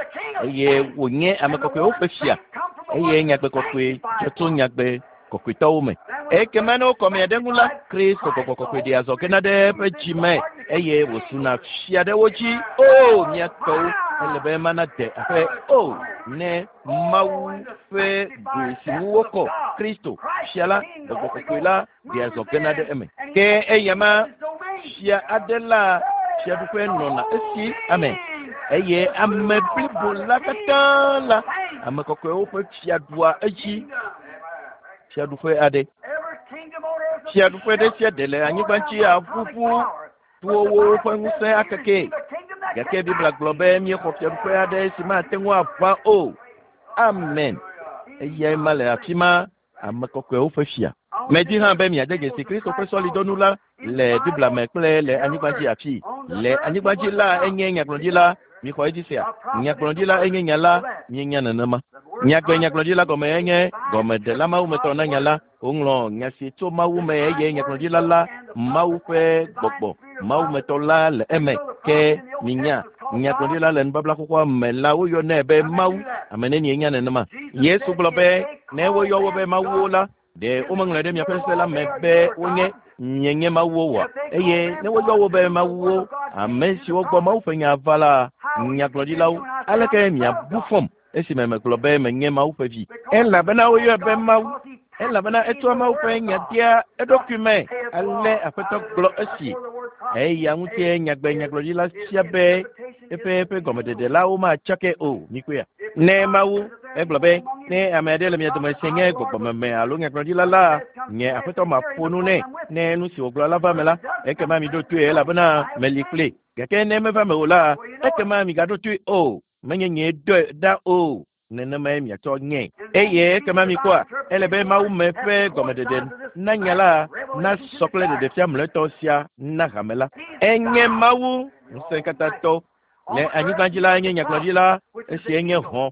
eye wònye ame kɔkɔewo ƒe fia eye nyagbe kɔkɔe dzɔ tso nyagbe kɔkɔetɔwo me. Ekema ne wokɔ mia ɖe ŋu la, Kristo gbɔgbɔ kɔkɔe ɖea zɔ gena ɖe eƒe dzi me eye wòsuna fia ɖe wo dzi. O mía tɔwo, ele be mana de aƒe o ne Mawu ƒe goe si ŋu wokɔ Kristo fia la, gbɔgbɔ kɔkɔe la ɖea zɔ gena ɖe eme. Ke eya ma fia aɖe la fiaɖuƒe nɔna esi ame eye ame blibo la katã la ame kɔkɔewo ƒe fia ɖua edzi. Fiaɖuƒe aɖe. Fiaɖuƒe ɖe sia ɖe le anyigba dzi aʋuʋu towo ƒe ŋusẽ akeke. Gake Biblia gblɔ be míexɔ fiaɖuƒe aɖe si mate ŋu aʋã o. Amen. Eyae ma le afi ma, ame kɔkɔewo ƒe fia. Medi hã be miade dzesi Kristo ƒe sɔlidɔnu la le Biblia me kple le anyigba dzi afi. Le anyigba dzi la enye nyagblɔɖila. Mixɔ edzi sia. Nyagblɔɖila enye nya la, míenya nenema. Nyagbe nyagblɔɖila gɔme enye gɔmeɖela mawumetɔ na nya la. Woŋlɔ nya si tso Mawu me eye nyagblɔɖila la Mawu ƒe gbɔgbɔ mawumetɔ la le eme. Ke minya nyagblɔɖila le nubabla xoxoa me la woyɔnɛ be Mawu. Ame nenie nya nenema? Yesu gblɔ be ne woyɔ wo be mawuwo la, ɖe womeŋlɔe ɖe miaƒe se la me be wonye mienye mawuwo oa? Eye ne woyɔ wo be mawuwo, ame siwo gbɔ Mawu ƒe nya va la, nyagblɔɖilawo, aleke miabu fɔm esime megblɔ be menye Mawu ƒe vi? Elabena woyɔe be Mawu, elabena etsɔa Mawu ƒe nya dea eɖokui me. Ale Aƒetɔ gblɔ esi. Eya ŋutie nyagbe nyagblɔɖila fia be eƒe eƒe gɔmeɖeɖe la womatsake o. Mikpɔea? Ne Mawu egblɔ be ne ame aɖe le mia dome si nye gbɔgbɔmeme alo nyagblɔɖila la, nye Aƒetɔ maƒo nu nɛ. Ne nu si wògblɔ la va me la, ekema miɖo toe elabena meli kpli. Gake ne meva me o la, ekema migaɖo toe o. Menye nyee dɔe ɖa o. Nenemae miatsɔ nye. Eye ekema mikpɔa, ele be Mawu me ƒe gɔmeɖeɖe na nya la nasɔ kple ɖeɖefia mlɔetɔ sia na hame la. Enye Mawu ŋusẽkatãtɔ. Le anyigba dzi la enye nyagblɔɖila, esi enye hɔ̃.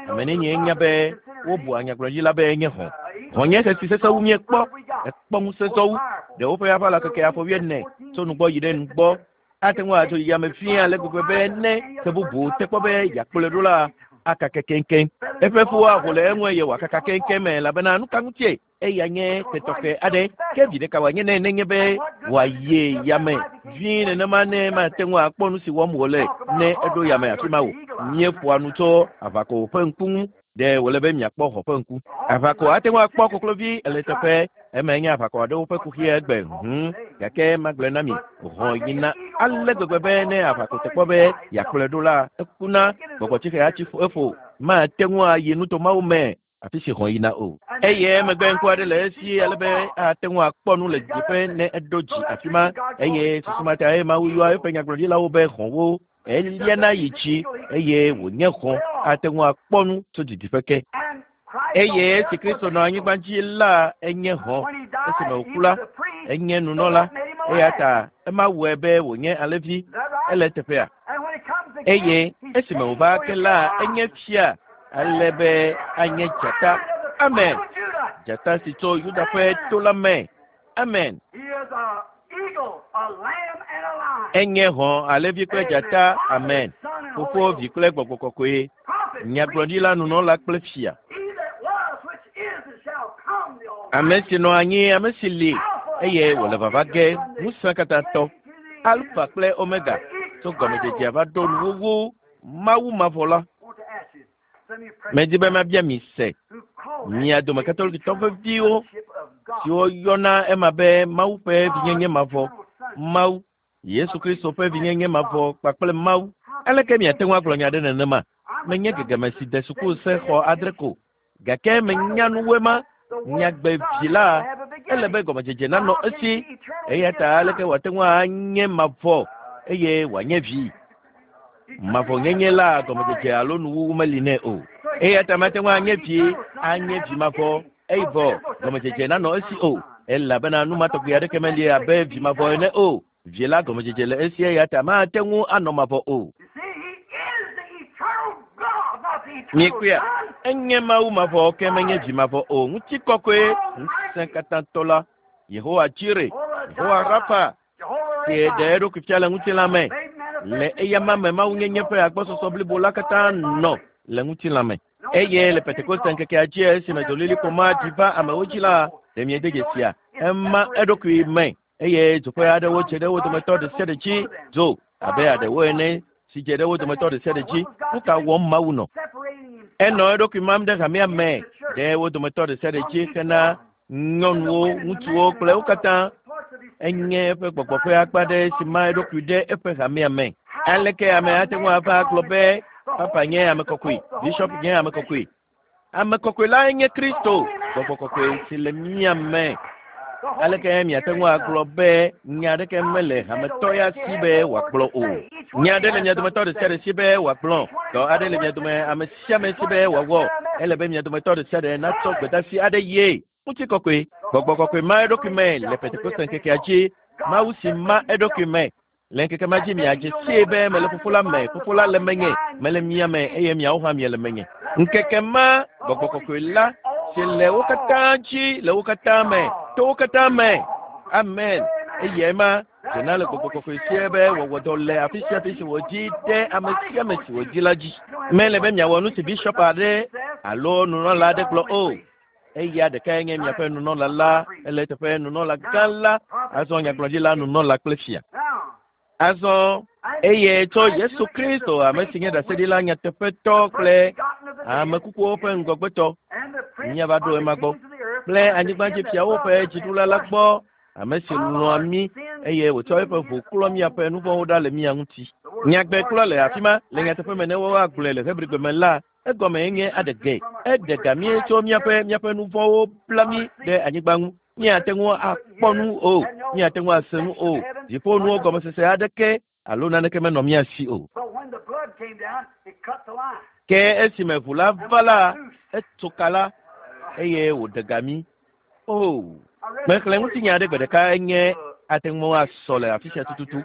Ame nenie nya be wobua nyagblɔɖila be enye hɔ̃. Hɔ̃ nye xesi sesẽ wu míekpɔ. Ekpɔ ŋusẽ sɔwu. Ɖewo ƒe aʋala keke afɔ wuiene tso nugbɔ yi ɖe nugbɔ. Ate ŋu atso yame fia ale gbegbe be ne ke bubu te kpɔ be yeakplɔe ɖo la akake keŋkeŋ. Eƒe fuwo aho le eŋu eye wòakaka keŋkeŋ me elabena nu ka ŋutie eya nye tetɔxɛ aɖe ke vi ɖeka wòanye nɛ nenye be wòayi yame vie nenema ne mate ŋu akpɔ nu si wɔm wòle ne eɖo yame afi ma o. Míeƒoa nu tso aʋako ƒe ŋku ŋu. Ɖe wòle be miakpɔ xɔ ƒe ŋku. Aʋako ate ŋu akpɔ koklovi le teƒe eme nye aʋako aɖewo ƒe kuxi egbe hũu gake magblɔe na mi hɔ̃ yina ale gbegbe be ne aʋako te kpɔ be yeakplɔe ɖo la ekuna gbɔgbɔtsixe atsi eƒo mate ŋu ayi nutomawo me afi si hɔ̃ yina o. Eye emegbe ŋku aɖe le esi ale be ate ŋu akpɔ nu le didiƒe ne eɖo dzi afi ma eye susu ma ta eye Mawu yɔa eƒe nyagblɔɖilawo be hɔ̃wo. Eliana yi dzi eye wònye hɔ̃ ate ŋu akpɔ nu tso didiƒe ke. Eye esi Kristo nɔ anyigba dzi la enye hɔ̃. Esime wòku la enye nunɔla eya ta ema wɔe be wònye alẽvi ele teƒea. Eye esime wòva ke la enye fia ale be anye dzata. Amen. Dzata si tso Yuda ƒe to la me. Amen. Enye hɔ̃ alẽvi kple dzata. Amen. Fofo, Vi kple Gbɔgbɔ Kɔkɔe. Nyagblɔɖila, nunɔla kple fia. Ame si nɔ anyi, ame si li eye wòle vava ge, ŋusẽ katã tɔ. Alfa kple Omega tso gɔmedzedzea va ɖo nuwuwu Mawu mavɔ la. Medi be mabia mi se mia dome katolikitɔ veviwo siwo yɔna ema be Mawu ƒe vinyenye mavɔ, Mawu, Yesu Kristo ƒe vinyenye mavɔ kpakple Mawu. Aleke miate ŋu agblɔ nya ɖe nenema? Menye gegeme si de suku se xɔ adre ko gake menya nuwoe ma. Nyagbe vi la ele be gɔmedzedze nanɔ esi eya ta aleke wòate ŋu anye mavɔ eye wòanye vi? Mavɔnyenye la gɔmedzedze alo nuwuwu meli nɛ o. Eya ta mate ŋu anye vi anye vi mavɔ eye vɔ gɔmedzedze nanɔ esi o elabena nu ma tɔgbi aɖeke meli abe vi mavɔ ene o. Vi la gɔmedzedze le esi eya ta mate ŋu anɔ mavɔ o. Miekpɔea? Enye Mawu mavɔ ke menye vi mavɔ o. Ŋutikɔkɔe ŋusẽ katã tɔ la, Yehowa Jire, Yehowa Rafa, si ɖe eɖokui fia le ŋutilã me. Le eyama me Mawunyenye ƒe agbɔsɔsɔ blibo la katã nɔ le ŋutilã me. Eye le Pentekoste ŋkekea dzi esime dzolilikpo ma ɖi va amewo dzi la, ɖe miede dzesia? Ema eɖokui me eye dzoƒe aɖewo dze ɖe wo dometɔ ɖe sia ɖe dzi dzo abe aɖewo ene si dze ɖe wo dometɔ ɖe sia ɖe dzi. Nu ka wɔm Mawu nɔ? Enɔ eɖokui mam ɖe hamea me ɖe wo dometɔ ɖe sia ɖe dzi hena nyɔnuwo, ŋutsuwo kple wo katã. Enye eƒe gbɔgbɔ ƒe akpa ɖe si ma eɖokui ɖe eƒe hamea me. Aleke ame ate ŋu ava agblɔ be papa nye ame kɔkɔe, bishop nye ame kɔkɔe? Ame kɔkɔe lae nye Kristo, gbɔgbɔ kɔkɔe si le mía me. Aleke miate ŋu agblɔ be nya aɖeke mele hametɔ ya si be wòagblɔ o? Nya aɖe le mia dometɔ ɖe sia ɖe si be wòagblɔ. Dɔ aɖe le mia dome ame sia ame si be wòawɔ. Ele be mia dometɔ ɖe sia ɖe natsɔ gbedeasi aɖe ye. Ŋutikɔkɔe, gbɔgbɔ kɔkɔe ma eɖokui me le Pentekoste ŋkekea dzi. Mawu si ma eɖokui me. Le ŋkeke ma dzi miadze sie be mele Fofo la me, Fofo la le menye, mele mia me eye miawo hã miele menye. Ŋkeke ma gbɔgbɔ kɔkɔe la si le wo katã dzi, le wo katã me, to wo katã me. Amen. Eye ma dzena le gbɔgbɔ kɔkɔe sie be wɔwɔ dɔ le afi sia afi si wòdzi ɖe ame sia ame si wòdzi la dzi. Mele be miawɔ nu si bishop aɖe alo nunɔla aɖe gblɔ o. Eya ɖekae nye miaƒe nunɔla la, ele teƒe nunɔla gã la, azɔ nyagblɔɖila nunɔla kple fia. Azɔ eye tso Yesu Kristo ame si nye ɖaseɖila nyateƒetɔ kple ame kukuwo ƒe ŋgɔgbetɔ míava ɖo ema gbɔ kple anyigbadzifiawo ƒe dziɖula la gbɔ ame si lɔ̃a mí eye wòtsɔ eƒe ʋu klɔ míaƒe nu vɔ̃wo ɖa le mía ŋuti. Nyagbe klɔ le afi ma le nyateƒe me ne woagblɔe le Hebrigbe me la egɔme nye aɖe ge. Eɖe ga mí tso míaƒe míaƒe nu vɔ̃wo bla mí ɖe anyigba ŋu. Míate ŋu akpɔ nu o, míate ŋu ase nu o. Dziƒonuwo gɔmesese aɖeke alo naneke menɔ mía si o. Ke esime ʋu la va la, etso ka la eye wòɖe ga mí. O, mexlẽ ŋutinya aɖe gbe ɖeka enye ate ŋu asɔ le afi sia tututu.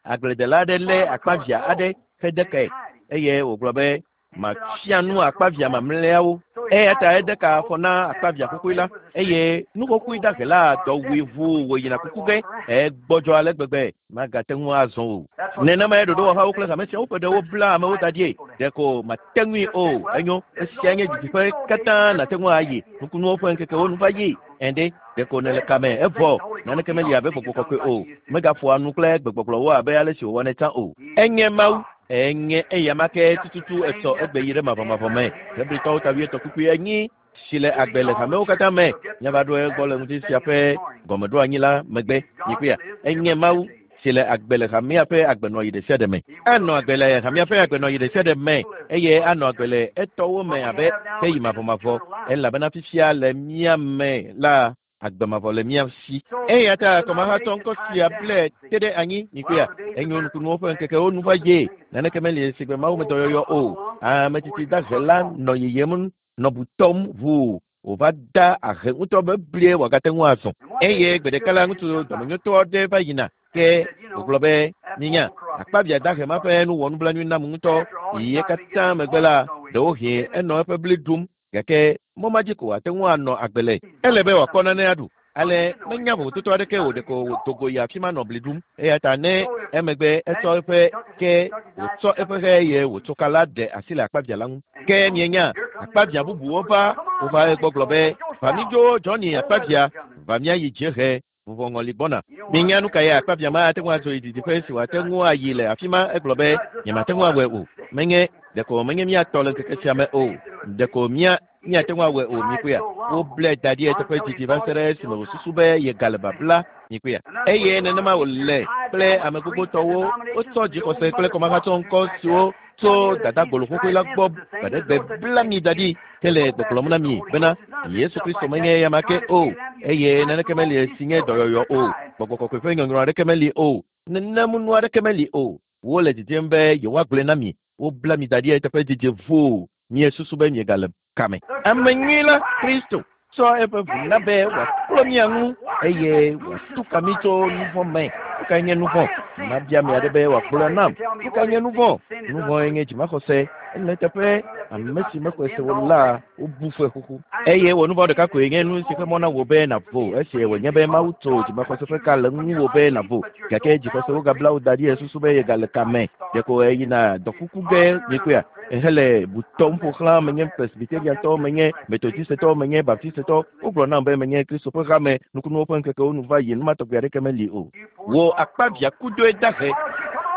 Agbledela aɖe lé akpavia aɖe hede kae eye wògblɔ be Mafia nu akpavia mamlɛawo. Eya ta ede ka afɔ na akpavia xoxoe la eye nu xoxoe dahe la dɔ wui ʋuu wòyina kuku ge. Egbɔdzɔ ale gbegbe magate ŋu azɔ o. Nenemae ɖoɖowɔhawo kple hame siawo ƒe ɖewo bla amewo da ɖie. Ɖeko mate ŋui o. Enyo, esia nye didiƒe katã nàte ŋu ayi. Nukunuwo ƒe ŋkekewo nu va yi. Ende ɖeko nèle kame evɔ naneke meli abe gbɔgbɔ kɔkɔe o. Megaƒoa nu kple gbegbɔgblɔwo abe ale si wòwɔnɛ tsã o. Enye Mawu. Enye eyama ke tututu etsɔ egbe yi ɖe mavɔmavɔ me. Hebritɔwo ta wuietɔ̃ kpukpui enyi si le agbe le hamewo katã me. Míava ɖo egbɔ le ŋuti sia ƒe gɔmeɖoanyi la megbe. Mikpɔea, enye Mawu si le agbe le hamea ƒe agbenɔɣi ɖe sia ɖe me. Anɔ agbe le hamea ƒe agbenɔɣi ɖe sia ɖe me eye anɔ agbe le etɔwo me abe heyi mavɔmavɔ elabena fifia le mía me la agbe mavɔ le mía si. Eya ta kɔmahatɔ ŋkɔ sia ble te ɖe anyi mikpɔea, enyo nukunuwo ƒe ŋkekewo nu va ye. Naneke meli si gbe Mawu me dɔyɔyɔ o. Ame tsitsi dahe la nɔ yiyim nɔ butɔm ʋuu wòva da ahe ŋutɔ be blie wòagate ŋu azɔ. Eye gbe ɖeka la ŋutsu dɔmenyotɔ aɖe va yina ke wògblɔ be minya akpavia dahe ma ƒe nu wɔ nublanui nam ŋutɔ. Yiye katã megbe la ɖewohĩ enɔ eƒe bli ɖum gake mɔ ma dzi ko wòate ŋu anɔ agbe le. Ele be wòakpɔ nane aɖu. Ale menya vovototo aɖeke o ɖeko wòdo go yi afi ma nɔ bli ɖum. Eya ta ne emegbe etsɔ eƒe ke wòtsɔ eƒe xe eye wòtso ka la ɖe asi le akpavia la ŋu. Ke mienya akpavia bubuwo va wova egbɔ gblɔ be va mídzo Johnny akpavia va míayi dziehe vuvɔŋɔli gbɔna. Minya nu ka ye akpavia ma ate ŋu adzo yi didiƒe si wòate ŋu ayi le afi ma egblɔ be nyemate ŋu awɔe o. Menye ɖeko menye míatɔ le ŋkeke sia me o. Ɖeko mía míate ŋu awɔe o mikpɔea. Woblɛ da ɖi eteƒe didi va se ɖe esime wòsusu be yegale babla mikpɔea. Eye nenema wòle kple ame gbogbotɔwo wotsɔ dzixɔse kple kɔmahatsɔ ŋkɔ siwo tso dadagbolo xoxoe la gbɔ gbaɖegbe bla mi da ɖi hele gbɔgblɔm na mi bena Yesu Kristo menye eyama ke o eye naneke meli si nye dɔyɔyɔ o. Gbɔgbɔ kɔkɔe ƒe nyɔnyrɔ aɖeke meli o. Nenemu aɖeke meli o. Wole didim be yewoagblɔe na mi. Wobla mi da ɖi eteƒe didi ʋuu miesusu be miegale kame. Ame nyui la Kristo tsɔ eƒe ʋu na be wòaklɔ mía ŋu eye wòatu ka mí tso nu vɔ̃ me. Nu kae nye nu vɔ̃? Mabia ame aɖe be wòagblɔe nam. Nu kae nye nu vɔ̃? Nu vɔ̃e nye dzimaxɔse. Ele teƒe ame si mexɔe se o la wobu fɔe xoxo. Eye wò nu vɔ̃ ɖeka koe nye nu si ƒe mɔ na wò be nàvo esi wònye be Mawu tso dzimaxɔse ƒe ka le ŋuwò be nàvo. Gake dzixɔse wogabla wò da ɖi esusu be yegale kame. Ɖeko eyina dɔkuku ge mikpɔea ehele butɔm ƒo xlã menye Presbyteriantɔ, menye Methodistetɔ, menye Baptistetɔ. Wogblɔ nam be menye Kristo ƒe hame nukunuwo ƒe ŋkekewo nu va yi nu ma tɔgbi aɖeke meli o. Wò akpavia kudoe dahe.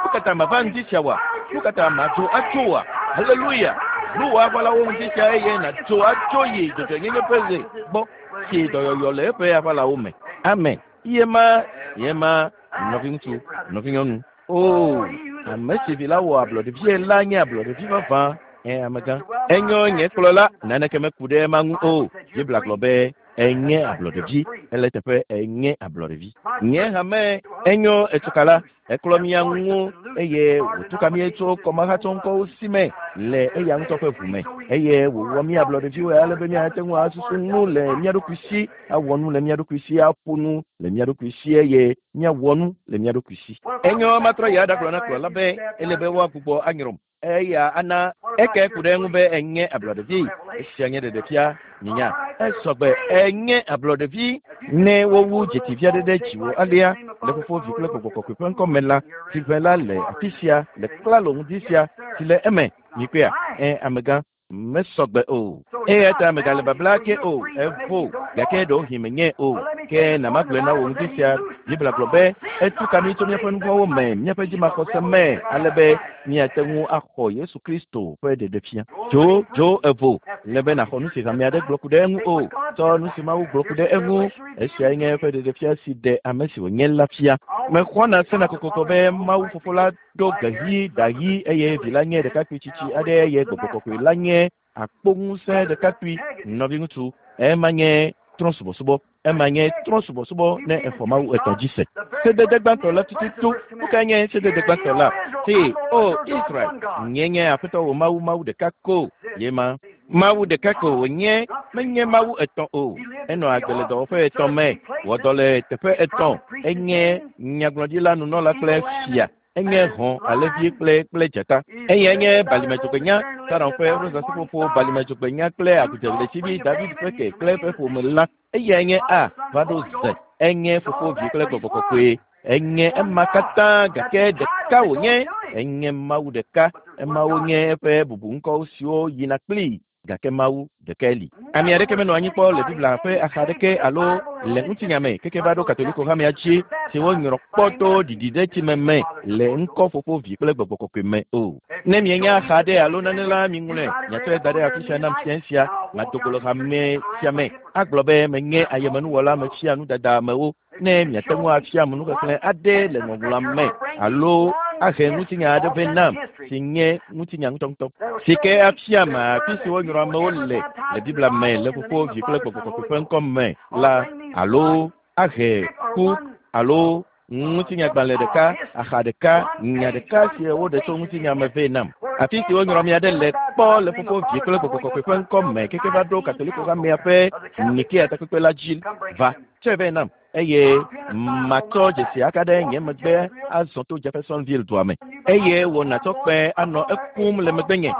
Nu ka ta mava ŋdi sia wa? Nu ka ta madzo atso wa? Haleluya! Nu wò aʋalawo ŋdi sia eye nàdzo atso yi dzɔdzɔenyenye ƒe ɣe gbɔ si dɔyɔyɔ le eƒe aʋalawo me. Amen. Ye ma, ye ma, nɔviŋutsu, nɔvinyɔnu. O, ame si vi la wɔ ablɔɖevie la nye ablɔɖevi vavã. Ɛ amegã. Enyo nye kplɔla naneke meku ɖe ema ŋu o. Biblia gblɔ be enye ablɔɖevi. Ele teƒe enye ablɔɖevi. Nye hame enyo etsokala eklɔ mía ŋu eye wòtu ka mí tso kɔmahatsɔŋkɔwo si me le eya ŋutɔ ƒe ʋu me eye wòwɔ mí ablɔɖeviwo ale be míate ŋu asusu nu le mía ɖokui si, awɔ nu le mía ɖokui si, aƒo nu le mía ɖokui si eye míawɔ nu le mía ɖokui si. Enyo matrɔ yi aɖagblɔ na kplɔla be ele be woagbugbɔ anyrɔm. Eya ana eke ku ɖe eŋu be enye ablɔɖevi. Esia nye ɖeɖefia minya. Esɔgbe enye ablɔɖevi ne wowu dzetivi aɖe ɖe dziwò alea le Fofo, Vi kple Gbɔgbɔ Kɔkɔe ƒe ŋkɔ me la, tsiʋe la le afi sia le klalo ŋdi sia si le eme. Mikpɔea? Ɛ amegã mesɔgbe o. Eya ta megale babla ke o. Evo gake ɖewohĩ menye o. Ke na magblɔe na wò ŋdi sia. Biblia gblɔ be etu ka mí tso míaƒe nu vɔ̃wo me, míaƒe dzimaxɔse me, ale be míate ŋu axɔ Yesu Kristo ƒe ɖeɖefia. Dzo dzo evo le be nàxɔ nu si hame aɖe gblɔ ku ɖe eŋu o. Tsɔ nu si Mawu gblɔ ku ɖe eŋu. Esiae nye eƒe ɖeɖefia si ɖe ame si wònye la fia. Mexɔna sena kokoko be Mawu Fofo la ɖo ge ɣi, ɖa ɣi eye vi la nye ɖekakpui tsitsi aɖe eye Gbɔgbɔ Kɔkɔe la nye akpoŋusẽ ɖekakpui nɔviŋutsu. Ema nye trɔ̃subɔsubɔ. Ema nye trɔ̃subɔsubɔ ne exɔ Mawu etɔ̃ dzi se. Sedede gbãtɔ la tututu. Nu kae nye sedede gbãtɔ la? Se, o Israel, nye nye Aƒetɔ wò Mawu, Mawu ɖeka ko ye ma. Mawu ɖeka ko wònye, menye Mawu etɔ̃ o. Enɔ agbe le dɔwɔƒe etɔ̃ me, wɔ dɔ le teƒe etɔ̃. Enye nyagblɔɖila, nunɔla kple fia. Enye hɔ̃ alẽvi kple kple dzata. Eyae nye balimedzogbenya, Saron ƒe rosaseƒoƒo balimedzogbenya kple agudzeɣletivi David ƒe ke kple eƒe ƒome la. Eyae nye A va ɖo Z. Enye fofo vi kple gbɔgbɔ kɔkɔe. Enye ema katã gake ɖeka wònye. Enye Mawu ɖeka. Emawo nye eƒe bubuŋkɔwo siwo yina kplii. Gake Mawu ɖekae li. Ame aɖeke menɔ anyi kpɔ le Biblia ƒe axa aɖeke alo le ŋutinya me keke va ɖo Katoliko hamea dzi si wonyrɔ kpɔ to ɖiɖiɖetsime me le ŋkɔ fofo vi kple gbɔgbɔ kɔkɔe me o. Ne mienya axa aɖe alo nane la miŋlɔe, miatsɔe da ɖe afi sia nam fiẽ sia, mado go le hame sia me agblɔ be menye ayemenuwɔla mefia nudada amewo. Ne miate ŋu afia nuxexlẽ aɖe le ŋɔŋlɔa me alo ahe ŋutinya aɖe vɛ nam si nye ŋutinya ŋutɔŋutɔ si ke afia me afi si wonyrɔ amewo le le Biblia me le fofo vi kple gbɔgbɔ kɔkɔe ƒe ŋkɔ me la alo ahe ku alo ŋutinyagbalẽ ɖeka axa ɖeka nya ɖeka si woɖe tso ŋutinya me vɛ nam afi si wonyrɔ ame aɖe le kpɔ le fofo vi kple gbɔgbɔ kɔkɔe ƒe ŋkɔ me keke va ɖo Katoliko hamea ƒe Nikea takpekpe la dzi va tsɔe vɛ nam eye matsɔ dzesi aka ɖe nye megbe azɔ to Jeffersonville dua me eye wò nàtsɔ kpẽ anɔ ekum le megbenye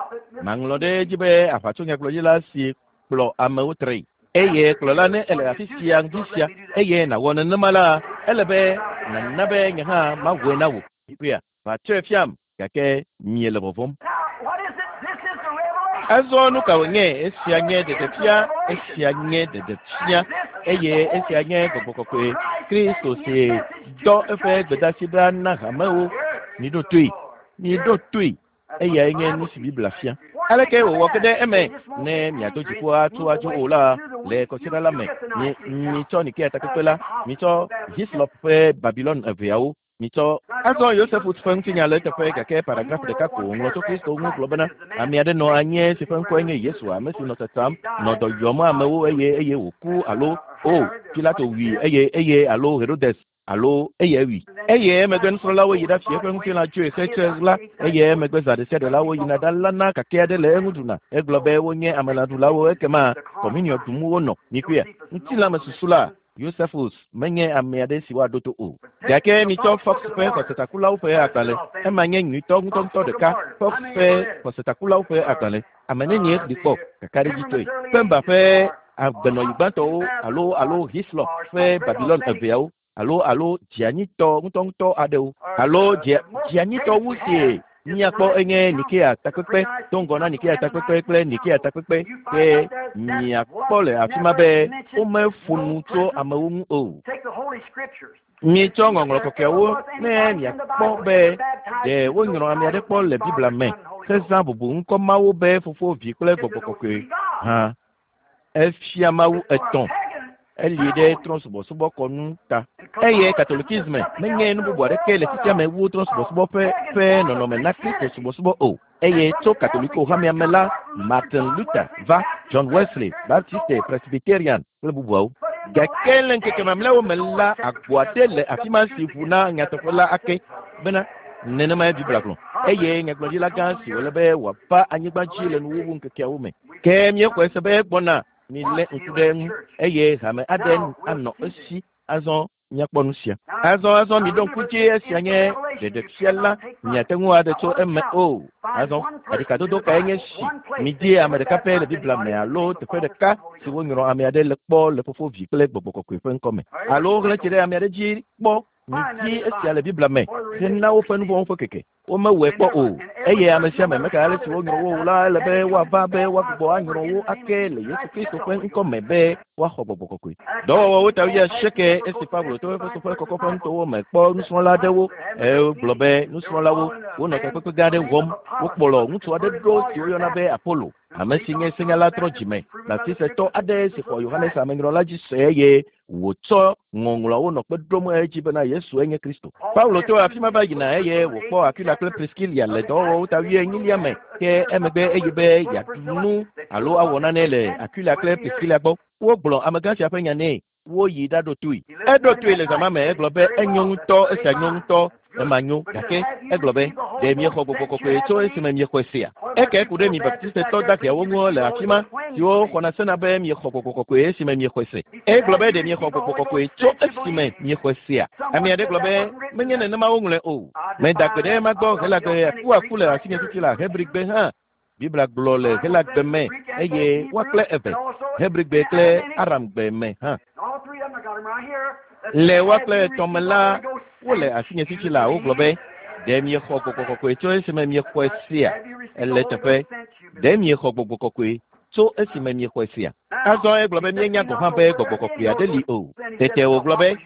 maŋlɔ ɖe edzi be aʋatsonyagblɔɖila si kplɔ amewo tree eye kplɔla ne ele afi sia ŋdi sia eye nàwɔ nenema la ele be nàna be nye hã mawɔe na wò ƒea va tsɔe fiam gake miele vɔvɔm. Azɔ nu ka wònye esia nye ɖeɖefia esia nye ɖeɖefia eye esia nye gbɔgbɔ kɔkɔe Kristo si dɔ eƒe gbedeasi ɖa na hamewo miɖo toe miɖo toe eyae nye nu si Biblia fia. Aleke wòwɔ ke ɖe eme ne miado dziƒo atso adzo o la le kɔsiɖa la me mi mitsɔ Nikea takpekpe la mitsɔ Hislop ƒe Babilon eveawo mitsɔ azɔ Yosefus ƒe ŋutinya le eteƒe gake paragraf ɖeka ko wòŋlɔ tso Kristo ŋu gblɔ bena ame aɖe nɔ anyi si ƒe ŋkɔe nye Yesu ame si nɔ tsatsam nɔ dɔ yɔm amewo eye eye wòku alo o Pilato wui eye eye alo Herodes alo eye wui eye emegbe nusrɔ̃lawo yi ɖafia eƒe ŋutilã tsoe xetse la eye emegbe zã ɖe sia ɖe la woyina ɖalana kake aɖe le eŋu ɖuna egblɔ be wonye amelãɖulawo ekema kɔminiɔ ɖum wonɔ mikpɔea ŋutilãmesusu la Yosefus menye ame aɖe si woaɖo to o gake mitsɔ Fox ƒe xɔsetakulawo ƒe agbalẽ ema nye nyuitɔ ŋutɔŋutɔ ɖeka Fox ƒe xɔsetakulawo ƒe agbalẽ ame nenie ɖi kpɔ kakaɖedzitɔe Pemba ƒe agbenɔyi gbãtɔwo alo alo Hislop ƒe Babilon eveawo alo alo dzianyitɔ ŋutɔŋutɔ aɖewo alo dzianyitɔ wu si míakpɔ enye Nikea takpekpe do ŋgɔ na Nikea takpekpe kple Nikea takpekpe ke miakpɔ le afi ma be womeƒo nu tso amewo ŋu o. Mitsɔ ŋɔŋlɔ kɔkɔeawo ne miakpɔ be ɖe wonyrɔ ame aɖe kpɔ le Biblia me hezã bubu ŋkɔ mawo be fofo vi kple gbɔgbɔ kɔkɔe hã efia Mawu etɔ̃ eli ɖe trɔ̃subɔsubɔ kɔnu ta eye katolikisme menye nu bubu aɖeke le xexea me wu trɔ̃subɔsubɔ ƒe ƒe nɔnɔme na Kristo subɔsubɔ o eye tso Katoliko hamea me la Martin Luther va John Wesley Baptiste Presbyterian kple bubuawo gake le ŋkeke mamlɛawo me la agbo aɖe le afi ma si ʋu na nyateƒe la ake bena nenemae Biblia gblɔ eye nyagblɔɖila gã si wòle be wòava anyigba dzi le nuwuwu ŋkekeawo me ke míexɔe se be egbɔna milé ŋku ɖe eŋu eye hame aɖe anɔ esi azɔ míakpɔ nu sia azɔ azɔ miɖo ŋku dzi esia nye ɖeɖefia la miate ŋu aɖe tso eme o azɔ aɖikadodo kae nye si midi ame ɖeka pɛ le Biblia me alo teƒe ɖeka si wonyrɔ ame aɖe le kpɔ le fofo vi kple gbɔgbɔ kɔkɔe ƒe ŋkɔ me alo xlẽ tsi ɖe ame aɖe dzi kpɔ midi esia le Biblia me hena woƒe nu vɔ̃wo ƒe keke womewɔe kpɔ o eye ame sia ame meka ale si wonyrɔ wo o la ele be woava be woagbugbɔ anyrɔ wo ake le Yesu Kristo ƒe ŋkɔ me be woaxɔ gbɔgbɔ kɔkɔe. Dɔwɔwɔwo ta wuiasieke esi Paulo to Efeso ƒe kɔkɔƒe nutowo me kpɔ nusrɔ̃la aɖewo egblɔ be nusrɔ̃lawo wonɔ takpekpe gã aɖe wɔm wokplɔ ŋutsu aɖe ɖo si woyɔna be Apollo ame si nye senyala trɔ dzime baptisetɔ aɖe si xɔ Yohanes amenyrɔla dzi se eye wòtsɔ ŋɔŋlɔawo nɔ kpe ɖom edzi bena Yesu enye Kristo. Paulo to afi ma va yina eye wòkpɔ Aquila kple Priscilla le dɔwɔwɔwo ta wuienyilia me ke emegbe eyi be yeaɖu nu alo awɔ nane le Aquila kple Priscilla gbɔ. Wogblɔ amegã sia ƒe nya nɛ woyi ɖaɖo toe. Eɖo toe le zama me egblɔ be enyo ŋutɔ esia nyo ŋutɔ ema nyo gake egblɔ be ɖe miexɔ gbɔgbɔ kɔkɔe tso esime miexɔe sea. Eke ku ɖe mi baptistetɔ daheawo ŋu le afi ma siwo xɔna sena be miexɔ gbɔgbɔ kɔkɔe esime miexɔe se. Egblɔ be ɖe miexɔ gbɔgbɔ kɔkɔe tso esime miexɔe sea. Ame aɖe gblɔ be menye nenema woŋlɔe o. Meda gbe ɖe ema gbɔ Helagbe akuaku le asinye fifi le Hebrigbe hã. Biblia gblɔ le Helagbe me eye woa kple eve Hebrigbe kple Aramgbe me hã. Le woa kple etɔ̃ me la wole asinye fifi la wogblɔ be ɖe miexɔ gbɔgbɔ kɔkɔe tso esime miexɔe sea. Ele teƒe ɖe miexɔ gbɔgbɔ kɔkɔe tso esime miexɔe sea. Azɔ egblɔ be míenya gɔ̃ hã be gbɔgbɔ kɔkɔe aɖe li o. Tete wògblɔ be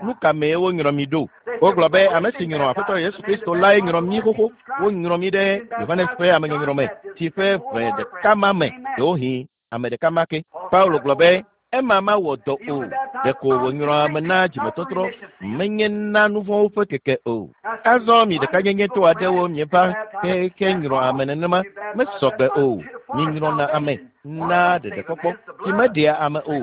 nu ka mee wonyrɔ mi ɖo? Wogblɔ be ame si nyrɔ Aƒetɔ Yesu Kristo lae nyrɔ mí xoxo. Wonyrɔ mí ɖe Yohanes ƒe amenyɔnyrɔ me si ƒe ʋe ɖeka ma me ɖewohĩ ame ɖeka ma ke. Paulo gblɔ be ema mawɔ dɔ o. Ɖeko wònyrɔ ame na dzimetɔtrɔ menye na nu vɔ̃wo ƒe keke o. Azɔ mi ɖekanyenyetɔ aɖewo mieva ke nyrɔ ame nenema mesɔgbe o. Minyrɔna ame na ɖeɖekpɔkpɔ si meɖea ame o.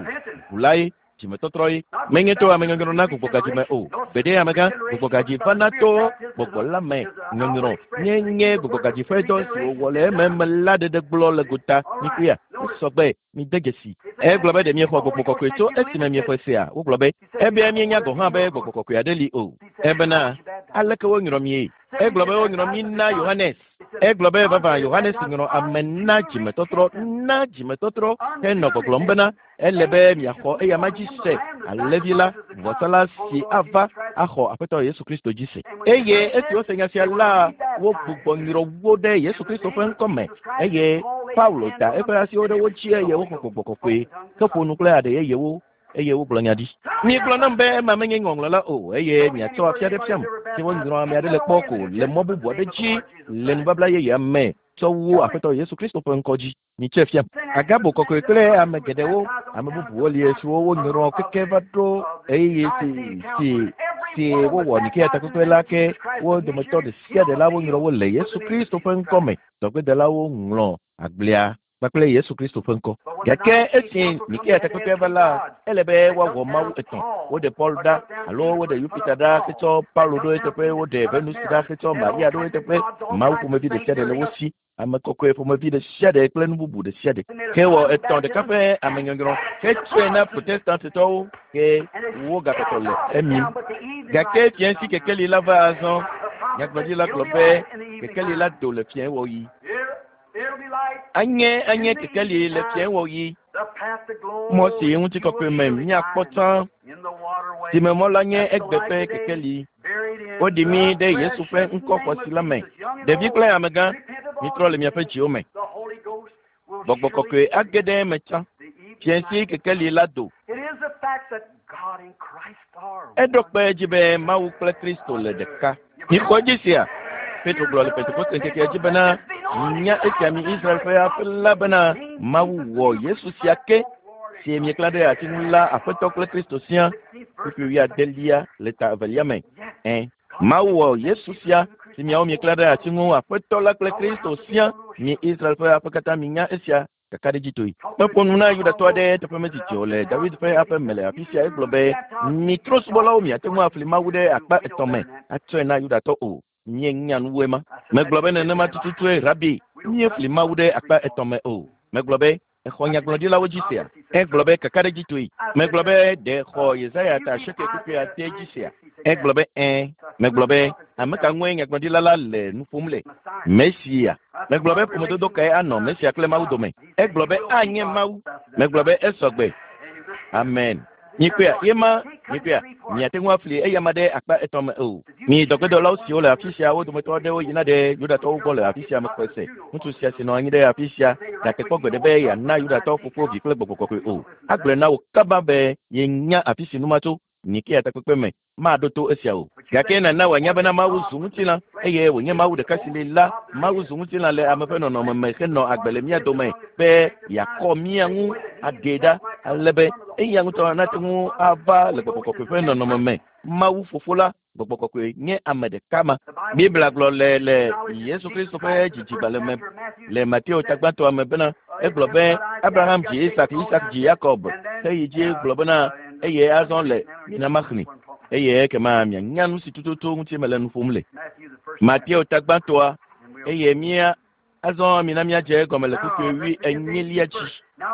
Ʋu lae dzimetɔtrɔ ye. Menye to amenyɔnyrɔ na gbɔgbɔgadzi me o. Gbeɖe amegã gbɔgbɔgadzi vana to gbɔgbɔ la me nyɔnyrɔ nye nye gbɔgbɔgadzi ƒe dɔ si wòwɔ le ememe la ɖeɖe gblɔ le gota mikuya esɔgbe mide dzesi. Egblɔ be ɖe miexɔ gbɔgbɔ kɔkɔe tso esime miexɔe sea. Wogblɔ be ebia míenya gɔ̃ hã be gbɔgbɔ kɔkɔe aɖe li o. Ebena aleke wonyrɔ mie? Egblɔ be wonyrɔ mí na Yohanes. Egblɔ be vavã Yohanes nyrɔ ame na dzimetɔtrɔ na dzimetɔtrɔ henɔ gbɔgblɔm bena ele be miaxɔ eyama dzi se alẽvi la vɔsala si ava axɔ Aƒetɔ Yesu Kristo dzi se. Eye esi wose nya sia la wogbugbɔ nyrɔ wo ɖe Yesu Kristo ƒe ŋkɔme eye Paulo da eƒe asiwo ɖe wo dzi eye woxɔ gbɔgbɔ kɔkɔe heƒo nu kple aɖe yeyewo eye wogblɔ nya ɖi. Miegblɔ nam be ema menye ŋɔŋlɔ la o eye miatsɔ afia ɖe fiam si wonyrɔ ame aɖe le kpɔ ko le mɔ bubu aɖe dzi le nubabla yeyea me tsɔ wu Aƒetɔ Yesu Kristo ƒe ŋkɔ dzi. Mitsɔe fiam. Agabo kɔkɔe kple ame geɖewo ame bubuwo li siwo wonyrɔ keke va ɖo ɣeyiɣi si si si wowɔ Nikea takpekpe la ke wo dometɔ ɖe sia ɖe la wonyrɔ wo le Yesu Kristo ƒe ŋkɔ me. Dɔgbedelawo ŋlɔ agblea kpakple Yesu Kristo ƒe ŋkɔ. Gake esi Nikea takpekpea va la, ele be woawɔ Mawu etɔ̃. Woɖe Paul ɖa alo woɖe Yupita ɖa hetsɔ Paulo ɖo eteƒe, woɖe Venus ɖa hetsɔ Maria ɖo eteƒe. Mawu ƒomevi ɖe sia ɖe le wo si. Ame kɔkɔe ƒomevi ɖe sia ɖe kple nu bubu ɖe sia ɖe. Ke wɔ etɔ̃ ɖeka ƒe amenyɔnyrɔ hetsɔe na Protestantitɔwo ke wogakpɔtɔ le emim. Gake fiẽsi kekeli la va azɔ. Nyagblɔɖila gblɔ be kekeli la do le fiẽwɔɣi. Anye anye kekeli le fiẽwɔɣi. Mɔ si ŋutikɔkɔe me míakpɔ tsã si me mɔ la nye egbe ƒe kekeli. Woɖi mí ɖe Yesu ƒe ŋkɔ xɔasi la me. Ɖevi kple amegã, mitrɔ le miaƒe dziwo me. Gbɔgbɔ kɔkɔe age ɖe eme tsã. Fiẽsi kekeli la do. Eɖo kpe edzi be Mawu kple Kristo le ɖeka. Mixɔ edzi sia. Petro gblɔ le Pentekoste ŋkekea dzi bena nya esia mi Israel ƒe aƒe la bena Mawu wɔ Yesu sia ke si mieklã ɖe ati ŋu la Aƒetɔ kple Kristo sia. Kpukpui wuiadelia le ta evelia me. Ẽ, Mawu wɔ Yesu sia si miawo mieklã ɖe ati ŋu Aƒetɔ la kple Kristo sia. Mi Israel ƒe aƒe katã minya esia kakaɖedzitɔe. Meƒo nu na Yudatɔ aɖe teƒe medidi o le David ƒe aƒe me le afi sia egblɔ be mi trɔ̃subɔlawo miate ŋu afli Mawu ɖe akpa etɔ̃ me atsɔe na Yudatɔ o. Míenya nuwoe ma. Megblɔ be nenema tututue rabi míefli Mawu ɖe akpa etɔ̃ me o. Megblɔ be exɔ nyagblɔɖilawo dzi sea. Egblɔ be kakaɖedzitɔe. Megblɔ be ɖe xɔ Yesaya ta asieke kpukpui ade dzi sea. Egblɔ be ɛ̃. Megblɔ be ame ka ŋue nyagblɔɖila la le nu ƒom le? Mesia. Megblɔ be ƒomedodo kae anɔ Mesia kple Mawu dome? Egblɔ be anye Mawu. Megblɔ be esɔgbe. Amen. Mikpɔea yema mikpɔea miate ŋu afli eyama ɖe akpa etɔ̃ me o. Mi dɔgbedɔlawo siwo le afi sia wo dometɔ aɖewo yina ɖe Yudatɔwo gbɔ le afi sia mexɔe se. Ŋutsu sia si nɔ anyi ɖe afi sia gake kpɔ gbeɖe be yeana Yudatɔwo fofo vi kple gbɔgbɔ kɔkɔe o. Agblɔe na wò kaba be yenya afi si nu ma tso. Nikea takpekpe me maɖo to esia o. Gake nana wòanya bena Mawu zu ŋutilã eye wònye Mawu ɖeka si li la. Mawu zu ŋutilã le ame ƒe nɔnɔme me henɔ agbe le mía dome be yeakɔ mía ŋu aɖee ɖa ale be eya ŋutɔ nate ŋu ava le gbɔgbɔ kɔkɔe ƒe nɔnɔme me. Mawu fofo la gbɔgbɔ kɔkɔe nye ame ɖeka ma. Biblia gblɔ le le Yesu Kristo ƒe dzidzigbalẽ me le Mateo tagbãtɔa me bena egblɔ be Abraham dzi Isak, Isak dzi Yakob. Heyi dzi gblɔ bena eye azɔ le mina maxlẽ eye ekema mianya nu si tututu ŋuti mele nu ƒom le. Mateo tagbãtɔa eye mía Azɔ mina míadze egɔme le kpukpui wui enyilia dzi.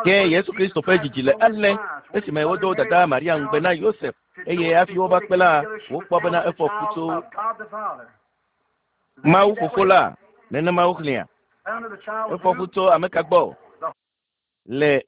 Ke Yesu Kristo ƒe dzidzi le ale esime wodo dada Maria ŋugbe na Yosef eye hafi wova kpe la wokpɔ bena efɔ fu tso Mawu fofo la nenema woxlẽa. Efɔ fu tso ame ka gbɔ? Le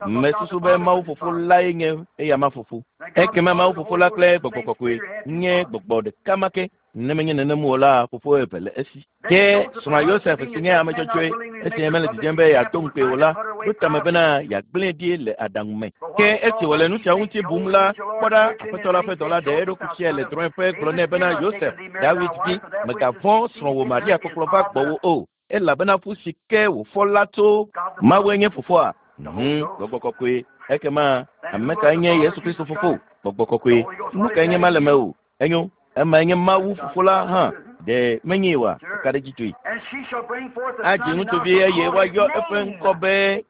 mesusu be Mawu fofo lae nye eyama fofo. Ekema Mawu fofo la kple gbɔgbɔ kɔkɔe nye gbɔgbɔ ɖeka ma ke. Ne menye nenem o la fofo eve le esi. Ke srɔ̃a Yosef si nye ame dzɔdzɔe esi mele dzidzem be yeado ŋukpe o la ɖo tame bena yeagblẽe ɖi le aɖaŋu me. Ke esi wòle nu siawo ŋuti bum la kpɔ ɖa aƒetɔ la ƒe dɔla ɖe eɖokui fiae le drɔ̃eƒe gblɔ nɛ bena Yosef David vi mègavɔ̃ srɔ̃wò Maria kpɔkplɔ va gbɔwò o elabena fu si ke wòfɔ la tso Mawue nye fofoa. Hmm, gbɔgbɔ kɔkɔe. Ekema ame kae nye Yesu Kristo fofo? Gbɔgbɔ kɔkɔe. Nu kae nye ma le mewò? Enyo. Emae nye Mawu fofo la hã. Ɖe menye oa? Eka ɖe edzi tsoe. Adzi ŋutsuvi eye woayɔ eƒe ŋkɔ be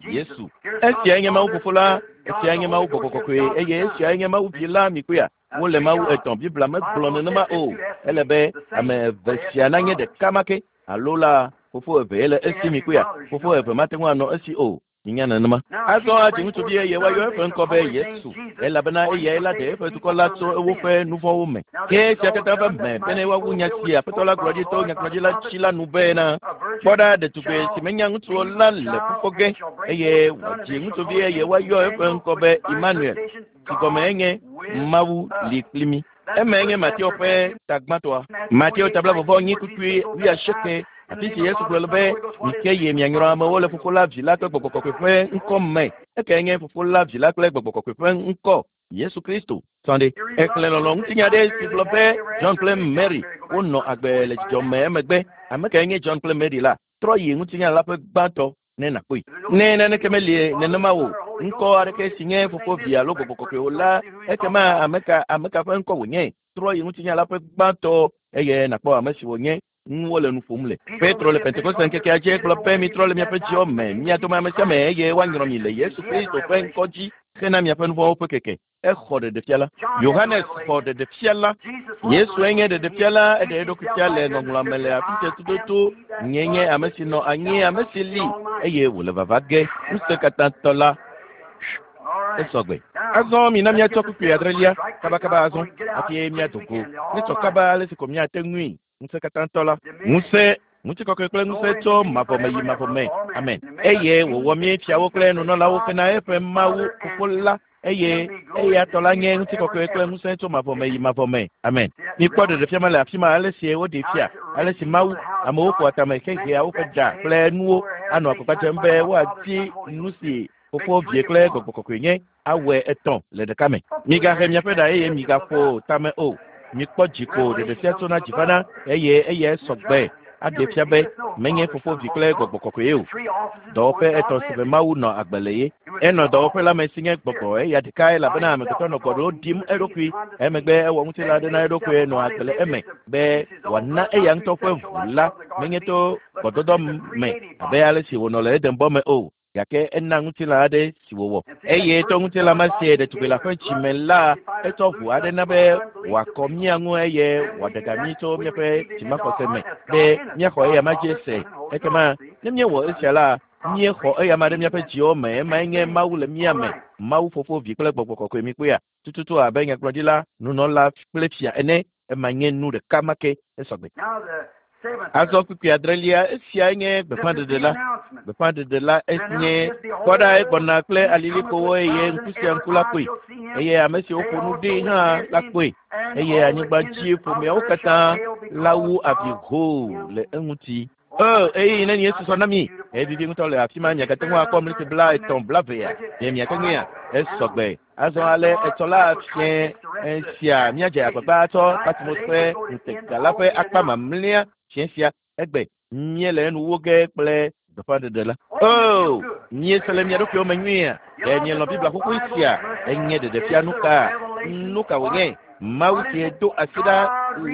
Yesu. Esiae nye Mawu fofo la, esiae nye Mawu gbɔgbɔ kɔkɔe eye esiae nye Mawu vi la mikpɔea. Wole Mawu etɔ̃. Biblia megblɔ nenema o. Ele be ame eve sia nanye ɖeka ma ke alo la fofo eve le esi mikpɔea. Fofo eve mate ŋu anɔ esi o. Minya nenema. Azɔ adzi ŋutsuvi eye woayɔ eƒe ŋkɔ be Yesu elabena eyae la ɖe eƒe dukɔ la tso woƒe nu vɔ̃wo me. Ke esia katã va me bene woawu nya si Aƒetɔ la gblɔ ɖi to nyagblɔɖila dzi la nu bena kpɔ ɖa ɖetugbi si menya ŋutsu o la le fu fɔ ge eye wòadzi ŋutsuvi eye woayɔ eƒe ŋkɔ be Emmanuel si gɔme enye Mawu li kpli mí. Emae nye Mateo ƒe tagbãtɔa. Mateo ta blaeve vɔ enyi kpukpui wuiasieke afi si Yesu gblɔ le be mike yi mianyrɔ amewo le fofo la vi la kple gbɔgbɔ kɔkɔe ƒe ŋkɔ me. Ekae nye fofo la vi la kple gbɔgbɔ kɔkɔe ƒe ŋkɔ Yesu Kristo. Sɔnde exlẽ lɔlɔ̃ ŋutinya aɖe si gblɔ be John kple Mary wonɔ agbe le dzidzɔ me emegbe. Ame kae nye John kple Mary la? Trɔ yi ŋutinya la ƒe gbãtɔ ne nàkpɔe. Ne naneke meli nenema o ŋkɔ aɖeke si nye fofo vi alo gbɔgbɔ kɔkɔe o la ekema ame ka ame ka ƒe ŋkɔ wònye? Trɔ yi ŋutinya la ƒe gbãtɔ eye nàkpɔ ame si wònye. Ŋu wole nu ƒom le. Petro le Pentekoste ŋkekea dzi gblɔ be mitrɔ le miaƒe dziwo me, mia dome ame sia ame eye woanyrɔ mi le Yesu Kristo ƒe ŋkɔ dzi hena miaƒe nu vɔ̃wo ƒe keke. Exɔ ɖeɖefia la. Yohanes xɔ ɖeɖefia la. Yesue nye ɖeɖefia la eɖe eɖokui fia le ŋɔŋlɔa me le afi sia tututu. Nye nye ame si nɔ anyi, ame si li eye wòle vava ge. Ŋusẽkatãtɔ la. Esɔgbe. Azɔ mina míatsɔ kpukpui adrelia kabakaba azɔ hafi míado go. Míetsɔ kaba ale si ko míate ŋui. Ŋusẽkatãtɔ la. Ŋusẽ ŋutikɔkɔe kple ŋusẽ tso mavɔ me yi mavɔ me. Amen. Eye wòwɔ mí fiawo kple nunɔlawo hena eƒe Mawu fofo la eye eya tɔ la nye ŋutikɔkɔe kple ŋusẽ tso mavɔ me yi mavɔ me. Amen. Mikpɔ ɖeɖefia ma le afi ma ale si woɖee fia ale si Mawu amewo ƒoa tame hehea woƒe ɖa kple nuwo anɔ agbagba dzem be woadi nu si fofo vie kple gbɔgbɔ kɔkɔe nye awɔe etɔ̃ le ɖeka me. Migahe miaƒe ɖa eye migaƒo tame o. Mikpɔ dziko ɖeɖefia tsona dzi vana eye eyae sɔgbe aɖe fia be menye fofo vi kple gbɔgbɔ kɔkɔe o. Dɔwɔƒe etɔ̃ si me Mawu nɔ agbe le ye. Enɔ dɔwɔƒe la me si nye gbɔgbɔ eya ɖeka elabena amegbetɔ nɔ gbɔɖo ɖim eɖokui. Emegbe ewɔ ŋutilã aɖe na eɖokui nɔ agbe le eme be wòana eya ŋutɔ ƒe ʋu la menye to gbɔdɔdɔ me abe ale si wònɔ le Edenbɔ me o. Gake ena ŋutilã aɖe si wòwɔ eye to ŋutilã ma si ɖetugbi le ƒe dzime la etsɔ ʋu aɖe na be wòakɔ mía ŋu eye wòaɖe ga mí tso míaƒe dzimaxɔse me be míaxɔ eya ma dzi se. Ekema ne míewɔ esia la míexɔ eya ma ɖe míaƒe dziwo me. Emae nye Mawu le mía me. Mawu fofo vi kple gbɔgbɔ kɔkɔe mikpɔea tututu abe nyagblɔɖila nunɔla kple fia ene. Ema nye nu ɖeka ma ke esɔgbe. Azɔ kpukpui adrelia esiae nye gbeƒãɖeɖe la. Gbeƒãɖeɖe la enye kpɔ ɖa egbɔna kple alilikpowo eye ŋku sia ŋku la kpɔe eye ame siwo ƒo nu ɖi hã la kpɔe eye anyigba dzi ƒomeawo katã la wu avi hoo le eŋuti. O eye nenie susɔ na mi evivi ŋutɔ le afi ma miagate ŋu akpɔ mliti bla etɔ̃ blavea ɖe miate ŋuia esɔgbe. Azɔ ale etsɔ la fiẽ sia míadze agbagba atsɔ Patmos ƒe ŋutega la ƒe akpa mamlɛa fiẽ sia egbe míele enu wo ge kple gbeƒãɖeɖe la. O míese le mia ɖokuiwo me nyuia. Ɖe mielɔ̃ Biblia xoxoe sia? Enye ɖeɖefia nu ka? Nu ka wònye? Mawu sie do asi ɖa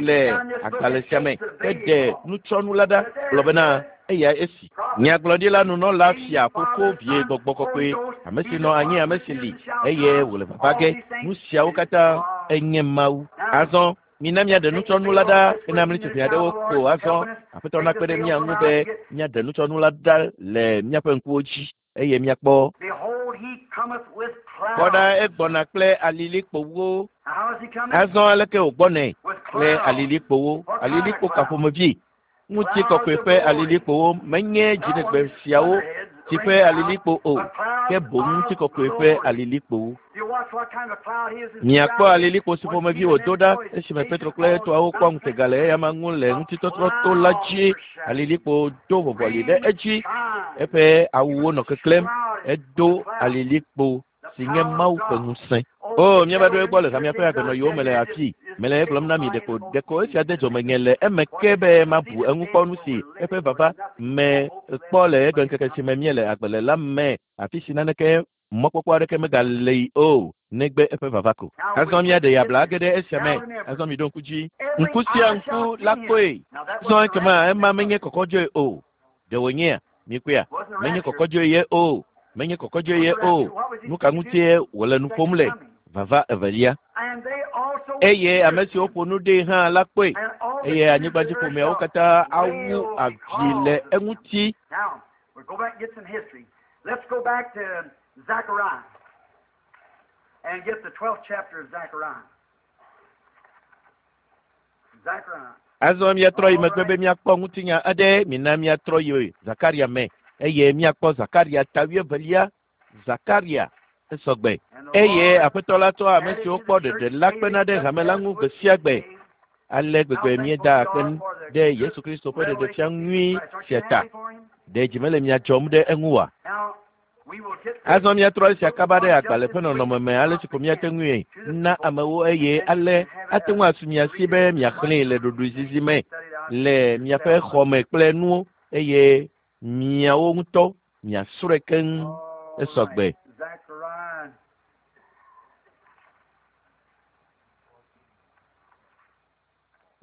le agbalẽ sia me heɖe nutsɔnu la ɖa gblɔ bena eya esi. Nyagblɔɖila nunɔla fia fofo vie gbɔgbɔ kɔkɔe ame si nɔ anyi ame si li eye wòle vava ge. Nu siawo katã enye Mawu. Azɔ Mina míaɖe nutsɔnu la ɖa hena mlitsɔƒe aɖewo ko azɔ. Aƒetɔ nakpe ɖe mía ŋu be míaɖe nutsɔnu la ɖa le míaƒe ŋkuwo dzi eye míakpɔ. Kpɔ ɖa egbɔna kple alilikpowo. Azɔ aleke wògbɔnɛ kple alilikpowo. Alilikpo ka ƒomevi? Ŋutikɔkɔe ƒe alilikpowo menye dziɖegbe siawo si ƒe alilikpo o, ke boŋ ŋutikɔkɔe ƒe alilikpowo. Miakpɔ alilikpo si ƒomevi wòdo ɖa esime Petro kple etɔawo kpɔ ŋutega le eyama ŋu le ŋutitɔtrɔ to la dzi. Alilikpo do vɔvɔli ɖe edzi, eƒe awuwo nɔ keklẽm, edo alilikpo si nye Mawu ƒe ŋusẽ. O, míava ɖo egbɔ le hamea ƒe agbenɔyiwo me le afii. Mele egblɔm na mi ɖeko ɖeko esia de dzɔmenye le eme ke be mabu eŋu kpɔ nu si eƒe vava me kpɔ le egbeŋkeke si me míele agbe le la me, afi si naneke mɔkpɔkpɔ aɖeke megale yi o, negbe eƒe vava ko. Azɔ míaɖe yabla age ɖe esia me. Azɔ mi ɖo ŋku dzi. Ŋku sia ŋku la kpɔe. Zɔ ekema ema menye kɔkɔdzoe o. Ɖe wònyea? Mikpɔea? Menye kɔkɔdzoe ye o. Menye kɔkɔdzoe ye o. Nu ka ŋutie wòle nu ƒom le? Vava evelia. Eye ame siwo ƒo nu ɖee hã la kpɔe. Eye anyigbadziƒomeawo katã awu avi le eŋuti. Now, we'll go back and get some history. Let's go back to Zechariah and get the twelfth chapter of Zechariah. Zechariah. Azɔ míatrɔ yi megbe be míakpɔ ŋutinya aɖe. Mina míatrɔ yi Zakaria me eye míakpɔ Zakaria ta wuievelia. Zakaria esɔgbe. Eye Aƒetɔ la tsɔ ame siwo kpɔ ɖeɖe la kpena ɖe hame la ŋu gbe sia gbe. Ale gbegbe míeda akpe ɖe Yesu Kristo ƒe ɖeɖefia nyui sia ta. Ɖe dzi mele mia dzɔm ɖe eŋu oa? Now, we will get Azɔ míatrɔ esia kaba ɖe agbalẽ ƒe nɔnɔme me ale si ko míate ŋui na amewo eye ale ate ŋu asu mia si be miaxlẽe le ɖoɖoezizi me le miaƒe xɔme kple nuwo eye miawo ŋutɔ miasrɔ̃e keŋ esɔgbe. Zechariah.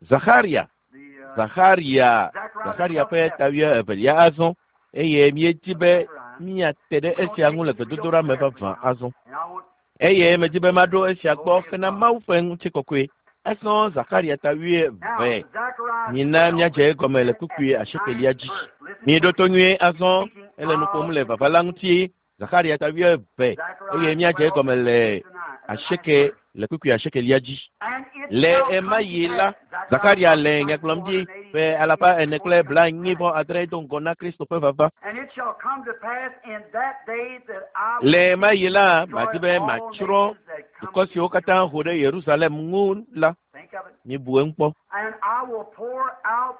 Zaxaria, The, uh, Zaxaria, Zaxaria ƒe ta wuievelia azɔ eye míedi be míate ɖe esia ŋu le gbedodoɖa me vavã azɔ. and I want Eye medi be maɖo esia gbɔ hena Mawu ƒe ŋutikɔkɔe. Azɔ Zakaria ta now wuieve. Zechariah Mina míadze egɔme le kpukpui asiekelia dzi. Miɖo to nyuie azɔ ele nu ƒom le vava la ŋuti. Zakaria ta wuieve eye míadze egɔme le asieke le kpukpui asiekelia dzi. And it Le shall ema come yi to la, pass, Zakaria le nya gblɔm ɖi ƒe alafa ene kple blaenyi vɔ adre do ŋgɔ na Kristo ƒe vava. And it shall come to pass in that day that I will Le ema yi la, destroy madi be all matsrɔ̃ nations that come dukɔ siwo katã ho ɖe Yerusalem ŋu la. Think of it. Mibu eŋu kpɔ. And I will pour out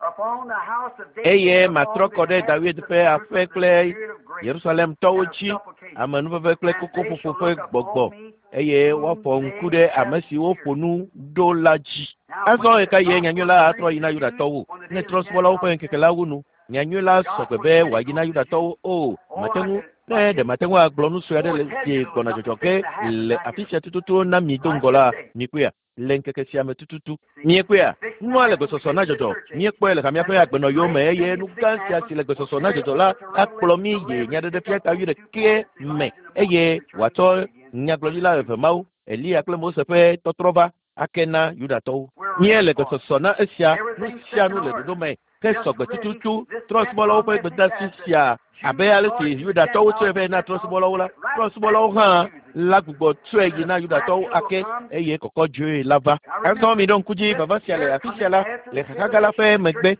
upon the house of David Eye and matrɔ upon kɔ the ɖe David inhabitants ƒe of aƒe Jerusalem kple the spirit of grace Yerusalemtɔwo and of dzi supplication. amenuveve kple And they kokoƒoƒo shall ƒe look gbɔgbɔ upon me eye whom woafɔ ŋku they ɖe have ame siwo ƒo pierced. nu ɖo la dzi. Now, Azɔ when ɣe the ka ɣie nyanyui la gospel atrɔ yi na preached to Yudatɔwo? Jews on the Ne day of the trɔ̃subɔlawo ƒe Gentiles ŋkeke la wu nu, nyanyui la sɔgbe be wòayi na Yudatɔwo o. Mate ŋu ne ɖe mate ŋu agblɔ nu sue aɖe le si gbɔna dzɔdzɔ ge le afi sia tututu na mi do ŋgɔ la, mikpɔea? Le ŋkeke sia me tututu. Miekpɔea? Nua le gbesɔsɔ na dzɔdzɔ. Míekpɔe le hamea ƒe agbenɔyiwo me eye nu gã sia si le gbesɔsɔ na dzɔdzɔ la akplɔ mí yi nyaɖeɖefia ta wuiɖekɛ me eye wòatsɔ nyagblɔɖila eve mawo, Eliya kple Mose ƒe tɔtrɔ va ake na Yudatɔwo. Míele gbesɔsɔ na esia, nu sia nu le ɖoɖo me ke sɔgbe tututu trɔ̃subɔlawo ƒe gbedeasi sia abe ale si Yudatɔwo tsɔe vɛ na trɔ̃subɔlawo la, trɔ̃subɔlawo hã la gbugbɔ tsɔe yi na Yudatɔwo ake eye kɔkɔdzoe la va. Azɔ mi ɖo ŋku dzi vava sia le afi sia la le xaxa gã la ƒe megbe.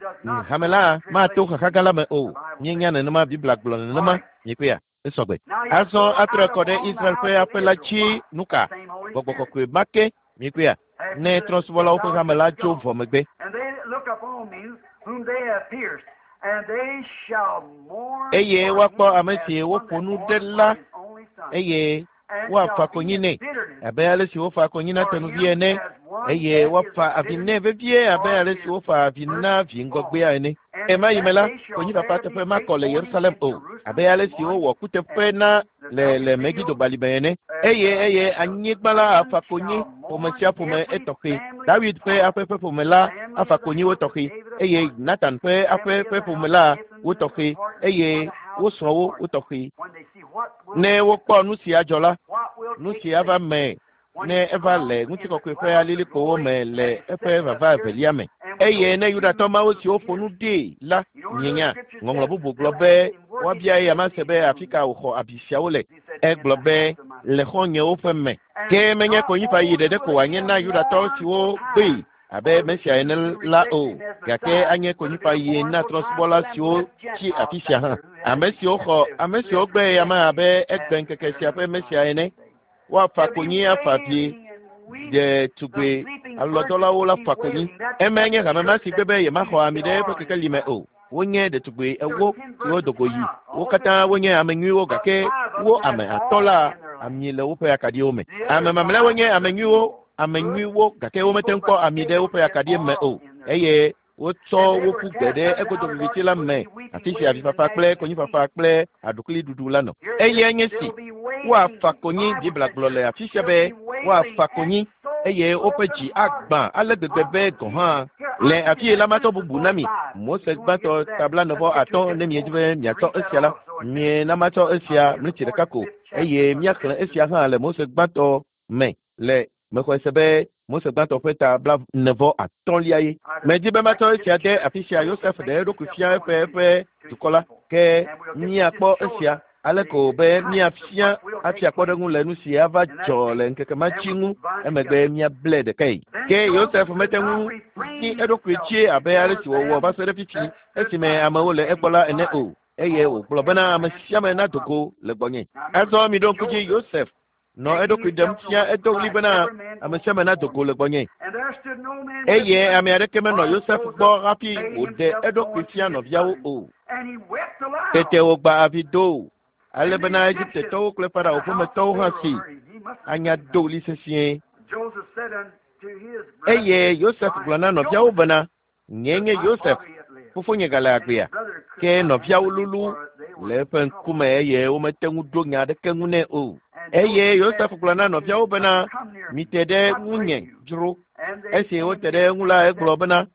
Hame la mato xaxa gã la me o. Míenya nenema Biblia gblɔ nenema. Mikpɔea? Esɔgbe. Now, he Azɔ will pour atrɔ out kɔ ɖe upon the Israel house ƒe of aƒe la Israel dzi what? nu ka? Same Holy Gbɔgbɔ Spirit. kɔkɔe ma ke. Mikpɔea? Ne After the trɔ̃subɔlawo ƒe hame la Gentiles tso is vɔ gone. megbe. And they that look upon me, whom they have pierced, and they shall mourn Eye for woakpɔ him ame as si one woƒo that nu ɖe mourneth la for his only son, eye and woafa shall be konyi in nɛ bitterness abe ale si wofa konyi na for tenuvi him ene as one eye that is woafa avi nɛ bitterness vevie abe for ale si his wofa avi na vi ŋgɔgbea firstborn. ene. And in Ɣemaɣi me that la, day shall konyifafa there be teƒe great makɔ le mourning Yerusalem in o Jerusalem abe ale and si mourning, wowɔ kuteƒe and na the le le valley Megido fields balime ene. and Eye the, eye and the anyigba la plain afa konyi shall ƒome mourn sia ƒome every etɔxɛ. family David ƒe apart. aƒe ƒe ƒome la The family afa of the konyi wo house of tɔxɛ David eye apart, Natan ƒe the aƒe family of ƒe the ƒome house la of Nathan wo tɔxɛ apart, and eye for the wo house srɔ̃wo apart. wo tɔxɛ. When they see what will Ne wokpɔ nu si adzɔ la, what will nu take si ava place, me Ne eva le ŋutikɔkɔe ƒe alilikpowo me le eƒe vava evelia me. Eye ne Yudatɔ mawo siwo ƒo nu ɖee la mienya, ŋɔŋlɔ bubu gblɔ be woabia eya ma se be afi ka wòxɔ abi siawo le. Egblɔ be le xɔ̃nyewo ƒe me. Ke menye konyifaɣi ɖeɖe ko wòanye na Yudatɔ siwo gbee abe Mesia ene la o, gake anye konyifaɣi na trɔ̃subɔla siwo tsi afi sia hã. Ame siwo xɔ ame siwo gbe eya ma abe egbe ŋkeke sia ƒe Mesia ene. Woafa konyi afa vie ɖetugbe alɔdɔlawo la fa konyi. Emae nye hame ma si gbe be yemaxɔ ami ɖe eƒe kekeli me o. Wonye ɖetugbe ewo siwo do go yi. Wo katã wonye ame nyuiwo gake wo ame atɔ̃ la ami le woƒe akaɖiwo me. Ame mamlɛawo nye ame nyuiwo, ame nyuiwo gake womete ŋu kpɔ ami ɖe woƒe akaɖi me o eye wotsɔ wo ƒu gbe ɖe egodo viviti la me afi si avifafa kple konyifafa kple aɖukliɖuɖu la nɔ. Eye nye si woafa konyi Biblia gblɔ le afi sia be woafa konyi eye woƒe dzi agbã ale gbegbe be gɔ̃ hã le afi yi la matɔ bubu na mi. Mose gbãtɔ ta blaene vɔ atɔ̃ ne miedzi be miatsɔ esia la, miena matsɔ esia mlitsi ɖeka ko eye míaxlẽ esia hã le Mose gbãtɔ me le mexɔe se be Mose gbãtɔ ƒe ta blaene vɔ atɔ̃lia ye. Medzi be matsɔ esia de afi sia Yosef ɖe eɖokui fia eƒe eƒe dukɔ la ke míakpɔ esia ale ko be míafia afia kpɔɖeŋu le nu si ava dzɔ le ŋkeke ma dzi ŋu emegbe míable ɖekae. Ke Yosef mete ŋu tsi eɖokui dzi abe ale si wòwɔ va se ɖe fifi esime amewo le egbɔ la ene o eye wògblɔ bena ame sia ame nado go le gbɔnye. Azɔ miɖo ŋku dzi Yosef nɔ eɖokui ɖem fia edo ɣli bena ame sia ame nado go le gbɔnye. Eye ame aɖeke menɔ Yosef gbɔ hafi wòɖe eɖokui fia nɔviawo o. Tete wògba avi do ale bena Egiptetɔwo kple Farao ƒemetɔwo hã si anya do ɣli sesĩe. Eye Yosef gblɔ na nɔviawo bena, nyee nye Yosef, fofonye gale agbea. Ke nɔviawo lulu le eƒe ŋkume eye womete ŋu ɖo nya aɖeke ŋu nɛ o. Eye Yosef gblɔ na nɔviawo bena, mite ɖe ŋunye dzro. Esi wote ɖe eŋu la, egblɔ bena,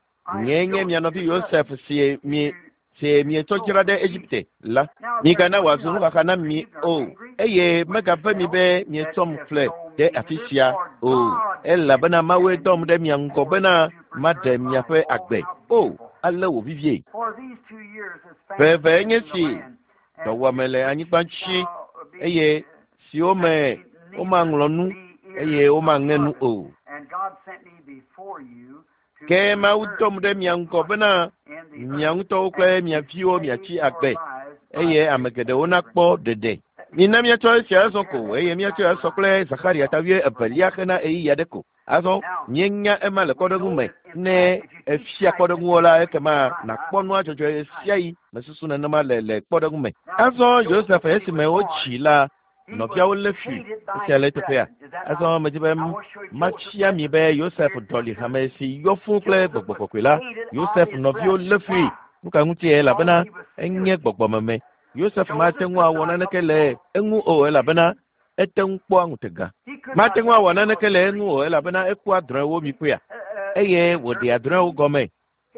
nyee nye mia nɔvi Yosef si mi si mietsɔ dzra ɖe Egipte la. Migana wòazu nuxaxa na mi o eye megave mi be mietsɔm ƒle ɖe afi sia o elabena Mawue dɔm ɖe mia ŋgɔ bena maɖe miaƒe agbe. O, ale wò vivie. Ƒe eve nye si dɔwuame le anyigba dzi eye siwo me womaŋlɔ nu eye womaŋe nu o. Ke Mawu dɔm ɖe mia ŋgɔ bena mia ŋutɔwo kple mia viwo miatsi agbe eye ame geɖewo nakpɔ ɖeɖe. Mina míatsɔ esia azɔ ko eye míatsɔe asɔ kple Zakaria ta wuievelia xena ɣeyiɣi aɖe ko. Azɔ míenya ema le kpɔɖeŋu me ne efia kpɔɖeŋuwo la ekema nàkpɔ nua dzɔdzɔe ɣe sia ɣi mesusu nenema le le kpɔɖeŋu me. Azɔ Yosef esime wotsi la nɔviawo lé fui esia le eteƒea. Azɔ medzi be mafia mi be Yosef ɖɔli hame si yɔ fũu kple gbɔgbɔ kɔkɔe la. Yosef nɔviwo lé fui. Nu ka ŋutie elabena enye gbɔgbɔmeme. Yosef mate ŋu awɔ naneke le eŋu o elabena ete ŋu kpɔa ŋutega. Mate ŋu awɔ naneke le eŋu o elabena ekua drɔ̃ewo mi kpɔea eye wòɖea drɔ̃ewo gɔme.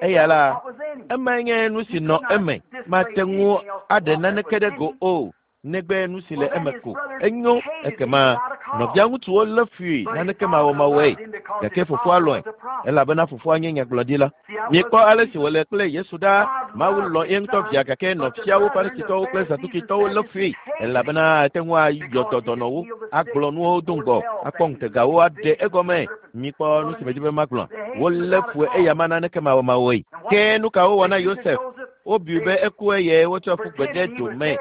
Eya la emae nye nu si nɔ eme. Mate ŋu aɖe naneke ɖe go o negbe nu si le eme ko. Enyo ekema nɔvia ŋutsuwo lé fui naneke mawɔmawɔe gake fofoa lɔ̃e elabena fofoa nye nyagblɔɖila. Miekpɔ ale si wòle kple Yesu ɖa. Mawu lɔ̃ ye ŋutɔ via gake nɔviawo Farisitɔwo kple Zadukitɔwo lé fui elabena ate ŋu ayɔ dɔ dɔnɔwo, agblɔ nuwo do ŋgɔ, akpɔ ŋutegawo aɖe egɔme. Mikpɔ nu si medzi be magblɔ. Wolé fue eya ma naneke mawɔmawɔe. Ke nu ka wowɔ na Yosef? Wobui be eku eye wotsɔ ƒu gbe ɖe do me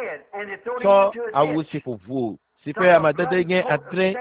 tsɔ awu si ƒo ʋu si ƒe amadede nye adre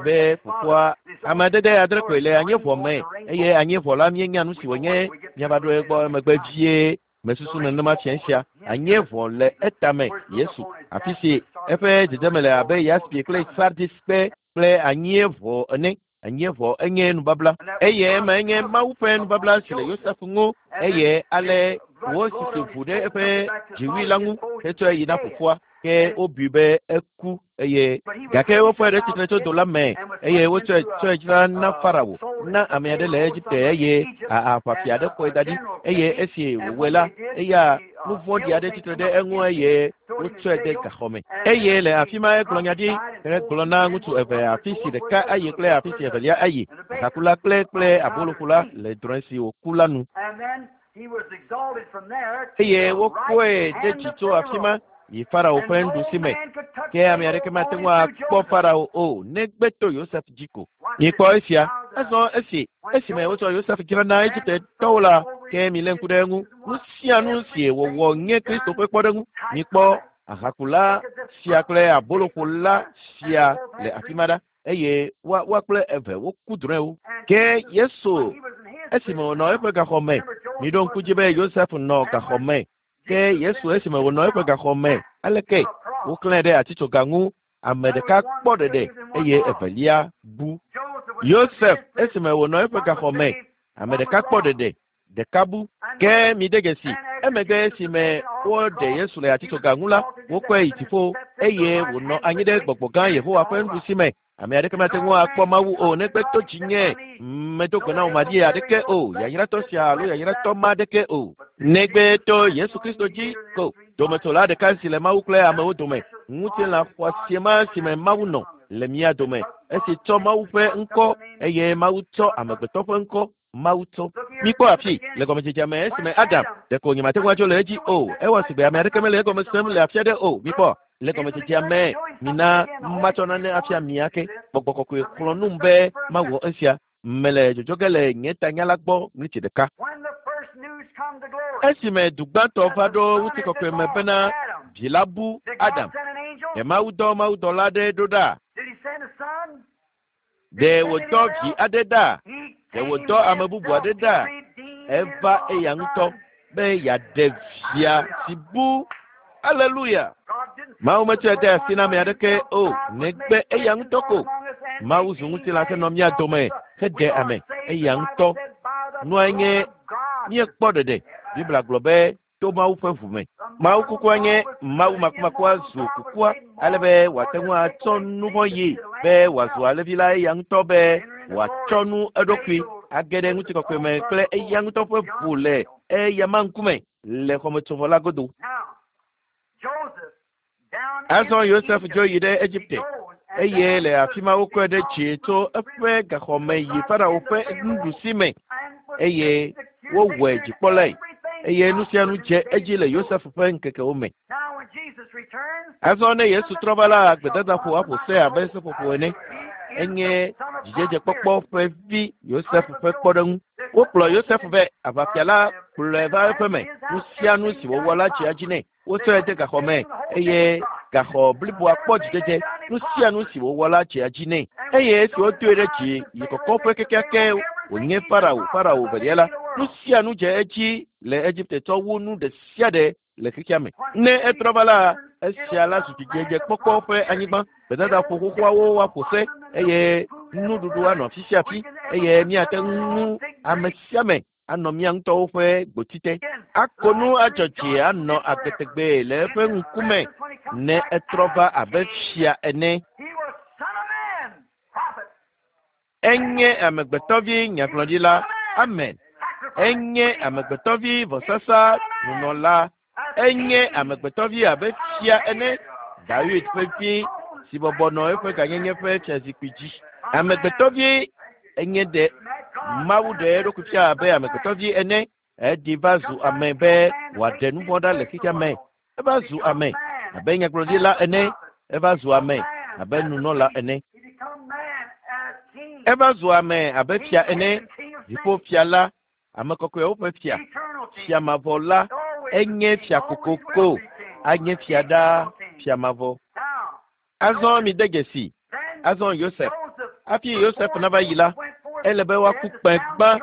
be fofoa amadede adre koe le anyieʋɔ me eye anyieʋɔ la míenya nu si wònye míava ɖo egbɔ emegbe vie mesusu nenema fia sia. Anyieʋɔ le etame Yesu afi si eƒe dzedzeme le abe yaspi kple sardis kpe kple anyieʋɔ ene. Anyieʋɔ enye nubabla eye ema enye Mawu ƒe nubabla si le Yosef ŋu eye ale wosisi ʋu ɖe eƒe dziwui la ŋu hetsɔe yi na fofoa. Ke wobui be eku eye gake wofɔe ɖe tsitre tso do la me eye wotsɔe tsɔe dzra na Farao. na ame aɖe le Egipte eye aʋafia aɖe xɔe da ɖi eye esi wòwɔe la eya nu vɔ̃ɖi aɖe tsitre ɖe eŋu eye wotsɔe de gaxɔ me eye le afi ma egblɔ nya ɖi hegblɔ na ŋutsu eve afi si ɖeka ayi kple afi si evelia ayi ahakula kple kple aboloƒola le drɔ̃e si wòku la nu eye wokɔe ɖe dzi tso afi ma yi Farao ƒe nuɖusi me ke ame aɖeke mate ŋu akpɔ Farao o negbe to Yosef dzi ko. Mikpɔ esia azɔ esi esime wotsɔ Yosef dzra na Egiptetɔwo la ke milé ŋku ɖe eŋu. Nu sia nu si wòwɔ nye Kristo ƒe kpɔɖeŋu. Mikpɔ ahakula sia kple aboloƒola sia le afi ma ɖa eye woa woa kple eve woku drɔ̃ewo. Ke Yesu esime wònɔ eƒe gaxɔ me miɖo ŋku dzi be Yosef nɔ gaxɔ me. Ke Yesu esime wònɔ eƒe gaxɔ me aleke woklãe ɖe atitsoga ŋu ame ɖeka kpɔ ɖeɖe eye evelia bu. Yosef esime wònɔ eƒe gaxɔ me ame ɖeka kpɔ ɖeɖe ɖeka bu. Ke mide dzesi emegbe esime woɖe Yesu le atitsoga ŋu la wokɔe yi dziƒo eye wònɔ anyi ɖe gbɔgbɔ gã Yehowa ƒe nuɖusi me. Ame aɖeke mate ŋu akpɔ Mawu o negbe to dzinye medo gbe na wò maɖi aɖeke o yayratɔ sia alo yayratɔ ma aɖeke o negbe to Yesu Kristo dzi ko dometsola ɖeka si le Mawu kple amewo dome ŋutilã xɔasi ma si me Mawu nɔ le mía dome esi tsɔ Mawu ƒe ŋkɔ eye Mawu tsɔ amegbetɔ ƒe ŋkɔ Mawu tsɔ. Mikpɔ afi le gɔmedzedzea me esime Adam ɖeko nyemate ŋu adzo le edzi o ewɔ sigbe ame aɖeke mele egɔme sem le afi aɖe o mikpɔ le gɔmedzedzea me mina matsɔ nane afia mia ke gbɔgbɔ kɔkɔe xlɔ̃ num be mawɔ esia mele dzodzo ge le nye tanya la gbɔ ɣleti ɖeka. Esime du gbãtɔ va ɖo ŋutikɔkɔe me bena vi la bu Adam ɖe Mawu dɔ mawudɔla aɖe ɖo ɖa? Ɖe wòdɔ vi aɖe ɖa? Ɖe wòdɔ ame bubu aɖe ɖa? Eva eya ŋutɔ be yeaɖe via si bu. Aleluya! Mawu metsɔe de asi na ame aɖeke o negbe eya ŋutɔ ko. Mawu zu ŋutilã henɔ mía dome heɖe ame eya ŋutɔ. Nua nye míekpɔ ɖeɖe. Biblia gblɔ be to Mawu ƒe ʋu me. Mawu kukua nye Mawu makumakua zu kukua ale be wòate ŋu atsɔ nu vɔ̃ yi be wòazu alẽvi la eya ŋutɔ be wòatsɔ nu eɖokui age ɖe ŋutikɔkɔe me kple eya ŋutɔ ƒe ʋu le eyama ŋkume le xɔmetsovɔ la godo. Azɔ Yosef dzo yi ɖe Egipte eye le afi ma wokɔe ɖe dzi tso eƒe gaxɔ me yi Farao ƒe nuɖusi me eye wowɔe dzikpɔlae eye nu sia nu dze edzi le Yosef ƒe ŋkekewo me. Azɔ ne Yesu trɔ va la gbedadaƒo aƒo se abe seƒoƒo ene. Enye dzidzedzekpɔkpɔ ƒe vi Yosef ƒe kpɔɖeŋu. Wokplɔ Yosef vɛ aʋafia la kplɔe va eƒe me. Nu sia nu si wòwɔ la tsia dzi nɛ. Wotsɔe de gaxɔ me eye gaxɔ bliboa kpɔ dzidzedze. Nu sia nu si wòwɔ la tsia dzi nɛ. Eye esi wodoe ɖe dzi yi kɔkɔƒe kekeake wònye Farao Farao velia la nu sia nu dze edzi le Egipte tsɔ wu nu ɖe sia ɖe le xexea me. Ne etrɔ va la esia la zu dzidzedzekpɔkpɔ ƒe anyigba. Gbedadaƒo xoxoawo woaƒo se eye nuɖuɖu anɔ afi sia afi eye míate ŋu ame sia ame anɔ mía ŋutɔwo ƒe gboti te. Ako nu adzɔ dzi anɔ agbe tegbee le eƒe ŋkume ne etrɔ va abe fia ene. Enye amegbetɔvi nyagblɔɖila. Amen. Enye amegbetɔvi vɔsasa nunɔla. Enye amegbetɔvi abe fia ene. Dawid ƒe vi si bɔbɔ nɔ eƒe gãnyenye ƒe fiazikpui dzi. Amegbetɔvi enye ɖe Mawu ɖe eɖokui fia abe amegbetɔvi ene. Eɖi va zu ame be wòaɖe nu vɔ̃ ɖa le xexea me. Eva zu ame abe nyagblɔɖila ene. Eva zu ame abe nunɔla ene. Eva zu ame abe fia ene. Dziƒo fia la, ame kɔkɔewo ƒe fia, fia mavɔ la, enye fia kokoko, anye fia ɖaa, fia mavɔ. Azɔ mide dzesi. Azɔ Yosef. Hafi Yosef nava yi la, ele be woaku kpẽ gbã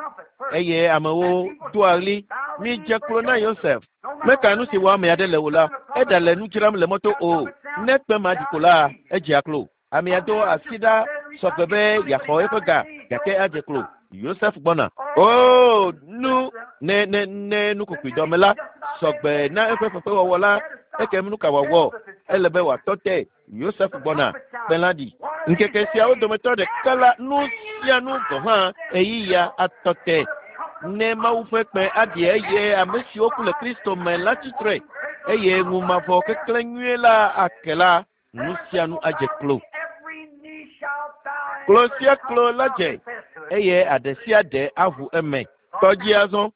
eye amewo doa ɣli midze klo na Yosef. Meka nu si wɔ ame aɖe le o la, eɖale nu dzram le mɔto o. Ne kpẽ ma ɖi ko la, edzea klo. Amea do asi ɖa sɔgbe be yeaxɔ eƒe ga gake adze klo. Yosef gbɔna. Oo nu ne ne ne nukokoedɔme la sɔgbe na eƒe fefewɔwɔ la ekem nu ka wòawɔ? Ele be wòatɔ te. Yosef gbɔna. Kpẽ la ɖi. Ŋkeke siawo dometɔ ɖeka la, nu sia nu gɔ̃ hã ɣeyiɣia atɔ te. Ne Mawu ƒe kpẽ aɖi eye ame siwo ku le Kristo me la tsitre eye ŋu mavɔ keklẽ nyuie la ake la, nu sia nu adze klo. Klo sia klo la dze eye aɖe sia ɖe aʋu eme. Tɔ dzi azɔ.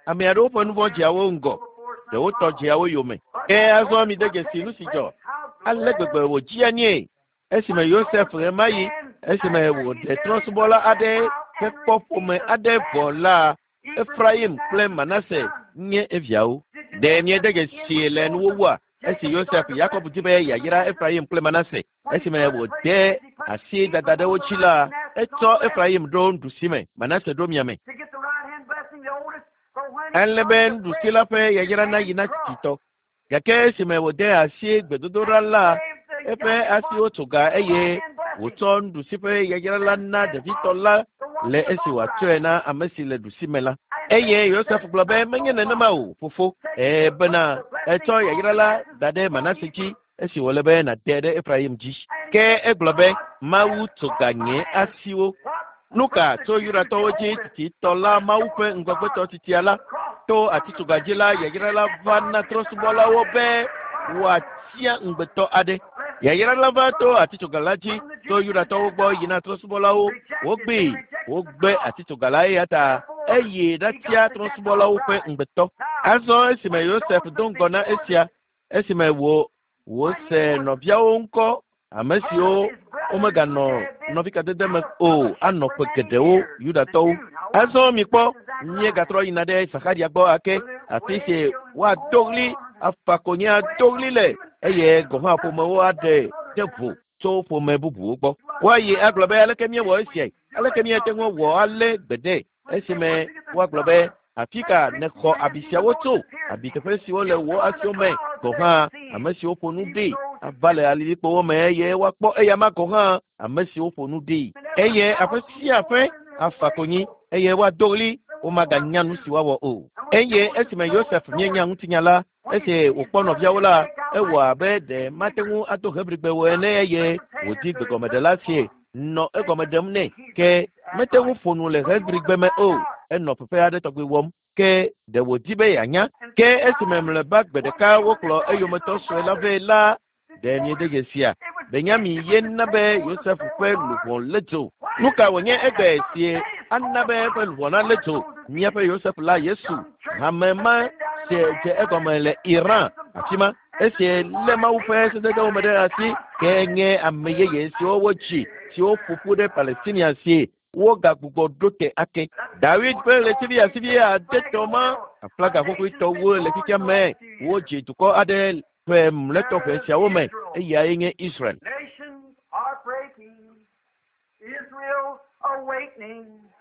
Ame aɖewo ƒe nu vɔ̃ dzea wo ŋgɔ, ɖewo tɔ dzea wo yome. Ke azɔ mi de dzesi nu si dzɔ. Ale gbegbe wòdzia nie esime Yosef ɣemaɣi esime wòɖe trɔ̃subɔla aɖe ƒe kpɔ ƒome aɖe vɔ la, Efraim kple Manase nye eviawo. Ɖe miede dzesi le nuwuwua esi Yosef Yakob di be yeayra Efraim kple Manase esime wòde asi dada ɖe wo dzi la, etsɔ Efraim ɖo nuɖusime, Manase ɖo miame. Ele be nuɖusi la ƒe yayra nayi na tsitsitɔ. Gake esime wòde asi gbedodoɖa la, eƒe asiwo tso ga eye wòtsɔ nuɖusi ƒe yayra la na ɖevitɔ la le esi wòatsɔe na ame si le ɖusime la. Eye Yosef gblɔ be menye nenema o, fofo, ee bena etsɔ yayra la da ɖe Manase dzi esi wòle be nàde ɖe Efraim dzi. Ke egblɔ be Mawu tso ga nye asiwo. Nu ka tso Yudatɔwo dzi tsitsitɔ la Mawu ƒe ŋgɔgbetɔ titia la to atitsoga dzi la yayra la va na trɔ̃subɔlawo be wòatia ŋugbetɔ aɖe. Yayra la va to atitsoga la dzi tso Yudatɔwo gbɔ yina trɔ̃subɔlawo. Wogbee, wogbe atitsoga la eya ta eye ɖatia trɔ̃subɔlawo ƒe ŋugbetɔ. Azɔ esime Yosef do ŋgɔ na esia, esime wò wòse nɔviawo ŋkɔ ame siwo womeganɔ nɔvikadede me o anɔ ƒe geɖewo Yudatɔwo. Azɔ mikpɔ míegatrɔ yina ɖe Zakaria gbɔ ake afi si woado ɣli afa konyi ado ɣli le eye gɔ̃ hã ƒomewo aɖe ɖe vo tso ƒome bubuwo gbɔ. Woayi agblɔ be aleke míewɔ esiae? Aleke míate ŋu awɔ ale gbeɖe esime woagblɔ be afi ka nèxɔ abi siawo tso? Abi teƒe siwo le wò asiwo me gɔ̃ hã ame siwo ƒo nu ɖi ava le alilikpowo me eye woakpɔ eyama gɔ̃ hã ame siwo ƒo nu ɖi. Eye aƒe sia aƒe afa konyi eye woado ɣli womaganya nu si woawɔ o. Eye esime Yosef míenya ŋutinya la, esi wòkpɔ nɔviawo la, ewɔ abe ɖe mate ŋu ado Hebrigbe o ene eye wòdi gbegɔmeɖela si nɔ egɔme ɖem nɛ. Ke mete ŋu ƒo nu le Hebrigbe me o. Enɔ fefe aɖe tɔgbi wɔm. Ke ɖe wòdi be yeanya. Ke esime mlɔeba gbe ɖeka wokplɔ eyometɔ sue la vɛ la, ɖe miede dzesia? Benyamin ye na be Yosef ƒe luʋɔ lé dzo. Nu ka wònye egbe si ana be eƒe luʋɔ nalé dzo? Míaƒe Yosef la Yesu, hame ma si dze egɔme le Iran afi ma. Esi lé Mawu ƒe sededewo me ɖe asi ke nye ame yeye siwo wodzi siwo ƒo ƒu ɖe Palestinia si wogagbugbɔ ɖo te ake. Dawid ƒe ɣletivi asivi adetɔ ma aflaga xoxoetɔwo le xexea me wodzi dukɔ aɖe ƒe mlɔetɔ ƒe siawo me eyae nye Israel. Nations are breaking, Israel awakening.